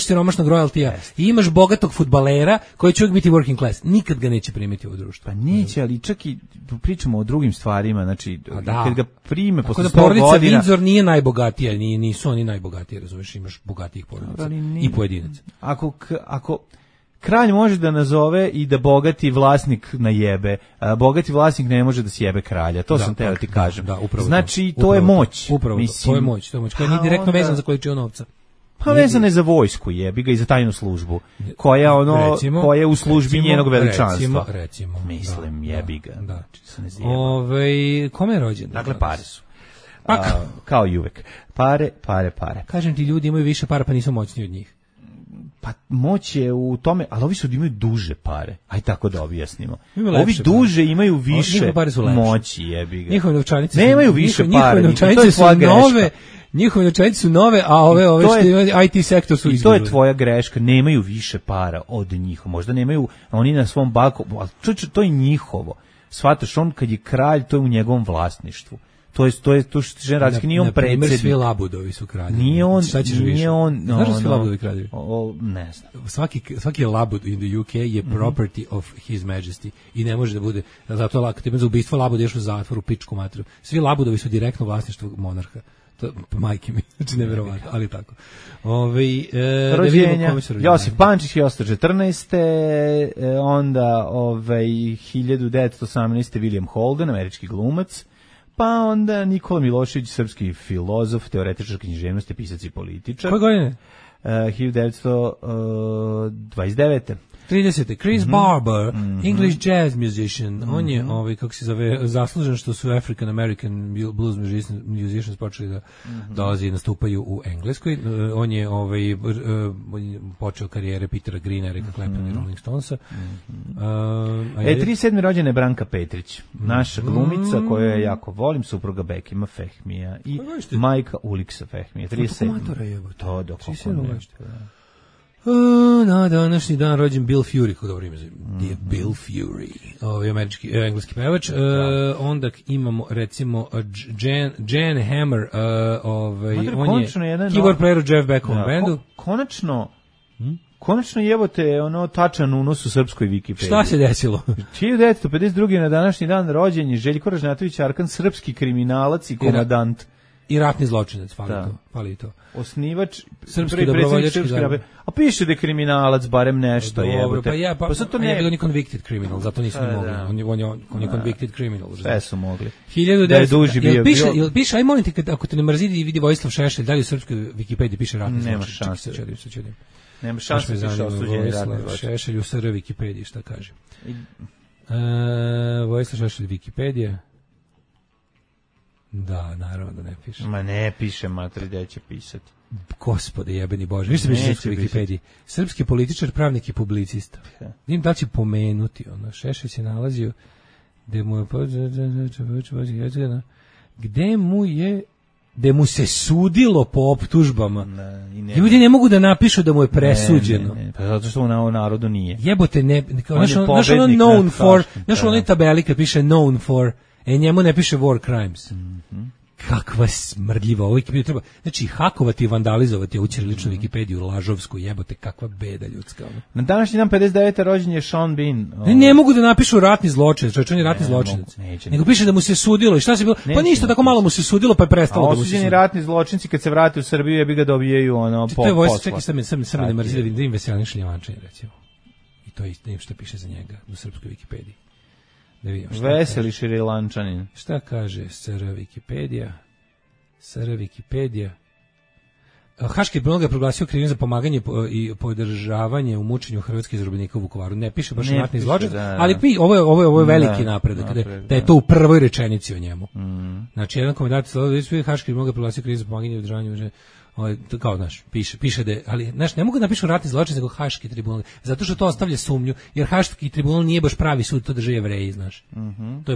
siromašnog royaltija i imaš bogatog fudbalera koji će uvijek biti working class. Nikad ga neće primiti u društvo. Pa neće, ali čak i pričamo o drugim stvarima, znači kad ga prime posle 100 godina. Porodica Windsor nije najbogatija, nisu oni najbogatiji, razumeš, imaš bogatijih porodica i pojedinaca. Ako kralj može da nazove i da bogati vlasnik najebe, bogati vlasnik ne može da sjebe kralja, to sam teo ti kažem. Znači, to je moć. Upravo to je moć, koja nije direktno vezana za količinu novca. Pa vezana je za vojsku, jebi ga, i za tajnu službu, koja je u službi njenog veličanstva. Recimo. Mislim, jebi ga. Da. Kome je rođen? Dakle, pare su. Kao i uvek. Pare. Kažem ti, ljudi imaju više para, pa nisu moćni od njih. Pa moć je u tome, ali ovi su imaju duže pare. Aj tako da objasnimo. Ovi duže imaju više moći, jebi ga. Njihove novčanice nemaju više para. Njihove novčanice su nove, a ove što imaju IT sektor su izgubili. I to je tvoja greška, nemaju više para od njih. Možda nemaju oni na svom balkonu, ali to je njihovo. Shvataš, on kad je kralj, to je u njegovom vlasništvu. To je tu Željko nije on predsjednik. Svi Labudovi su kraljevi. Nije on, šta ćeš više? Znaš da svi Labudovi kraljevi? Ne znam. Svaki Labud in the UK je property of His Majesty i ne može da bude, zato lako, ti za ubistvo Labuda ješ u zatvor, u pičku matru. Svi Labudovi su direktno vlasništvo monarha. To majke mi, znači neverovatno, ali tako. Rođenja, Josip Pančić 1914. Onda 1918. William Holden, američki glumac. Pa onda Nikola Milošević, srpski filozof, teoretičar književnosti, pisac i političar. Koje godine? 1929. 30. Chris Barber, English jazz musician. On je, kako se zove, zaslužen što su African American blues musicians počeli da dolazi i nastupaju u Engleskoj. On je počeo karijere Petera Greena, Erika Claptona i Rolling Stonesa. 37. rođena je Branka Petrić, naša glumica koju ja jako volim, supruga Bekima Fehmija i majka Uliksa Fehmija. 37. To dok na današnji dan rođen Bill Fury, kako dobro ime zove, Bill Fury, engleski pevač. Onda imamo recimo Jan Hammer, on je keyboard player u Jeff Beckham bandu. Konačno jebote tačan unos u srpskoj Wikipediji. Šta se desilo? 1952. na današnji dan rođen je Željko Ražnjatović Arkan, srpski kriminalac i komandant. I ratni zločinac, fali to. Osnivač srpski dobrovoljački zavod. A piše da je kriminalac, barem nešto je. Dobro, pa sad to ne je bio ni convicted criminal, zato nisu ni mogli. On je convicted criminal. Sve su mogli. 1900. Da je duži bio. Piše, aj molim te, ako te ne mrzi i vidi Vojislav Šešelj, da li u srpskoj Wikipediji piše ratni zločinac? Nema šanse. Nema šanse da piše osuđeni ratni zločinac. Šešelj u SR Wikipediji, šta kaže? Vojislav Šešelj Wikipedija. Da, naravno da ne piše. Ma ne piše, matri, gde će pisati. Gospode jebeni Bože, više piše u Wikipediji. Srpski političar, pravnik i publicista. Vidim da će pomenuti, Šešelj se nalazio gde mu se sudilo po optužbama. Ljudi ne mogu da napišu da mu je presuđeno. Pa zato što u narodu nije. Jebote, znaš ono known for, znaš ono tabeli kad piše known for, njemu ne piše war crimes. Kakva smrdljiva, ovo treba, znači hakovati i vandalizovati ovu ćiriličnu Wikipediju, lažovsku, jebote, kakva beda ljudska. Na današnji dan 59. rođen je Sean Bean. Ne mogu da napišu ratni zločinac, čovječ, on je ratni zločinac. Nego piše da mu se sudilo i šta se bilo, pa ništa, tako malo mu se sudilo pa je prestalo da mu se sudilo. Osuđeni ratni zločinci kad se vrate u Srbiju jebi ga dobijaju posla. To je Vojsa, čekaj, sam ne mrzi da vidim Veselin Šljivančanin, recimo. I to je isto što piše za njega u srpskoj Wikipediji. Veseli Šrilančanin. Šta kaže SR Wikipedija? Haški tribunal ga proglasio krivim za pomaganje i podržavanje u mučenju hrvatskih zarobljenika u Vukovaru. Ne piše baš ratni zločin, ali ovo je veliki napredak, da je to u prvoj rečenici o njemu. Znači, jedan komentar Haški tribunal ga proglasio krivim za pomaganje i održavanje kao, znaš, piše da je, ali, znaš, ne mogu da napišu ratni zločin nego Haški tribunal, zato što to ostavlja sumnju, jer Haški tribunal nije baš pravi sud, to drže Jevreji, znaš. To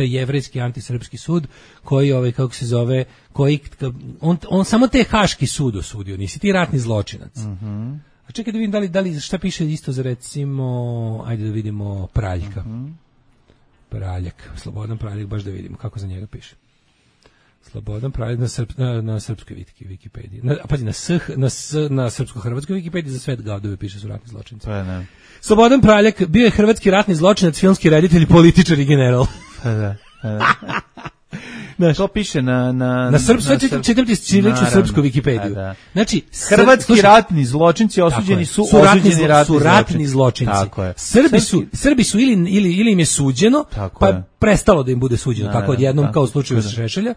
je jevrejski antisrpski sud, koji, kako se zove, on samo te Haški sud osudio, nisi ti ratni zločinac. A čekaj da vidim da li šta piše isto za, recimo, ajde da vidimo Praljka. Praljak, Slobodan Praljak, baš da vidimo kako za njega piše. Slobodan Praljak na srpskoj Wikipediji. Pazi, na srpsko-hrvatskoj Wikipediji za svet gadovi piše su ratni zločinci. Slobodan Praljak bio je hrvatski ratni zločinac, filmski reditelj, političar i general. To piše na čitam ti srpsku Wikipediju. Znači, hrvatski ratni zločinci osuđeni su ratni zločinci. Srbi su ili im je suđeno, pa prestalo da im bude suđeno, tako odjednom kao u slučaju sa Šešelja.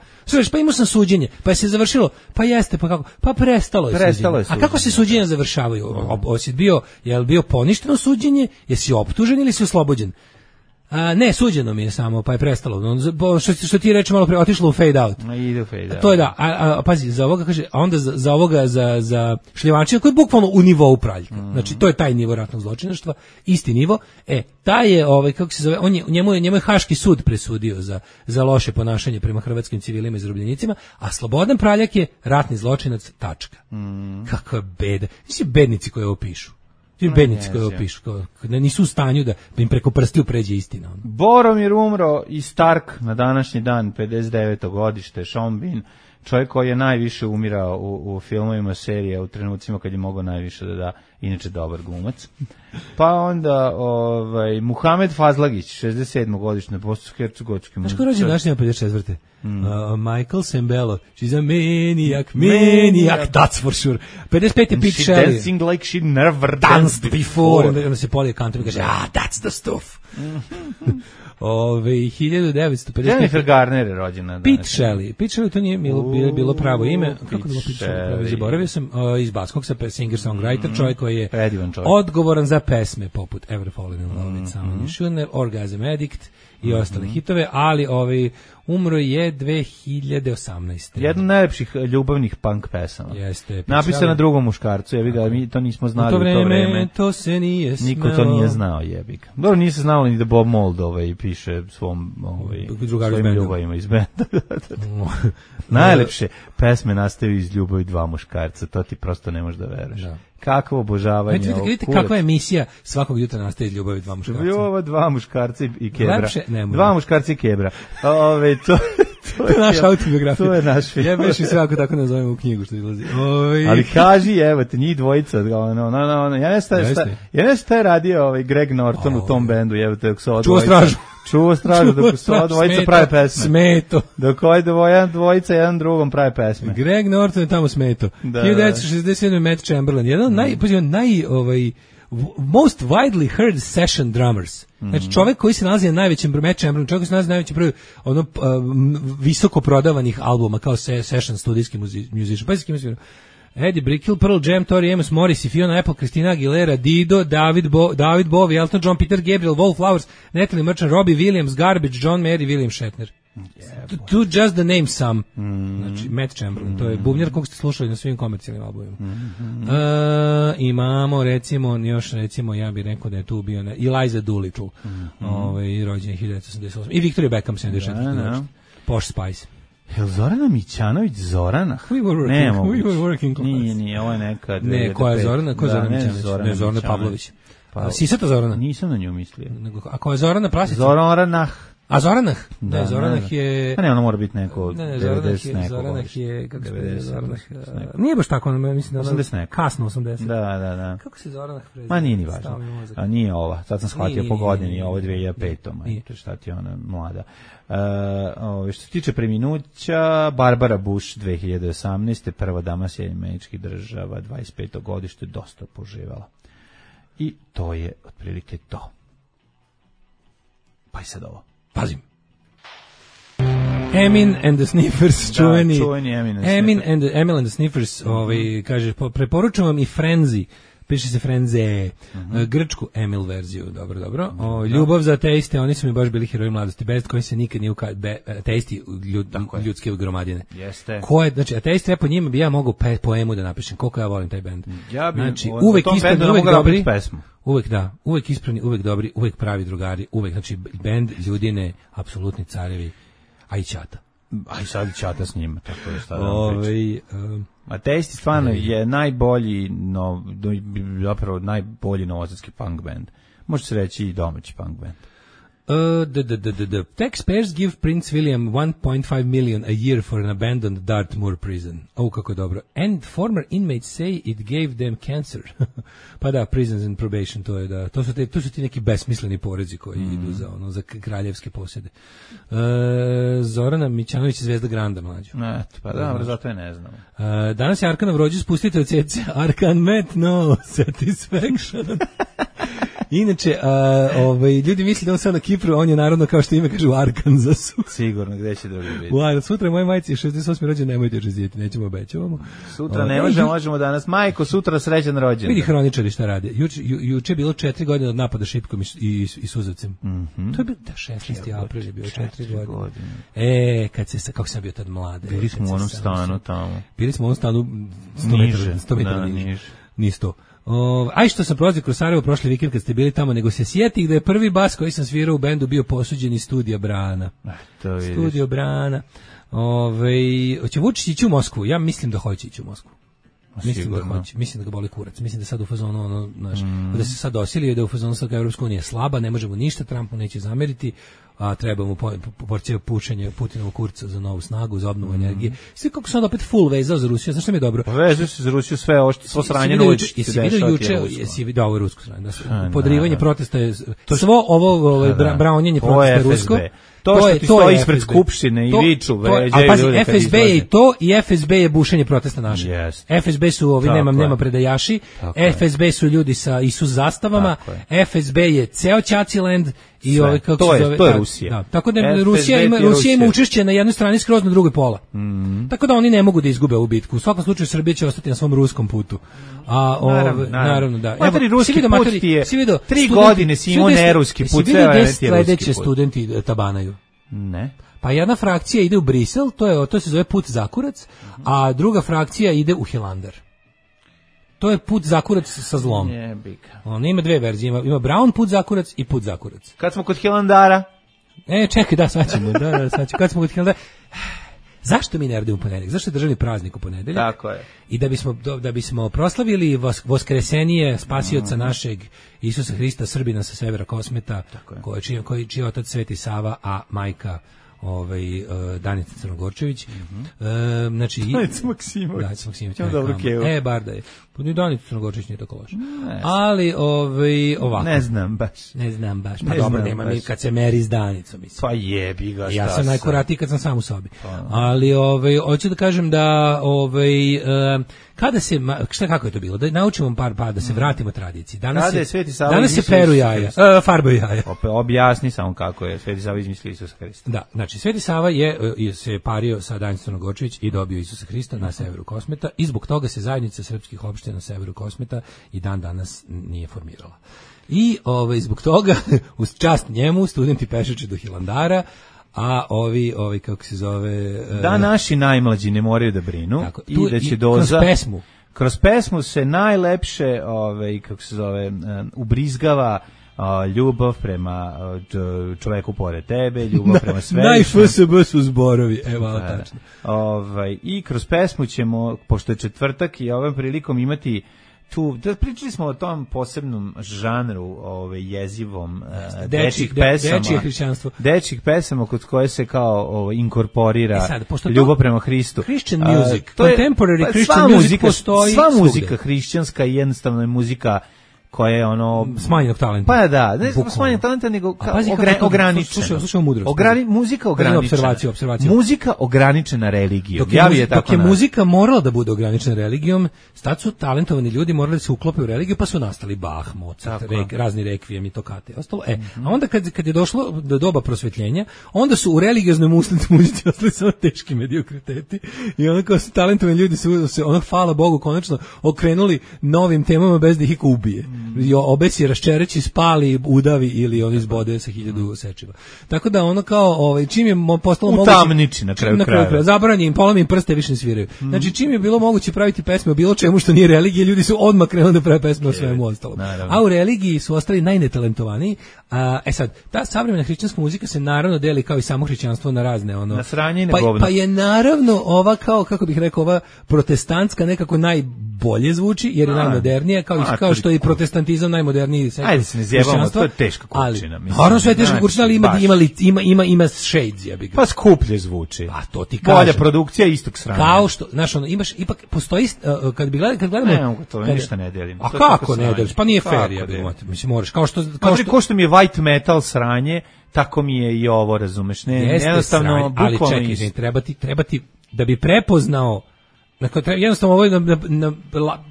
Pa imao sam suđenje, pa je se završilo, pa jeste, pa kako? Pa prestalo je suđenje. A kako se suđenja završavaju? Je li bio poništeno suđenje? Jesi optužen ili si oslobođen? Ne, suđeno mi je samo, pa je prestalo. Što ti reče malo pre, otišlo u fade out. Ide u fade out. To je da, pazi, za ovoga kaže, a onda za ovoga, za Šljivančina, koji je bukvalno u nivou Praljka. Znači, to je taj nivo ratnog zločinaštva, isti nivo. Taj je, kako se zove, njemu je Haški sud presudio za loše ponašanje prema hrvatskim civilima i zarobljenicima, a Slobodan Praljak je ratni zločinac, tačka. Kakva beda. Nisi bednici koji ovo pišu. Bednici pišu, nisu u stanju da im preko prstiju pređe istina. Boromir umro i Stark na današnji dan, 59. godište, Sean Bean, čovjek koji je najviše umirao u filmovima serije u trenucima kad je mogao najviše da da, inače dobar glumac. Pa onda Muhamed Fazlagić, 67. godište, bosansko-hercegovački. Znaš ko rođen današnji 54. Michael Sembello, she's a maniac, that's for sure. 55. Pete Shelley. She dancing like she never danced before. Onda se Polly Country kaže, that's the stuff. 1955. Jennifer Garner je rođena. Pete Shelley, to nije bilo pravo ime. Kako da Pete Shelley? Zaboravio sam, iz Baskog sa singer-songwriter, čovjek koji je odgovoran za pesme poput Ever Fallen in Love with Someone You Shouldn't Have, Orgasm Addict i ostale hitove, ali umro je 2018. Jedna od najlepših ljubavnih punk pesama. Jeste. Napisana na drugom muškarcu, jebi ga, mi to nismo znali u to vreme. To se nije smelo. Niko to nije znao, jebi ga. Dobro, nije se znalo ni da Bob Mould piše svojim ljubavima iz benda. Najlepše pesme nastaju iz ljubavi dva muškarca, to ti prosto ne možeš da veruješ. Da. Kakvo obožavanje. Vidite kakva emisija svakog jutra nastaje iz ljubavi dva muškarca. Ljubav dva muškarca i kebra. Lepše, dva muškarca i kebra. To je naša autobiografija. To je naš film. Ja bih sve ako tako nazovemo u knjigu što izlazi. Ali kaži, evo te, njih dvojica. Ja ne šta je radio Greg Norton u tom bendu. Čuo stražu dok su ova dvojica prave pesme. Smeto. Dok dvojica jedan drugom prave pesme. Greg Norton je tamo smeto. 1967. Matt Chamberlain. Jedan most widely heard session drummers. Znači čovjek koji se nalazi na najvećem broju, Matt Chamberlain, čovjek koji se nalazi na najvećem broju visoko prodavanih albuma kao session studijski musician. Pa se kim Eddie Brickell, Pearl Jam, Tori Amos, Morrissey, Fiona Apple, Christina Aguilera, Dido, David Bowie, Elton John, Peter Gabriel, Wallflowers, Natalie Merchant, Robbie Williams, Garbage, John Mayer, William Shatner. To just the name some. Znači, Matt Chamberlain, to je bubnjar kog ste slušali na svim komercijalnim albumima. Imamo, recimo, ja bih rekao da je tu bio Eliza Doolittle, rođen je 1988. I Victoria Beckham, 74. Posh Spice. Je li Zorana Mićanović Zorana? We were working class. Nije, ovo je neka... Ne, koja je Zorana? Ko je Zorana Mićanović? Ne, Zorana Pavlović. Sisata Zorana? Nisam na nju mislio. A ko je Zorana Prasica? Zoranah. A Zoranah? Ne, Zoranah je... Pa ne, ona mora biti neko 90 neko. Zoranah je, kako se je Zoranah? Nije baš tako, mislim da 80 neko. Kasno 80. Da. Kako se Zoranah prezime? Ma nije ni važno. A nije ova, sad sam shvatio po godini, ovo je 2005. Šta ti ona mlada. Što se tiče preminuća, Barbara Bush 2018. prva dama Sjedinjenih Američkih Država, 25. godište, dosta poživala. I to je otprilike to. Pa i sad ovo. Pazim. Emin and the Sniffers, čuveni Emil and the Sniffers, kaže, preporučujem vam i Frenzy, piše se Frenze, grčku Emil verziju, dobro. Ljubav za ateiste, oni su mi baš bili heroji mladosti, bez koji se nikad nije ateisti ljudske gromadine. Jeste. Znači, ateisti, po njima bi ja mogao poemu da napišem, koliko ja volim taj bend. Znači, uvek ispravni, uvek dobri, uvek ispravni, uvek dobri, uvek pravi drugari, uvek, znači, bend ljudine, apsolutni carevi, a i Ćata. A i sad i Ćata s njima, tako je šta da vam pričam. Ateisti stvarno je najbolji, zapravo najbolji novosadski punk band. Može se reći i domaći punk band. The taxpayers give Prince William 1.5 million a year for an abandoned Dartmoor prison. Kako je dobro. And former inmates say it gave them cancer. Pa da, prisons and probation, to je da. To su ti neki besmisleni porezi koji idu za kraljevske posjede. Zorana Mićanović je zvezda Granda, mlađo. Pa da, zato je ne znam. Danas je Arkanov rođendan, spustite od sjedce. Arkan met no satisfaction. Inače, ljudi misle da on sad na Kipru, on je narodno kao što ime kaže u Arkansasu. Sigurno, gde će drugi biti. Sutra moje majci je 68. rođen, nemojte žezijeti, nećemo obećavamo. Sutra ne možemo danas. Majko, sutra srećan rođendan. Vidi hroničari šta rade. Juče je bilo 4 godine od napada šipkom i suzavcem. To je bilo 16. april je bio 4 godine. Kako sam bio tad mlade. Bili smo u onom stanu tamo. Bili smo u onom stanu 100 metara niže. Ni 100. Aj što sam prolazio kroz Sarajevo prošli vikend kad ste bili tamo, nego se sjetih da je prvi bas koji sam svirao u bendu bio posuđen iz Studija Brana. Studio Brana. Hoće Vučić ići u Moskvu? Ja mislim da hoće ići u Moskvu. Mislim da ga boli kurac. Mislim da sad u fazonu da se sad dosilio, da u fazonu sad Evropska unija je slaba, ne možemo ništa, Trumpu neće zameriti, a treba mu porcija pušenja Putinovog kurca za novu snagu, za obnovu energije. Sve kako se on opet full vezao za Rusiju, znaš što mi je dobro? Vezao se za Rusiju sve ovo što sranje noć. Jesi vidio ovo rusku stranu? Podrivanje protesta je svo ovo braunjenje protesta rusko. To što ti stoji ispred skupštine i viču, vređaju. Pazi, FSB je i to, i FSB je bušenje protesta naše. FSB su ovi, nema predajaši, FSB su ljudi sa Isus zastavama, FSB je ceo Ćaciland i ovaj, kako se zove... To je Rusija. Da, tako da Rusija ima učešće na jednoj strani, skroz na drugoj pola. Tako da oni ne mogu da izgube ovu bitku. U svakom slučaju Srbija će ostati na svom ruskom putu. Naravno, da. Materi ruski put ti je 3 godine si imao neruski put. Si vidio gde sledeće studenti tabanaju? Ne. Pa jedna frakcija ide u Brisel, to se zove put Zakurac, a druga frakcija ide u Hilandar. To je put Zakurac sa zlom. On ima dve verzije, ima Brown put Zakurac i put Zakurac. Kad smo kod Hilandara? Čekaj, sad ćemo, kad smo kod Hilandara... Zašto mi ne radimo u ponedeljak? Zašto je državni praznik u ponedeljak? Tako je. I da bismo proslavili voskresenije spasioca našeg Isusa Hrista, Srbina sa severa Kosmeta, čiji otac Sveti Sava, a majka Danica Crnogorčević. Znači Danica Maksimović. Dobro kevo. Bar da je. Pa ni Danica Crnogorčević nije tako loše. Ali ovako. Ne znam baš. Pa dobro, nema mi kad se meri s Danicom, mislim. Pa jebi ga. Ja sam najkuratiji kad sam sam u sobi. Ali hoću da kažem da kada se kako je to bilo? Da naučimo par da se vratimo tradiciji. Danas se peru jaja, farbaju jaja. Objasni samo kako je Sveti Sava izmislio Isusa Hrista. Da, znači Sveti Sava se pario sa Danicom Crnogorčević i dobio Isusa Hrista na severu Kosmeta i zbog toga se zajednica srpskih opština na severu Kosmeta i dan danas nije formirala. I zbog toga, uz čast njemu, studenti pešače do Hilandara, a ovi kako se zove... Da naši najmlađi ne moraju da brinu tako, i da će doza... Kroz pesmu se najlepše, kako se zove, ubrizgava ljubav prema čoveku pored tebe, ljubav prema svetu. Naj-FSB su zborovi, evo, tačno. I kroz pesmu ćemo, pošto je četvrtak i ovom prilikom imati tu, pričali smo o tom posebnom žanru jezivom dečjih pesama. Dečije hrišćanstvo. Dečjih pesama kod koje se kao inkorporira ljubav prema Hristu. Christian music, contemporary Christian music postoji sva muzika hrišćanska i jednostavno je muzika koja je smanjenog talenta. Pa da, ne smanjenog talenta, nego ograničena. Slušamo mudrost. Muzika ograničena. Muzika ograničena religijom. Dok je muzika morala da bude ograničena religijom, tad su talentovani ljudi morali da se uklope u religiju, pa su nastali Bach, Mozart, razni rekvijem i tokate. Ostalo, a onda kad je došlo do doba prosvetljenja, onda su u religioznoj muzici ostali samo teški mediokriteti i onda kao su talentovani ljudi se hvala Bogu, konačno okrenuli novim temama bez da ih iko ubije. Obesi, raščereći, spali, udavi ili on izbode sa 1000 sečiva. Tako da kao čim je postalo moguće utamniči na kraju krajeva. Zabranjen im, polomim prste, više ne sviraju. Znači čim je bilo moguće praviti pesme o bilo čemu što nije religija, ljudi su odmah krenuli da prave pesme o svemu ostalom. A u religiji su ostali najnetalentovaniji. Sad, ta savremena hrišćanska muzika se naravno deli kao i samo hrišćanstvo na razne na sranje i na govno. Pa je naravno ova kako bih rekao, ova protestantska nekako najbolje zvuči jer je najmodernija, kao što je i protestantizam najmoderniji sektor. Ajde se ne zjebamo, to je teška kurčina. Naravno sve je teška kurčina, ali ima shades, ja bih ga. Pa skuplje zvuči. Pa to ti kažem. Bolja produkcija istog sranja. Kao što, znaš, imaš, ipak postoji, kad gledamo... Ne, to ništa ne delim. A kako ne deliš? Pa nije fair, ja bih. Mislim, moraš, kao što mi je white metal sranje, tako mi je i ovo, razumeš? Jednostavno, bukvalno... Ali čekaj, treba ti, da bi prepoznao, jednostavno ovo je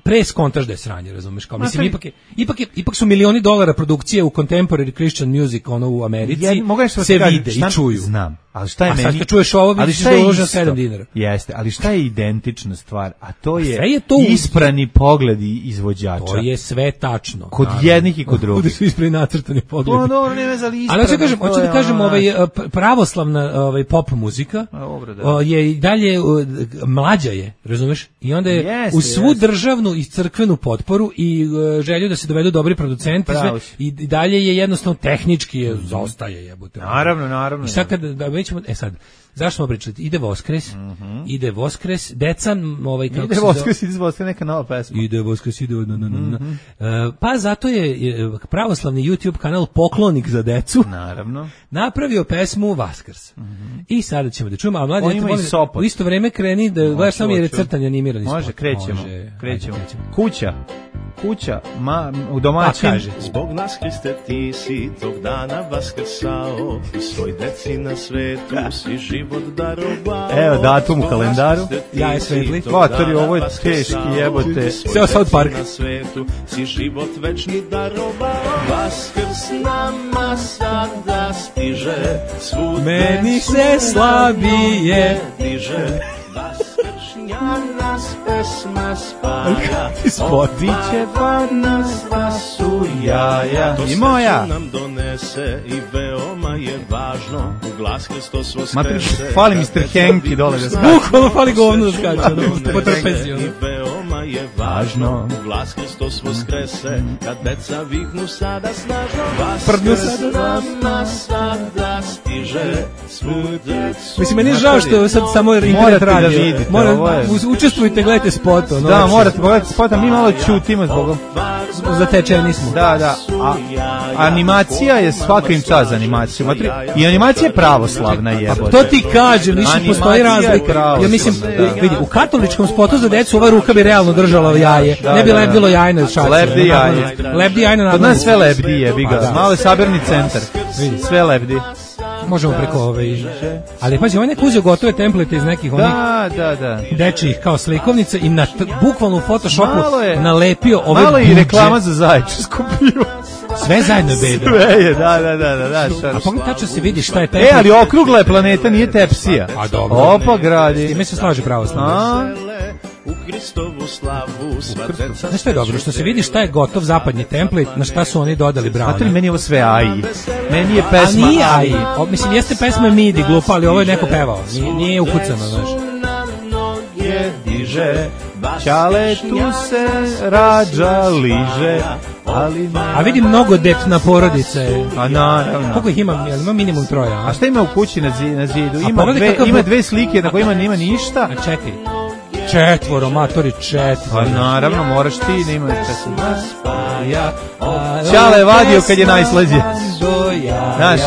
preskontaž da je sranje, razumeš, kao mislim ipak su milioni dolara produkcije u contemporary Christian music u Americi se vide i čuju. Znam, ali šta je meni? A sad kad čuješ ovo, vidiš da je uložen $7. Jeste, ali šta je identična stvar? A to je isprani pogledi izvođača. To je sve tačno. Kod jednih i kod drugih. Ovdje su isprani nacrtani pogledi. No, dobro, ne veze, ali isprani. Ali hoću da kažem, pravoslavna pop muzika je i dalje mlađa je, razumeš? I onda je u svu državnu i crkvenu potporu i želju da se dovedu dobri producenti i dalje je jednostavno tehnički zaostaje jebote. Naravno. I sad kad mi ćemo, sad, zašto smo pričali? Ide Voskres, deca, ide Voskres, neka nova pesma. Ide Voskres, pa zato je pravoslavni YouTube kanal Poklonik za decu. Naravno. Napravio pesmu Vaskrs. I sada ćemo da čujemo, a mladi u isto vreme kreni da gledaš samo jer je crtanje animirani spot. Može, krećemo. Kuća, u domaćin. Pa kaže. Zbog nas, Hriste, ti si tog dana vaskrsao i svoj deci na svetu si život darovao. Evo datum u kalendaru. Ja je svetli. Vatori, ovo je teški, jebote. Seo South Park. Na svetu si život večni darovao. Vaskrs nama sada stiže, svud meni se slabije diže. Vaskršnja nas pesma spaja, biće pa nas vasu jaja. To i moja nam donese i veoma je važno, u glas Hristos voskrese. Fali Mr. Henki dole da skače. Bukvalno fali govno da skače. Po trapeziju. I veoma je važno, u glas Hristos voskrese, kad deca viknu sada snažno. Vaskrs nama sada stiže, svu decu. Mislim, meni je žao što je sad samo internet radio. Učestvujte, gledajte spot. Da, morate pogledati spot, a mi malo čutimo zbog zatečeni smo. Da. A animacija je svaka im čast za animaciju. I animacija je pravoslavna jebote. To ti kažem, više postoji razlika. Ja mislim, vidi, u katoličkom spotu za decu ova ruka bi realno držala jaje. Ne bi lebdilo jajno šače. Lebdi jajno. Kod nas sve lebdi jebi ga. Malo je sabirni centar. Vidi, sve lebdi. Možemo preko ali pazi, on je uzeo gotove template iz nekih onih dečijih kao slikovnice i na bukvalno u Photoshopu nalepio ove malo i reklama za zaječarsku pivo. Sve zajedno beda. Sve je, da. A pogledaj tačno se vidi šta je template. Ali okrugla je planeta, nije tepsija. A dobro. Opa, gradi. S time se slaže pravoslavno. U Hristovu slavu sva deca. Znaš što je dobro? Što se vidi šta je gotov zapadni template, na šta su oni dodali browne. Znate li, meni je ovo sve AI. Meni je pesma AI. A nije AI. Mislim, jeste pesma MIDI glupa, ali ovo je neko pevao. Nije ukucano, znaš. Diže, Ćale tu se rađa, liže, ali ne. A vidim mnogo depna porodice. A naravno. Koliko ih ima? Ima minimum 3. A šta ima u kući na zidu? Ima dve slike na kojima nema ništa. A čekaj. 4, matori 4. Pa naravno, moraš ti da imaš ja. Ćale je vadio kad je najslađe. Znaš.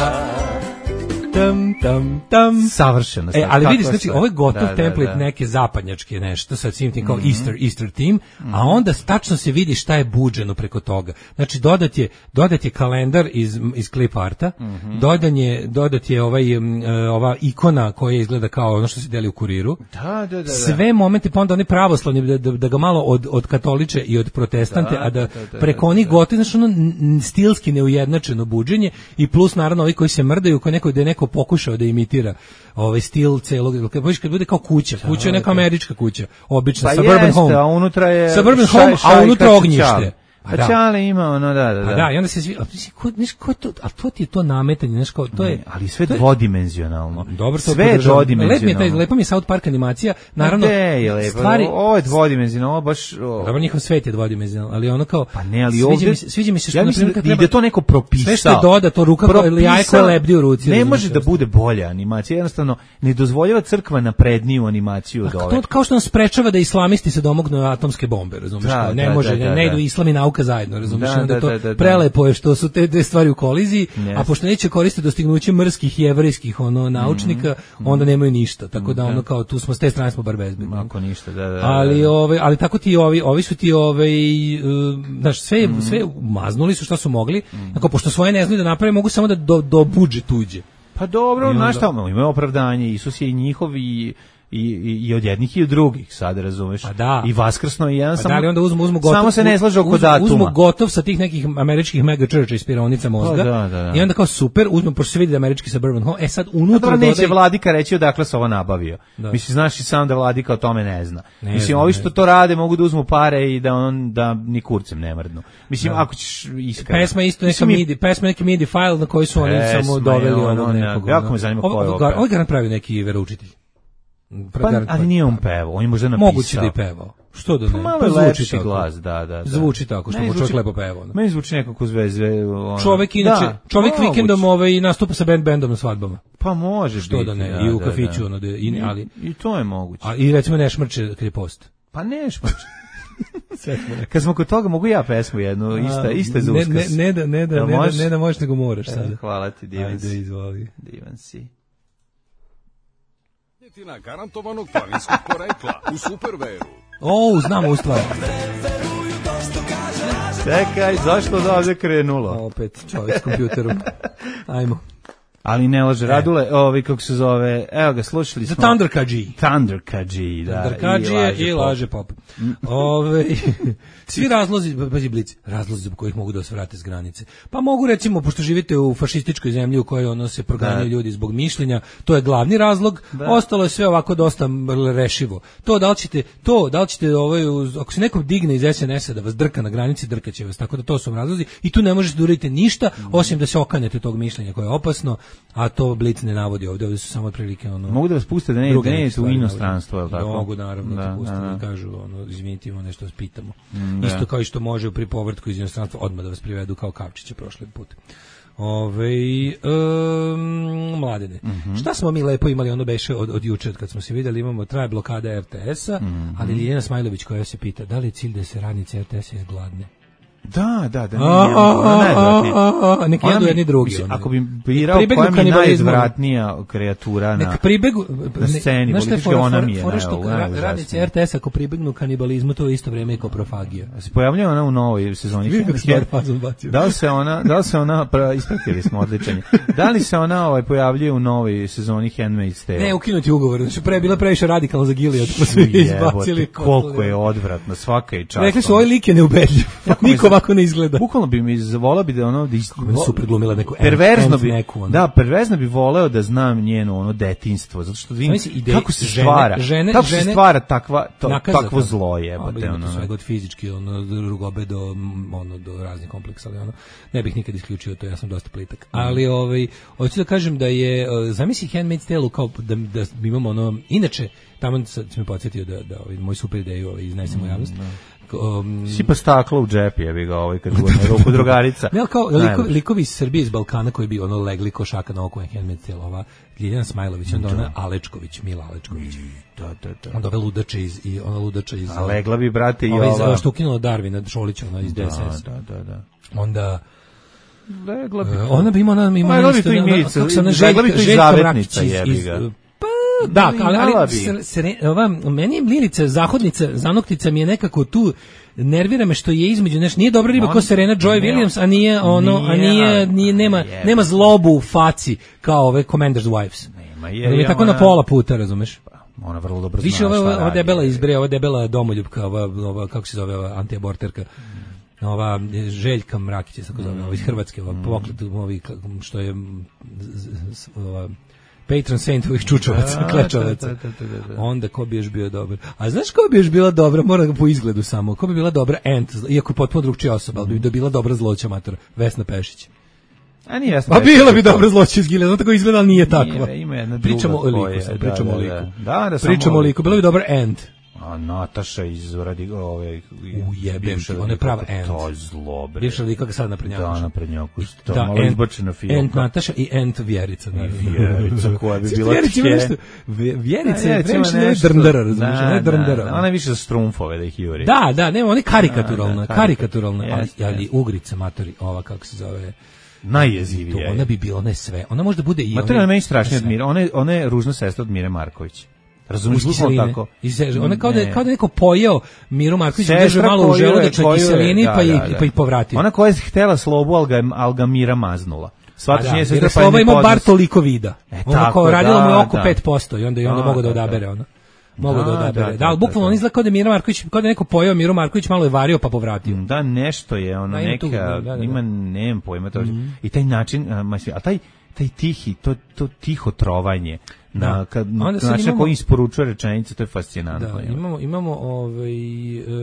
Savršeno. Ali vidiš, znači, ovo je gotov template neke zapadnjačke nešto, sa svim tim kao Easter theme, a onda tačno se vidi šta je buđeno preko toga. Znači, dodat je kalendar iz clip arta, dodat je ova ikona koja izgleda kao ono što se deli u Kuriru. Da. Sve momente, pa onda oni pravoslavni, da ga malo od katoliče i od protestante, a da preko onih gotovi, znači ono stilski neujednačeno buđenje i plus naravno ovi koji se mrdaju, da je neko pokušao da imitira ovaj stil celog, kad bude kao kuća je neka američka kuća, obična, pa suburban jeste, home. A unutra je suburban home, a unutra ognjište. Pa Ćale ima ono, da. Da, i onda se svi, a to ti je to nametanje, znaš kao, to je... Ali sve dvodimenzionalno. Dobro, sve je dvodimenzionalno. Lepa mi je South Park animacija, naravno... Stvari... Ovo je dvodimenzionalno, ovo baš... Dobro, njihov svet je dvodimenzionalno, ali ono kao... Pa ne, ali ovdje... Sviđa mi se što... Ja mislim da je to neko propisao. Sve što je doda, to ruka ili jaje koje lebdi u ruci. Ne može da bude bolja animacija, jednostavno ne dozvoljava crkva napredniju animaciju od ove. Kao što nas sprečava da islamisti se domognu atomske bombe, razumiješ? Ne može, ne idu islam i nauka zajedno, razumiješ? Da, prelepo je što su te dve stvari u koliziji, a pošto neće koristiti dostignuće mrskih jevrejskih naučnika, onda nemaju ništa. Tako da ono kao tu smo s te strane smo bar bezbedni. Ako ništa, da. Ali tako ti ovi su ti znaš, sve maznuli su šta su mogli. Tako pošto svoje ne znaju da naprave, mogu samo da do budžet tuđe. Pa dobro, znaš šta, imaju opravdanje, Isus je i njihov i od jednih i od drugih, sad razumeš. Pa da. I vaskrsno i jedan samo. Da li onda uzmu gotov. Samo se ne slaže oko datuma. Uzmu gotov sa tih nekih američkih mega churcha iz pironica mozga. Da. I onda kao super, uzmu pošto se vidi da američki suburban home. Sad unutra dodaj. Neće vladika reći odakle se ovo nabavio. Mislim, znaš i sam da vladika o tome ne zna. Mislim, ovi što to rade mogu da uzmu pare i da ni kurcem ne mrdnu. Mislim, ako ćeš iskreno. Pesma isto neki MIDI file na koji su oni samo doveli ono nekog. Jako me zanima ko je ovo. Ovo ga napravio neki veroučitelj. Ali nije on pevao, on je možda napisao. Moguće da je pevao. Što da ne? Pa zvuči tako. Glas, da. Zvuči tako, što mu čovjek lepo peva. Meni zvuči nekako zvezve. Čovjek inače, čovjek vikendom nastupa sa bendom na svadbama. Pa može što biti. Što da ne? I u kafiću, ali... I to je moguće. I recimo ne šmrče kad je post. Pa ne šmrče. Kad smo kod toga, mogu ja pesmu jednu, ista za uskrs. Ne da možeš, nego moraš sada. Hvala ti, divan si. Ajde, izvoli. Divan si. Garantovanog planinskog porekla u Superberu. Znamo u stvari. Čekaj, zašto da ovdje krenulo? Opet čovjek s kompjuterom. Ajmo. Ali ne laže, Radule, kako se zove, evo ga, slušali smo. Thunder Kadži, da. Thunder Kadži i laže pop. Svi razlozi, pazi Blic, razlozi zbog kojih mogu da vas vrate s granice. Pa mogu recimo, pošto živite u fašističkoj zemlji u kojoj se proganjaju ljudi zbog mišljenja, to je glavni razlog, ostalo je sve ovako dosta rešivo. Da li ćete ako se nekom digne iz SNS-a da vas drka na granici, drkaće vas, tako da to su razlozi i tu ne možete da uradite ništa, osim da se okanete tog mišljenja koje je opasno, a to Blic ne navodi ovdje su samo otprilike Mogu da vas puste da ne idete u inostranstvo, je li tako? Mogu, naravno, da puste da kažu, izvinite, imamo nešto da vas pitamo. Isto kao i što može pri povrtku iz inostranstva odmah da vas privedu kao Kavčića prošli put. Mladene. Šta smo mi lepo imali, beše od jučer kad smo se vidjeli, traje blokada RTS-a, ali Ljiljana Smajlović koja se pita da li je cilj da se radnice RTS-a izgladne? Da. Neki jedu jedni drugi. Ako bi birao koja mi je najizvratnija kreatura na sceni, politički ona mi je najizvratnija. Radnice RTS ako pribegnu kanibalizmu, to je isto vreme i koprofagija. Se pojavljava ona u novoj sezoni. Da li se ona, ispratili smo odličanje, da li se ona pojavljuje u novoj sezoni Handmaid's Tale? Ne, ukinuti ugovor, bila previše radikalno za Gilead, pa su izbacili. Koliko je odvratno, svaka i čast. Rekli su, ovaj lik je neubedljiv. Niko ovako ne izgleda. Bukvalno bi mi voleo bi da super glumila neku perverzno bi voleo da znam njeno detinjstvo, zato što vidim kako se stvara takvo zlo, jebote. Sve god fizički, rugobe do raznih kompleksa, ali ne bih nikad isključio to, ja sam dosta plitak. Ali hoću da kažem da je, zamisli Handmaid's Tale kao da imamo inače, tamo sam me podsjetio da moj super ideju iznesem u javnost. Sipa staklo u džep, jebi ga kad bude na ruku drugarica. Ne, kao likovi iz Srbije, iz Balkana koji bi legli košaka na oko Handmaid's Tale, ova Ljiljana Smajlović, onda ona Alečković, Mila Alečković. Da. Onda ove ludače iz a legla bi, brate, i ova što ukinula Darvina Šolića, ona iz DSS. Da. Onda legla bi. Ona bi ima kako se ona Željka Mrakić iz da, ali meni je Milica Zahodnica, Zanoktica mi je nekako tu, nervira me što je između, nije dobra riba kao Serena Joy Williams, a nije nema zlobu u faci kao ove Commander's Wives. Nema je tako na pola puta, razumeš? Ona vrlo dobro zna. Više ova debela izbre, ova debela domoljubka, ova kako se zove, ova antiaborterka. Ova Željka Mrakić, tako zove, iz Hrvatske, ova poklet, što je ova patron saint ovih čučovaca, klečovaca. Onda ko bi još bio dobar? A znaš ko bi još bila dobra? Mora ga po izgledu samo. Ko bi bila dobra Ant, iako je potpuno drugčija osoba, ali bi bila dobra zloća matora. Vesna Pešić. A nije Vesna Pešić. A bila bi dobra zloća iz Gileada, zato tako izgleda, ali nije takva. Ima jedna druga. Pričamo o liku sad, pričamo o liku. Pričamo o liku. Bila bi dobra Ant. A Nataša iz ove bivša, ona je prava Ant. To je zlo, bre. Bivša lika sad naprednjakuš. Da, naprednjakuš. To je malo izbačena filmka. Ant Nataša i Ant Vjerica. Vjerica koja bi bila tje. Vjerica je previše ne drndara, razumiješ, ne drndara. Ona je više za strumfove da ih juri. Da, nema, ona je karikaturalna, ali Ugrica, matori, ova kako se zove... Najjezivija. Ona bi bila, ne sve. Ona možda bude i... Matori, ona meni strašnije od Mire. Ona je ružna sestra od Mire Marković. Razumiješ, bukvalno tako. Ona kao da neko pojeo Miru Marković, drže malo u želudačnoj kiselini, pa ih povratio. Ona koja je htjela slobu, ali ga Mira maznula. Jer Sloba ima bar toliko vida. Ona kao radila mu je oko 5% i onda mogu da odabere ona. Da, bukvalno on izgleda kao da Mira Marković, kao da neko pojeo Miru Marković, malo je vario pa povratio. Da, nešto je ono, neka, ima, nemam pojma to. I taj način, a taj tihi, to tiho trovanje, na način na koji isporučuje rečenice, to je fascinantno. Da, imamo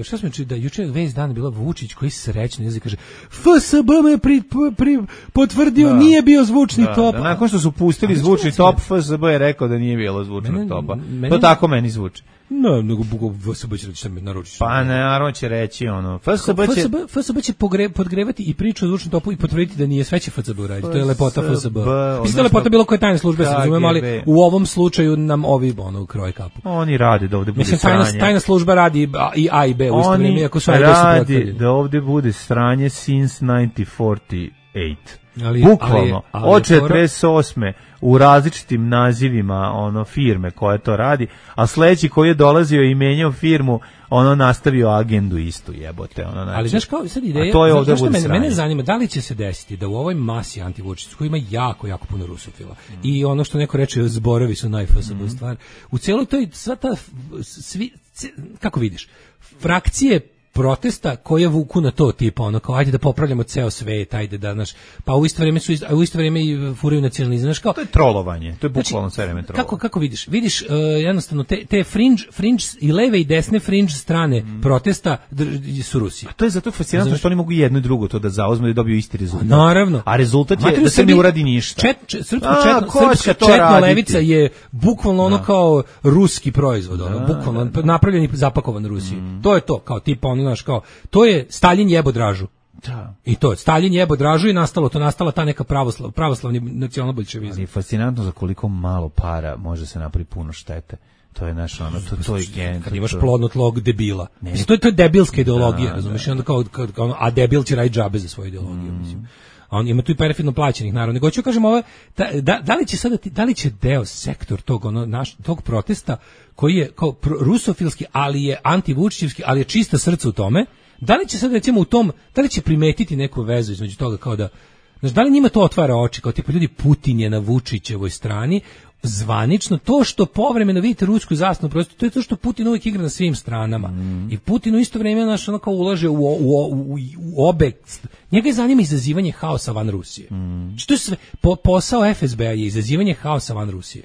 šta smo čuli da juče već dan bila Vučić koji srećno izlazi kaže FSB me potvrdio, nije bio zvučni top. Nakon što su pustili zvučni top, FSB je rekao da nije bilo zvučnog topa. To tako meni zvuči. No, nego FSB će reći naručiš. Pa naravno će reći ono. FSB će podgrevati i priču o zvučnom topu i potvrditi da nije sve će FSB uraditi. To je lepota FSB. Mislim da je lepota bilo koje tajne službe, se razumemo, ali u ovom slučaju nam ovi kroje kapu. Oni rade da ovde bude sranje. Mislim, tajna služba radi i A i B u isto vrijeme, ako su A i B radi da ovde bude sranje since 1948. Bukvalno, od 48. u različitim nazivima firme koja to radi, a sledeći koji je dolazio i menjao firmu, nastavio agendu istu, jebote. Znači, ali znaš kao sad ideja, mene zanima da li će se desiti da u ovoj masi antivučićevskoj koji ima jako, jako puno rusofila i ono što neko reče, zborovi su najfasabla stvar, u cijeloj toj, sva ta, kako vidiš, frakcije protesta koje vuku na to tipa kao ajde da popravljamo ceo svet, ajde da pa u isto vrijeme i furaju nacionalizam, znaš kao to je trolovanje, to je bukvalno sve vreme trolovanje. Kako vidiš jednostavno te fringe i leve i desne fringe strane protesta su Rusija. A to je zato fascinantno što oni mogu jedno i drugo to da zauzmu i dobiju isti rezultat. Naravno. A rezultat je da se ne uradi ništa. Srpska četna levica je bukvalno kao ruski proizvod, bukvalno napravljen i zapakovan u Rusiji. To je to, kao tipa to je Staljin jebo Dražu. Da. I to je Staljin jebo Dražu i nastala ta neka pravoslavni nacionalbolševizam. Ali je fascinantno za koliko malo para može se napraviti puno štete. To je naš to je gen. Kad imaš plodno tlo debila. Mislim, to je debilska ideologija, razumiješ? Onda a debil će raditi džabe za svoju ideologiju, mislim. A on ima tu i perfidno plaćenih, naravno. Nego ću kažem da li će deo sektor tog protesta koji je kao rusofilski, ali je antivučićevski, ali je čista srca u tome, da li će sad recimo u tom, da li će primetiti neku vezu između toga kao da, znači da li njima to otvara oči, kao tipa ljudi Putin je na Vučićevoj strani, zvanično, to što povremeno vidite rusku zastavu, prosto to je to što Putin uvijek igra na svim stranama. I Putin u isto vrijeme kao ulaže u obe. Njega je zanima izazivanje haosa van Rusije. Što je sve, posao FSB-a je izazivanje haosa van Rusije.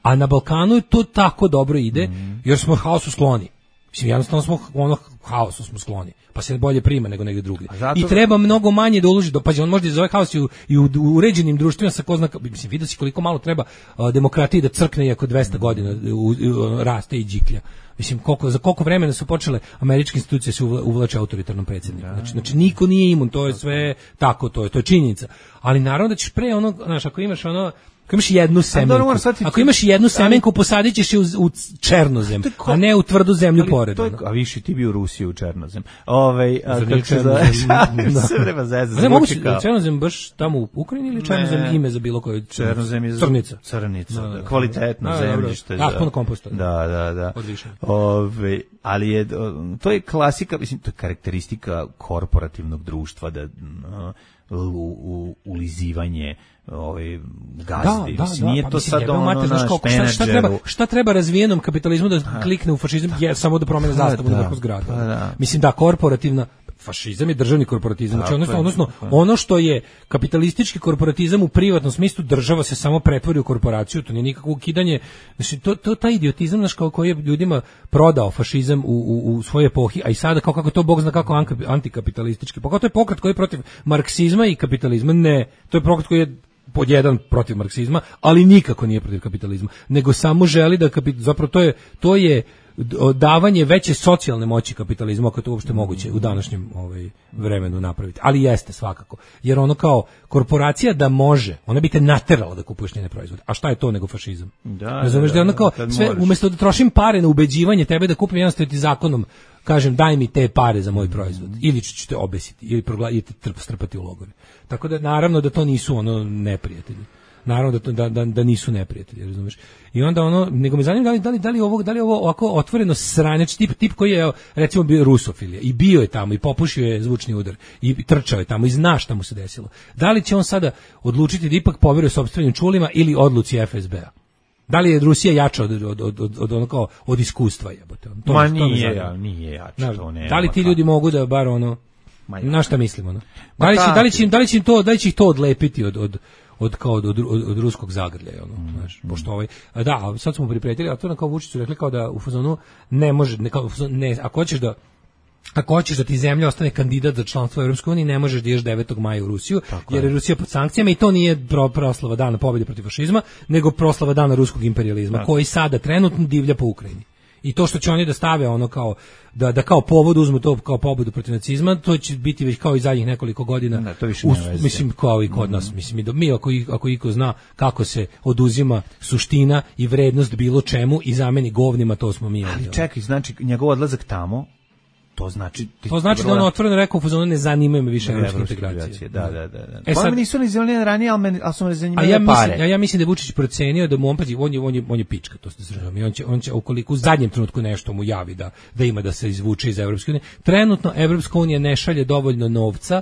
A na Balkanu to tako dobro ide, jer smo haosu skloni. Mislim, jednostavno smo haosu smo skloni, pa se bolje prima nego negdje drugdje. I treba mnogo manje da uloži, pa on može da zove haos i u uređenim društvima sa ko zna, mislim, vidio si koliko malo treba demokratiji da crkne iako 200 godina raste i džiklja. Mislim, za koliko vremena su počele američke institucije se uvlače autoritarnom predsjedniku. Znači, niko nije imun, to je sve tako, to je činjenica. Ali naravno da ćeš pre ako imaš ako imaš jednu semenku, posadit ćeš je u černozem, a ne u tvrdu zemlju pored. A više ti bi u Rusiji u černozem. Černozem baš tamo u Ukrajini ili černozem ime za bilo koju? Černozem je crnica, kvalitetno zemljište. Puno komposta. Da. Ali to je klasika, mislim, to je karakteristika korporativnog društva, da ulizivanje gazdi. Nije to sad šta treba razvijenom kapitalizmu da klikne u fašizam, samo da promene zastavu na vrhu zgrada. Mislim da korporativna fašizam je državni korporatizam, odnosno ono što je kapitalistički korporatizam u privatnom smislu, država se samo pretvori u korporaciju, to nije nikakvo ukidanje, znači to taj idiotizam koji je ljudima prodao fašizam u svojoj epohi, a i sada kako to Bog zna kako antikapitalistički, pa kao to je pokret koji je protiv marksizma i kapitalizma, ne, to je pokret koji je pod jedan protiv marksizma, ali nikako nije protiv kapitalizma, nego samo želi da zapravo to je davanje veće socijalne moći kapitalizmu, ako je to uopšte moguće u današnjem vremenu napraviti. Ali jeste svakako. Jer ono kao korporacija da može, ona bi te naterala da kupuješ njene proizvode. A šta je to nego fašizam? Razumeš da ono kao sve, umjesto da trošim pare na ubeđivanje tebe da kupim, jednostavno ti zakonom kažem daj mi te pare za moj proizvod. Ili ću te obesiti, ili te strpati u logore. Tako da naravno da to nisu neprijatelji. Naravno da nisu neprijatelji, razumeš? I onda nego me zanima da li ovo ovako otvoreno sranjač tip koji je recimo bio rusofilija i bio je tamo i popušio je zvučni udar i trčao je tamo i zna šta mu se desilo. Da li će on sada odlučiti da ipak poveruje sopstvenim čulima ili odluci FSB-a? Da li je Rusija jača od iskustva, jebote? Nije jača. Da li ti ljudi mogu da bar na šta mislimo? Da li će ih to odlepiti od ruskog zagrljaja, znaš, pošto sad smo pripretili, a to kao Vučić su rekli kao da u fazonu ne može, ako hoćeš da ti zemlja ostane kandidat za članstvo u Europskoj uniji, ne možeš da ideš 9. maja u Rusiju, jer je Rusija pod sankcijama i to nije proslava dana pobjede protiv fašizma, nego proslava dana ruskog imperijalizma, koji sada trenutno divlja po Ukrajini. I to što će oni da stave ono kao da kao povod uzmu to kao pobudu protiv nacizma, to će biti već kao i zadnjih nekoliko godina. Da, to više mislim kao i kod nas, mislim mi ako iko zna kako se oduzima suština i vrednost bilo čemu i zameni govnima, to smo mi. Ali čekaj, znači njegov odlazak tamo to znači da on otvoreno rekao u fazonu ne zanimaju me više evropske integracije. Da. Sad nisu ni zanimali ranije, ali su me zanimali pare. Ja mislim da je Vučić procenio da mu on je pička, to se razumije. On će ukoliko u zadnjem trenutku nešto mu javi da ima da se izvuče iz Evropske unije. Trenutno Evropska unija ne šalje dovoljno novca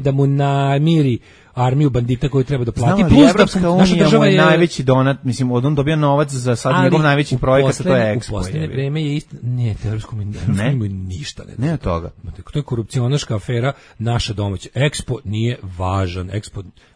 da mu namiri armiju bandita koju treba da plati. Znam, plus Evropska unija je najveći donat, mislim, on dobija novac za sad njegov najveći projekat, to je Expo. U posljednje vreme je isto, nije, Evropska unija ništa. Ne od toga. To je korupcionaška afera, naša domaća. Expo nije važan.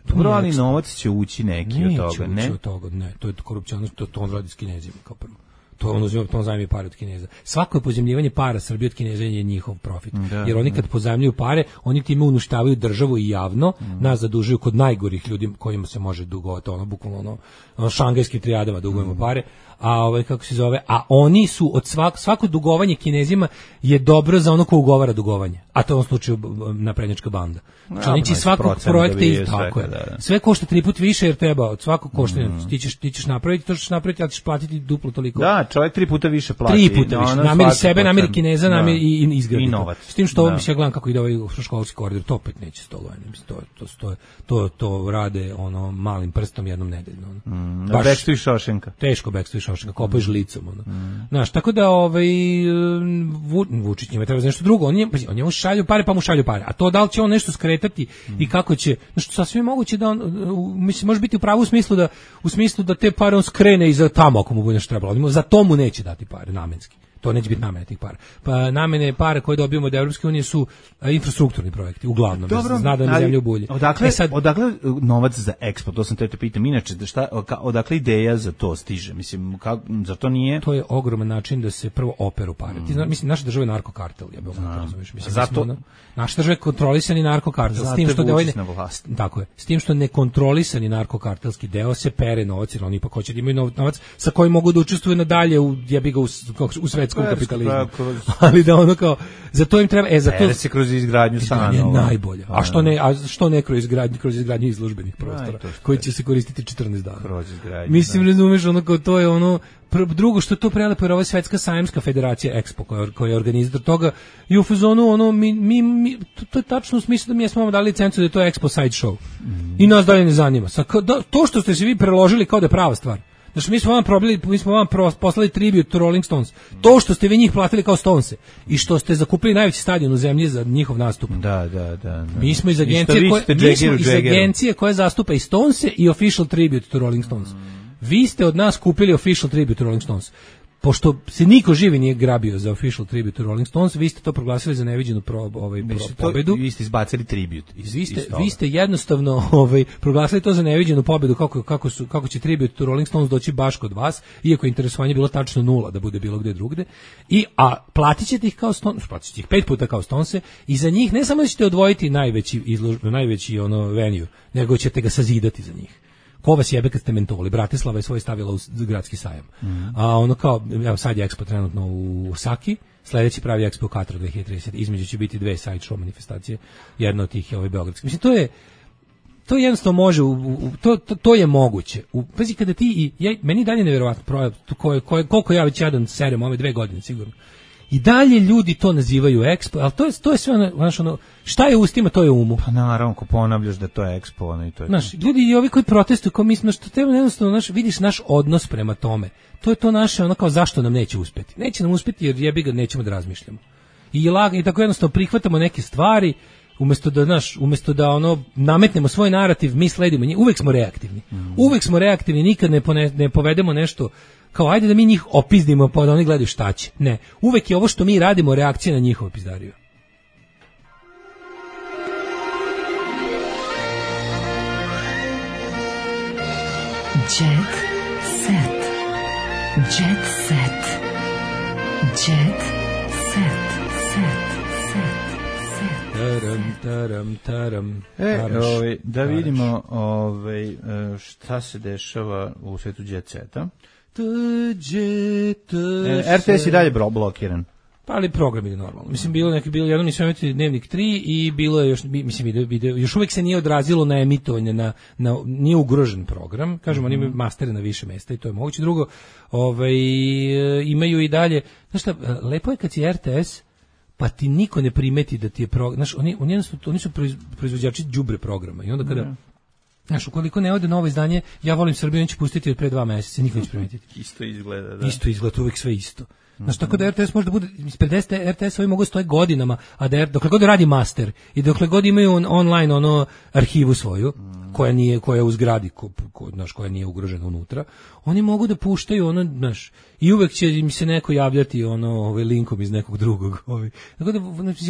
Dobro, ali novac će ući neki od toga, ne? Neće od toga, ne. To je korupcionaška, to on radi s Kinezima kao prvo. To on zajmi pare od Kineza. Svako pozajmljivanje para Srbije od Kineza je njihov profit. Jer oni kad pozajmljuju pare, oni time uništavaju državu i javno, nas zadužuju kod najgorih ljudi kojima se može dugovati, bukvalno šangajskim trijadama dugujemo pare. A kako se zove, a oni su od svako dugovanje Kinezima je dobro za ono ko ugovara dugovanje. A to je u ovom slučaju naprednjačka banda. Znači oni će svakog projekta i tako je. Sve košta 3 puta više jer treba od svakog košta. Ti ćeš napraviti to što ćeš napraviti, ali ćeš platiti duplo toliko. Da, čovjek 3 puta više plati. 3 puta više. Namiri sebe, namiri Kineza, namiri i izgradi. I novac. S tim što ovo ja gledam kako ide ovaj školski koridor, to opet neće 100 godina. To rade malim prstom jednom nedeljno. Bekstvo i Šošenka. Teško Bekstvo i Šošenka, kopaju žlicom. Znaš, tako da Vučić njima treba za nešto drugo. On njemu šalju pare, pa mu šalju pare. A to da li će on nešto skretati i kako će, znači sasvim moguće da on, mislim, može biti u pravu u smislu da te pare on skrene i za tamo ako mu bude nešto trebalo. Za to mu neće dati pare namenski. To neće biti namene tih para. Pa namene para koje dobijemo od Evropske unije su infrastrukturni projekti, uglavnom. Dobro, zna da nam zemlju bulje. Odakle novac za Expo? To sam te pitam. Inače, odakle ideja za to stiže? Mislim, za to nije... To je ogroman način da se prvo operu pare. Ti znaš, mislim, naša država je narkokartel. Ja bih razumiješ. Mislim, zato... Naša država je kontrolisani narkokartel. Zato je Vučić na vlasti. Tako je. S tim što nekontrolisani narkokartelski deo se pere novac, jer oni ipak hoće da imaju novac sa kojim mogu da učestvuju nadalje u svetskom kapitalizmu. Ali da ono kao, za to im treba, za to se kroz izgradnju stanova. Najbolje. A što ne kroz izgradnju izložbenih prostora, koji će se koristiti 14 dana. Kroz izgradnju. Mislim, razumeš, ono kao to je ono, drugo što to prelepo je ova svetska sajamska federacija Expo koja je organizator toga i u fazonu ono to je tačno u smislu da mi smo vam dali licencu da je to Expo side show. I nas dalje ne zanima. To što ste se vi preložili kao da je prava stvar. Znači mi smo vam poslali tribute to Rolling Stones. To što ste vi njih platili kao Stonese i što ste zakupili najveći stadion u zemlji za njihov nastup. Da. Mi smo iz agencije koja zastupa i Stonese i Official Tribute to Rolling Stones. Vi ste od nas kupili Official Tribute to Rolling Stones. Pošto se niko živi nije grabio za Official Tribute to Rolling Stones, vi ste to proglasili za neviđenu pobedu. Vi ste izbacili tribute. Vi ste jednostavno proglasili to za neviđenu pobedu kako će Tribute to Rolling Stones doći baš kod vas, iako je interesovanje bilo tačno 0 da bude bilo gde drugde. A platit ćete ih kao Stones, platit ćete ih 5 puta kao Stonese i za njih ne samo da ćete odvojiti najveći venue, nego ćete ga sazidati za njih. Ko vas jebe kad ste mentoli? Bratislava je svoj stavila u gradski sajam. A ono kao, evo sad je Expo trenutno u Saki, sledeći pravi Expo u Katru 2030. Između će biti 2 side show manifestacije, jedna od tih je beogradski. Mislim, to jednostavno može, to je moguće. Pazi, kada ti, meni dalje nevjerovatno projekt, koliko ja već jedan serem ove 2 godine sigurno. I dalje ljudi to nazivaju Expo, ali to je sve ono, šta je u ustima, to je u umu. Pa naravno, ko ponavljaš da to je Expo, i to je. Znaš, ljudi i ovi koji protestuju, kao mislim, što treba jednostavno, vidiš naš odnos prema tome. To je to naše, ono kao zašto nam neće uspeti. Neće nam uspeti jer jebi ga nećemo da razmišljamo. I tako jednostavno prihvatamo neke stvari, umjesto da ono nametnemo svoj narativ, mi sledimo njih, uvek smo reaktivni. Uvek smo reaktivni, nikad ne povedemo nešto kao ajde da mi njih opizdimo pa da oni gledaju šta će. Ne, uvek je ovo što mi radimo reakcija na njihovo pizdariju. Jet set. Jet set. Jet set. Taram. Da vidimo šta se dešava u svetu Jet Seta. RTS i dalje blokiran. Pa ali program je normalno. Mislim, bilo jednom nisam imati Dnevnik 3 i bilo je još, mislim, još uvijek se nije odrazilo na emitovanje, nije ugrožen program. Kažemo, oni imaju mastere na više mesta i to je moguće. Drugo, imaju i dalje, znaš šta, lepo je kad si RTS, pa ti niko ne primeti da ti je program, znaš, oni su proizvođači đubre programa i onda kada znaš, ukoliko ne ode novo izdanje, ja volim Srbiju, on će pustiti od pre 2 meseca, niko neće primetiti. Isto izgleda, da. Isto izgleda, uvijek sve isto. Znaš, tako da RTS može da bude, ispred RTS ovi mogu stoji godinama, a dokle god radi master i dokle god imaju online arhivu svoju, koja je u zgradi, znaš, koja nije ugrožena unutra, oni mogu da puštaju znaš, i uvek će im se neko javljati linkom iz nekog drugog. Tako da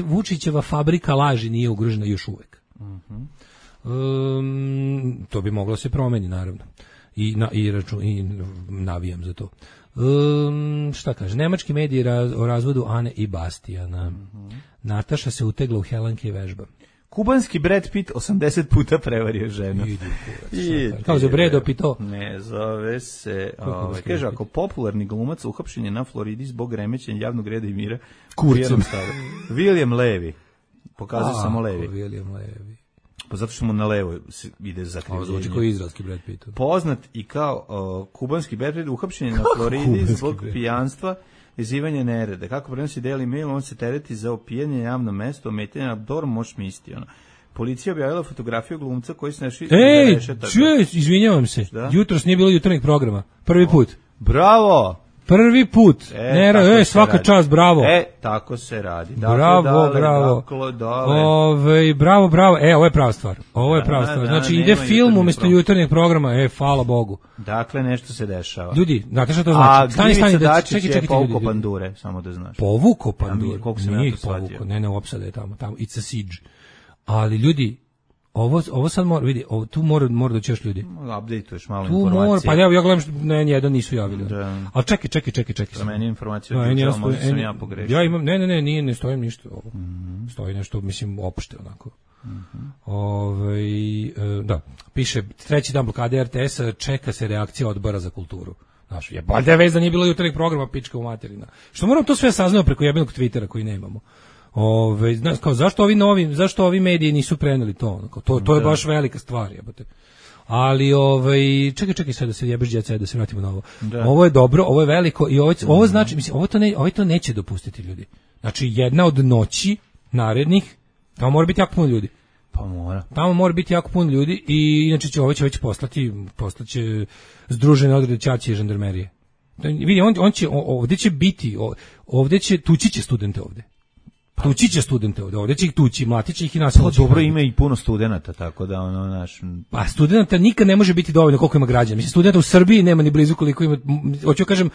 Vučićeva fabrika laži nije ugrožena još uvek. To bi moglo se promeni, naravno. I navijam za to. Šta kaže? Nemački mediji o razvodu Ane i Bastijana. Nataša se utegla u Helenke i vežba. Kubanski Brad Pitt 80 puta prevario ženu. Kao za Bredo Pito. Ne, zove se... kaže, ako popularni glumac uhapšen je na Floridi zbog remećenja javnog reda i mira... Kurcem. William Levy. Pokazao samo Levy. William Levy. Pa zato što mu na levo ide zakrivljenje. Zvuči kao izraelski Brad Pitt. Poznat i kao kubanski Brad Pitt uhapšen je na Floridi zbog pijanstva, izazivanja nereda. Kako prenosi Daily Mail, on se tereti za opijanje na javnom mestu, ometanje na dorm, moć misti. Policija objavila fotografiju glumca koji se našli... Izvinjavam se. Jutros nije bilo jutarnjeg programa. Prvi put. Bravo! Prvi put. Svaka čast, bravo. Tako se radi. Bravo. Bravo. Ovo je prava stvar. Znači, ide film umjesto jutarnjeg programa. Hvala Bogu. Dakle, nešto se dešava. Ljudi, znate šta to znači? Stani, Dačić je povukao pandure, samo da znaš. Povukao pandure? Nije ih povukao. Ne, opsada je tamo. It's a siege. Ali ljudi, ovo sad mora, vidi, tu mora doći još ljudi. Update-uješ malo informacije. Pa ja gledam što jedan nisu javili. Ali čekaj. Za meni informaciju možda sam ja pogrešio. Ja imam, ne stojim ništa ovo. Stoji nešto, mislim, opšte onako. Da, piše, 3. dan blokade RTS-a, čeka se reakcija odbora za kulturu. Znaš, valjda je vez da nije bilo jutarnjeg programa, pička u materina. Što moram to sve saznao preko jebenog Twittera koji nemamo. Znaš, kao, zašto ovi mediji nisu preneli to? To je baš velika stvar, jebote. Ali, čekaj sad da se jebeš djeca, da se vratimo na ovo. Ovo je dobro, ovo je veliko i ovo znači, mislim, ovo to neće dopustiti ljudi. Znači, jedna od noći narednih, tamo mora biti jako puno ljudi. Pa mora. Tamo mora biti jako puno ljudi i inače će već poslaće združene odrede Ćaće i žandarmerije. Vidi, tući će studente ovde. Tući će studente ovdje će ih tući, mlati će ih i nasiliti. Dobro, ima i puno studenata, tako da Pa studenata nikad ne može biti dovoljno koliko ima građana. Mislim, studenta u Srbiji nema ni blizu koliko ima, hoću kažem,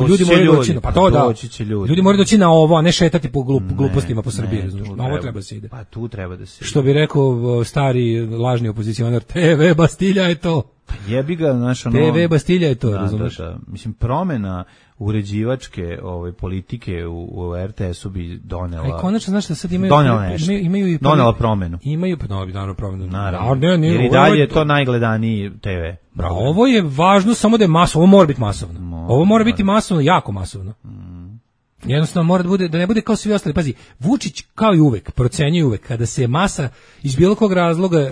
ljudi moraju doći, pa to da, ljudi moraju doći na ovo, a ne šetati po glupostima po Srbiji, razumiješ, na ovo treba se ide. Pa tu treba da se ide. Što bi rekao stari lažni opozicionar, TV Bastilja je to. Pa jebi ga, TV Bastilja je to, razumiješ. Mislim, promena uređivačke politike u RTS-u bi donela... konačno, znaš da sad imaju... Donela promenu. Imaju, naravno promenu. Naravno. Jer i dalje je to najgledaniji TV. Ovo je važno samo da je masovno, ovo mora biti masovno. Ovo mora biti masovno, jako masovno. Jednostavno mora da ne bude kao svi ostali. Pazi, Vučić kao i uvek, procenjuje uvek, kada se masa iz bilo kog razloga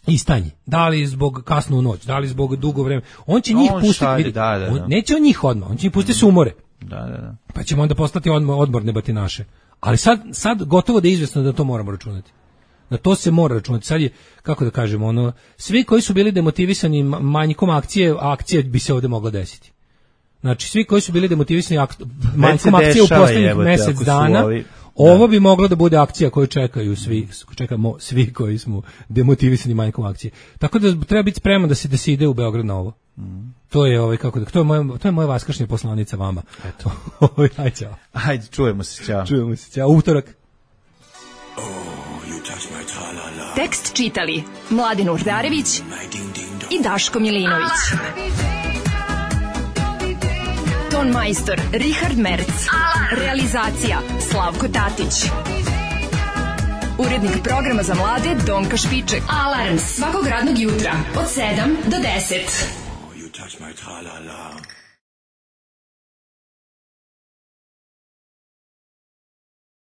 istanji, da li zbog kasno u noć, da li zbog dugo vremena, on će njih pustiti, neće on njih odmah, on će njih pustiti se umore. Da. Pa ćemo onda postati odmorne batinaše. Ali sad gotovo da je izvesno da to moramo računati. Da to se mora računati. Sad je, kako da kažemo, svi koji su bili demotivisani manjkom akcije bi se ovdje moglo desiti. Znači, svi koji su bili demotivisani manjkom akcije u posljednjih mjesec dana, ovo bi moglo da bude akcija koju čekamo svi koji smo demotivisani manjkom akcije. Tako da treba biti spreman da se ide u Beograd na ovo. To je to je moja vaskršnja poslanica vama. Eto. Ajde, čao. Ajde, čujemo se, čao. Utorak. Tekst čitali Mladin Urdarević i Daško Milinović. Ton majstor Richard Merc. Realizacija Slavko Tatić. Urednik programa za mlade Donka Špiček. Alarms svakog radnog jutra od 7 do 10.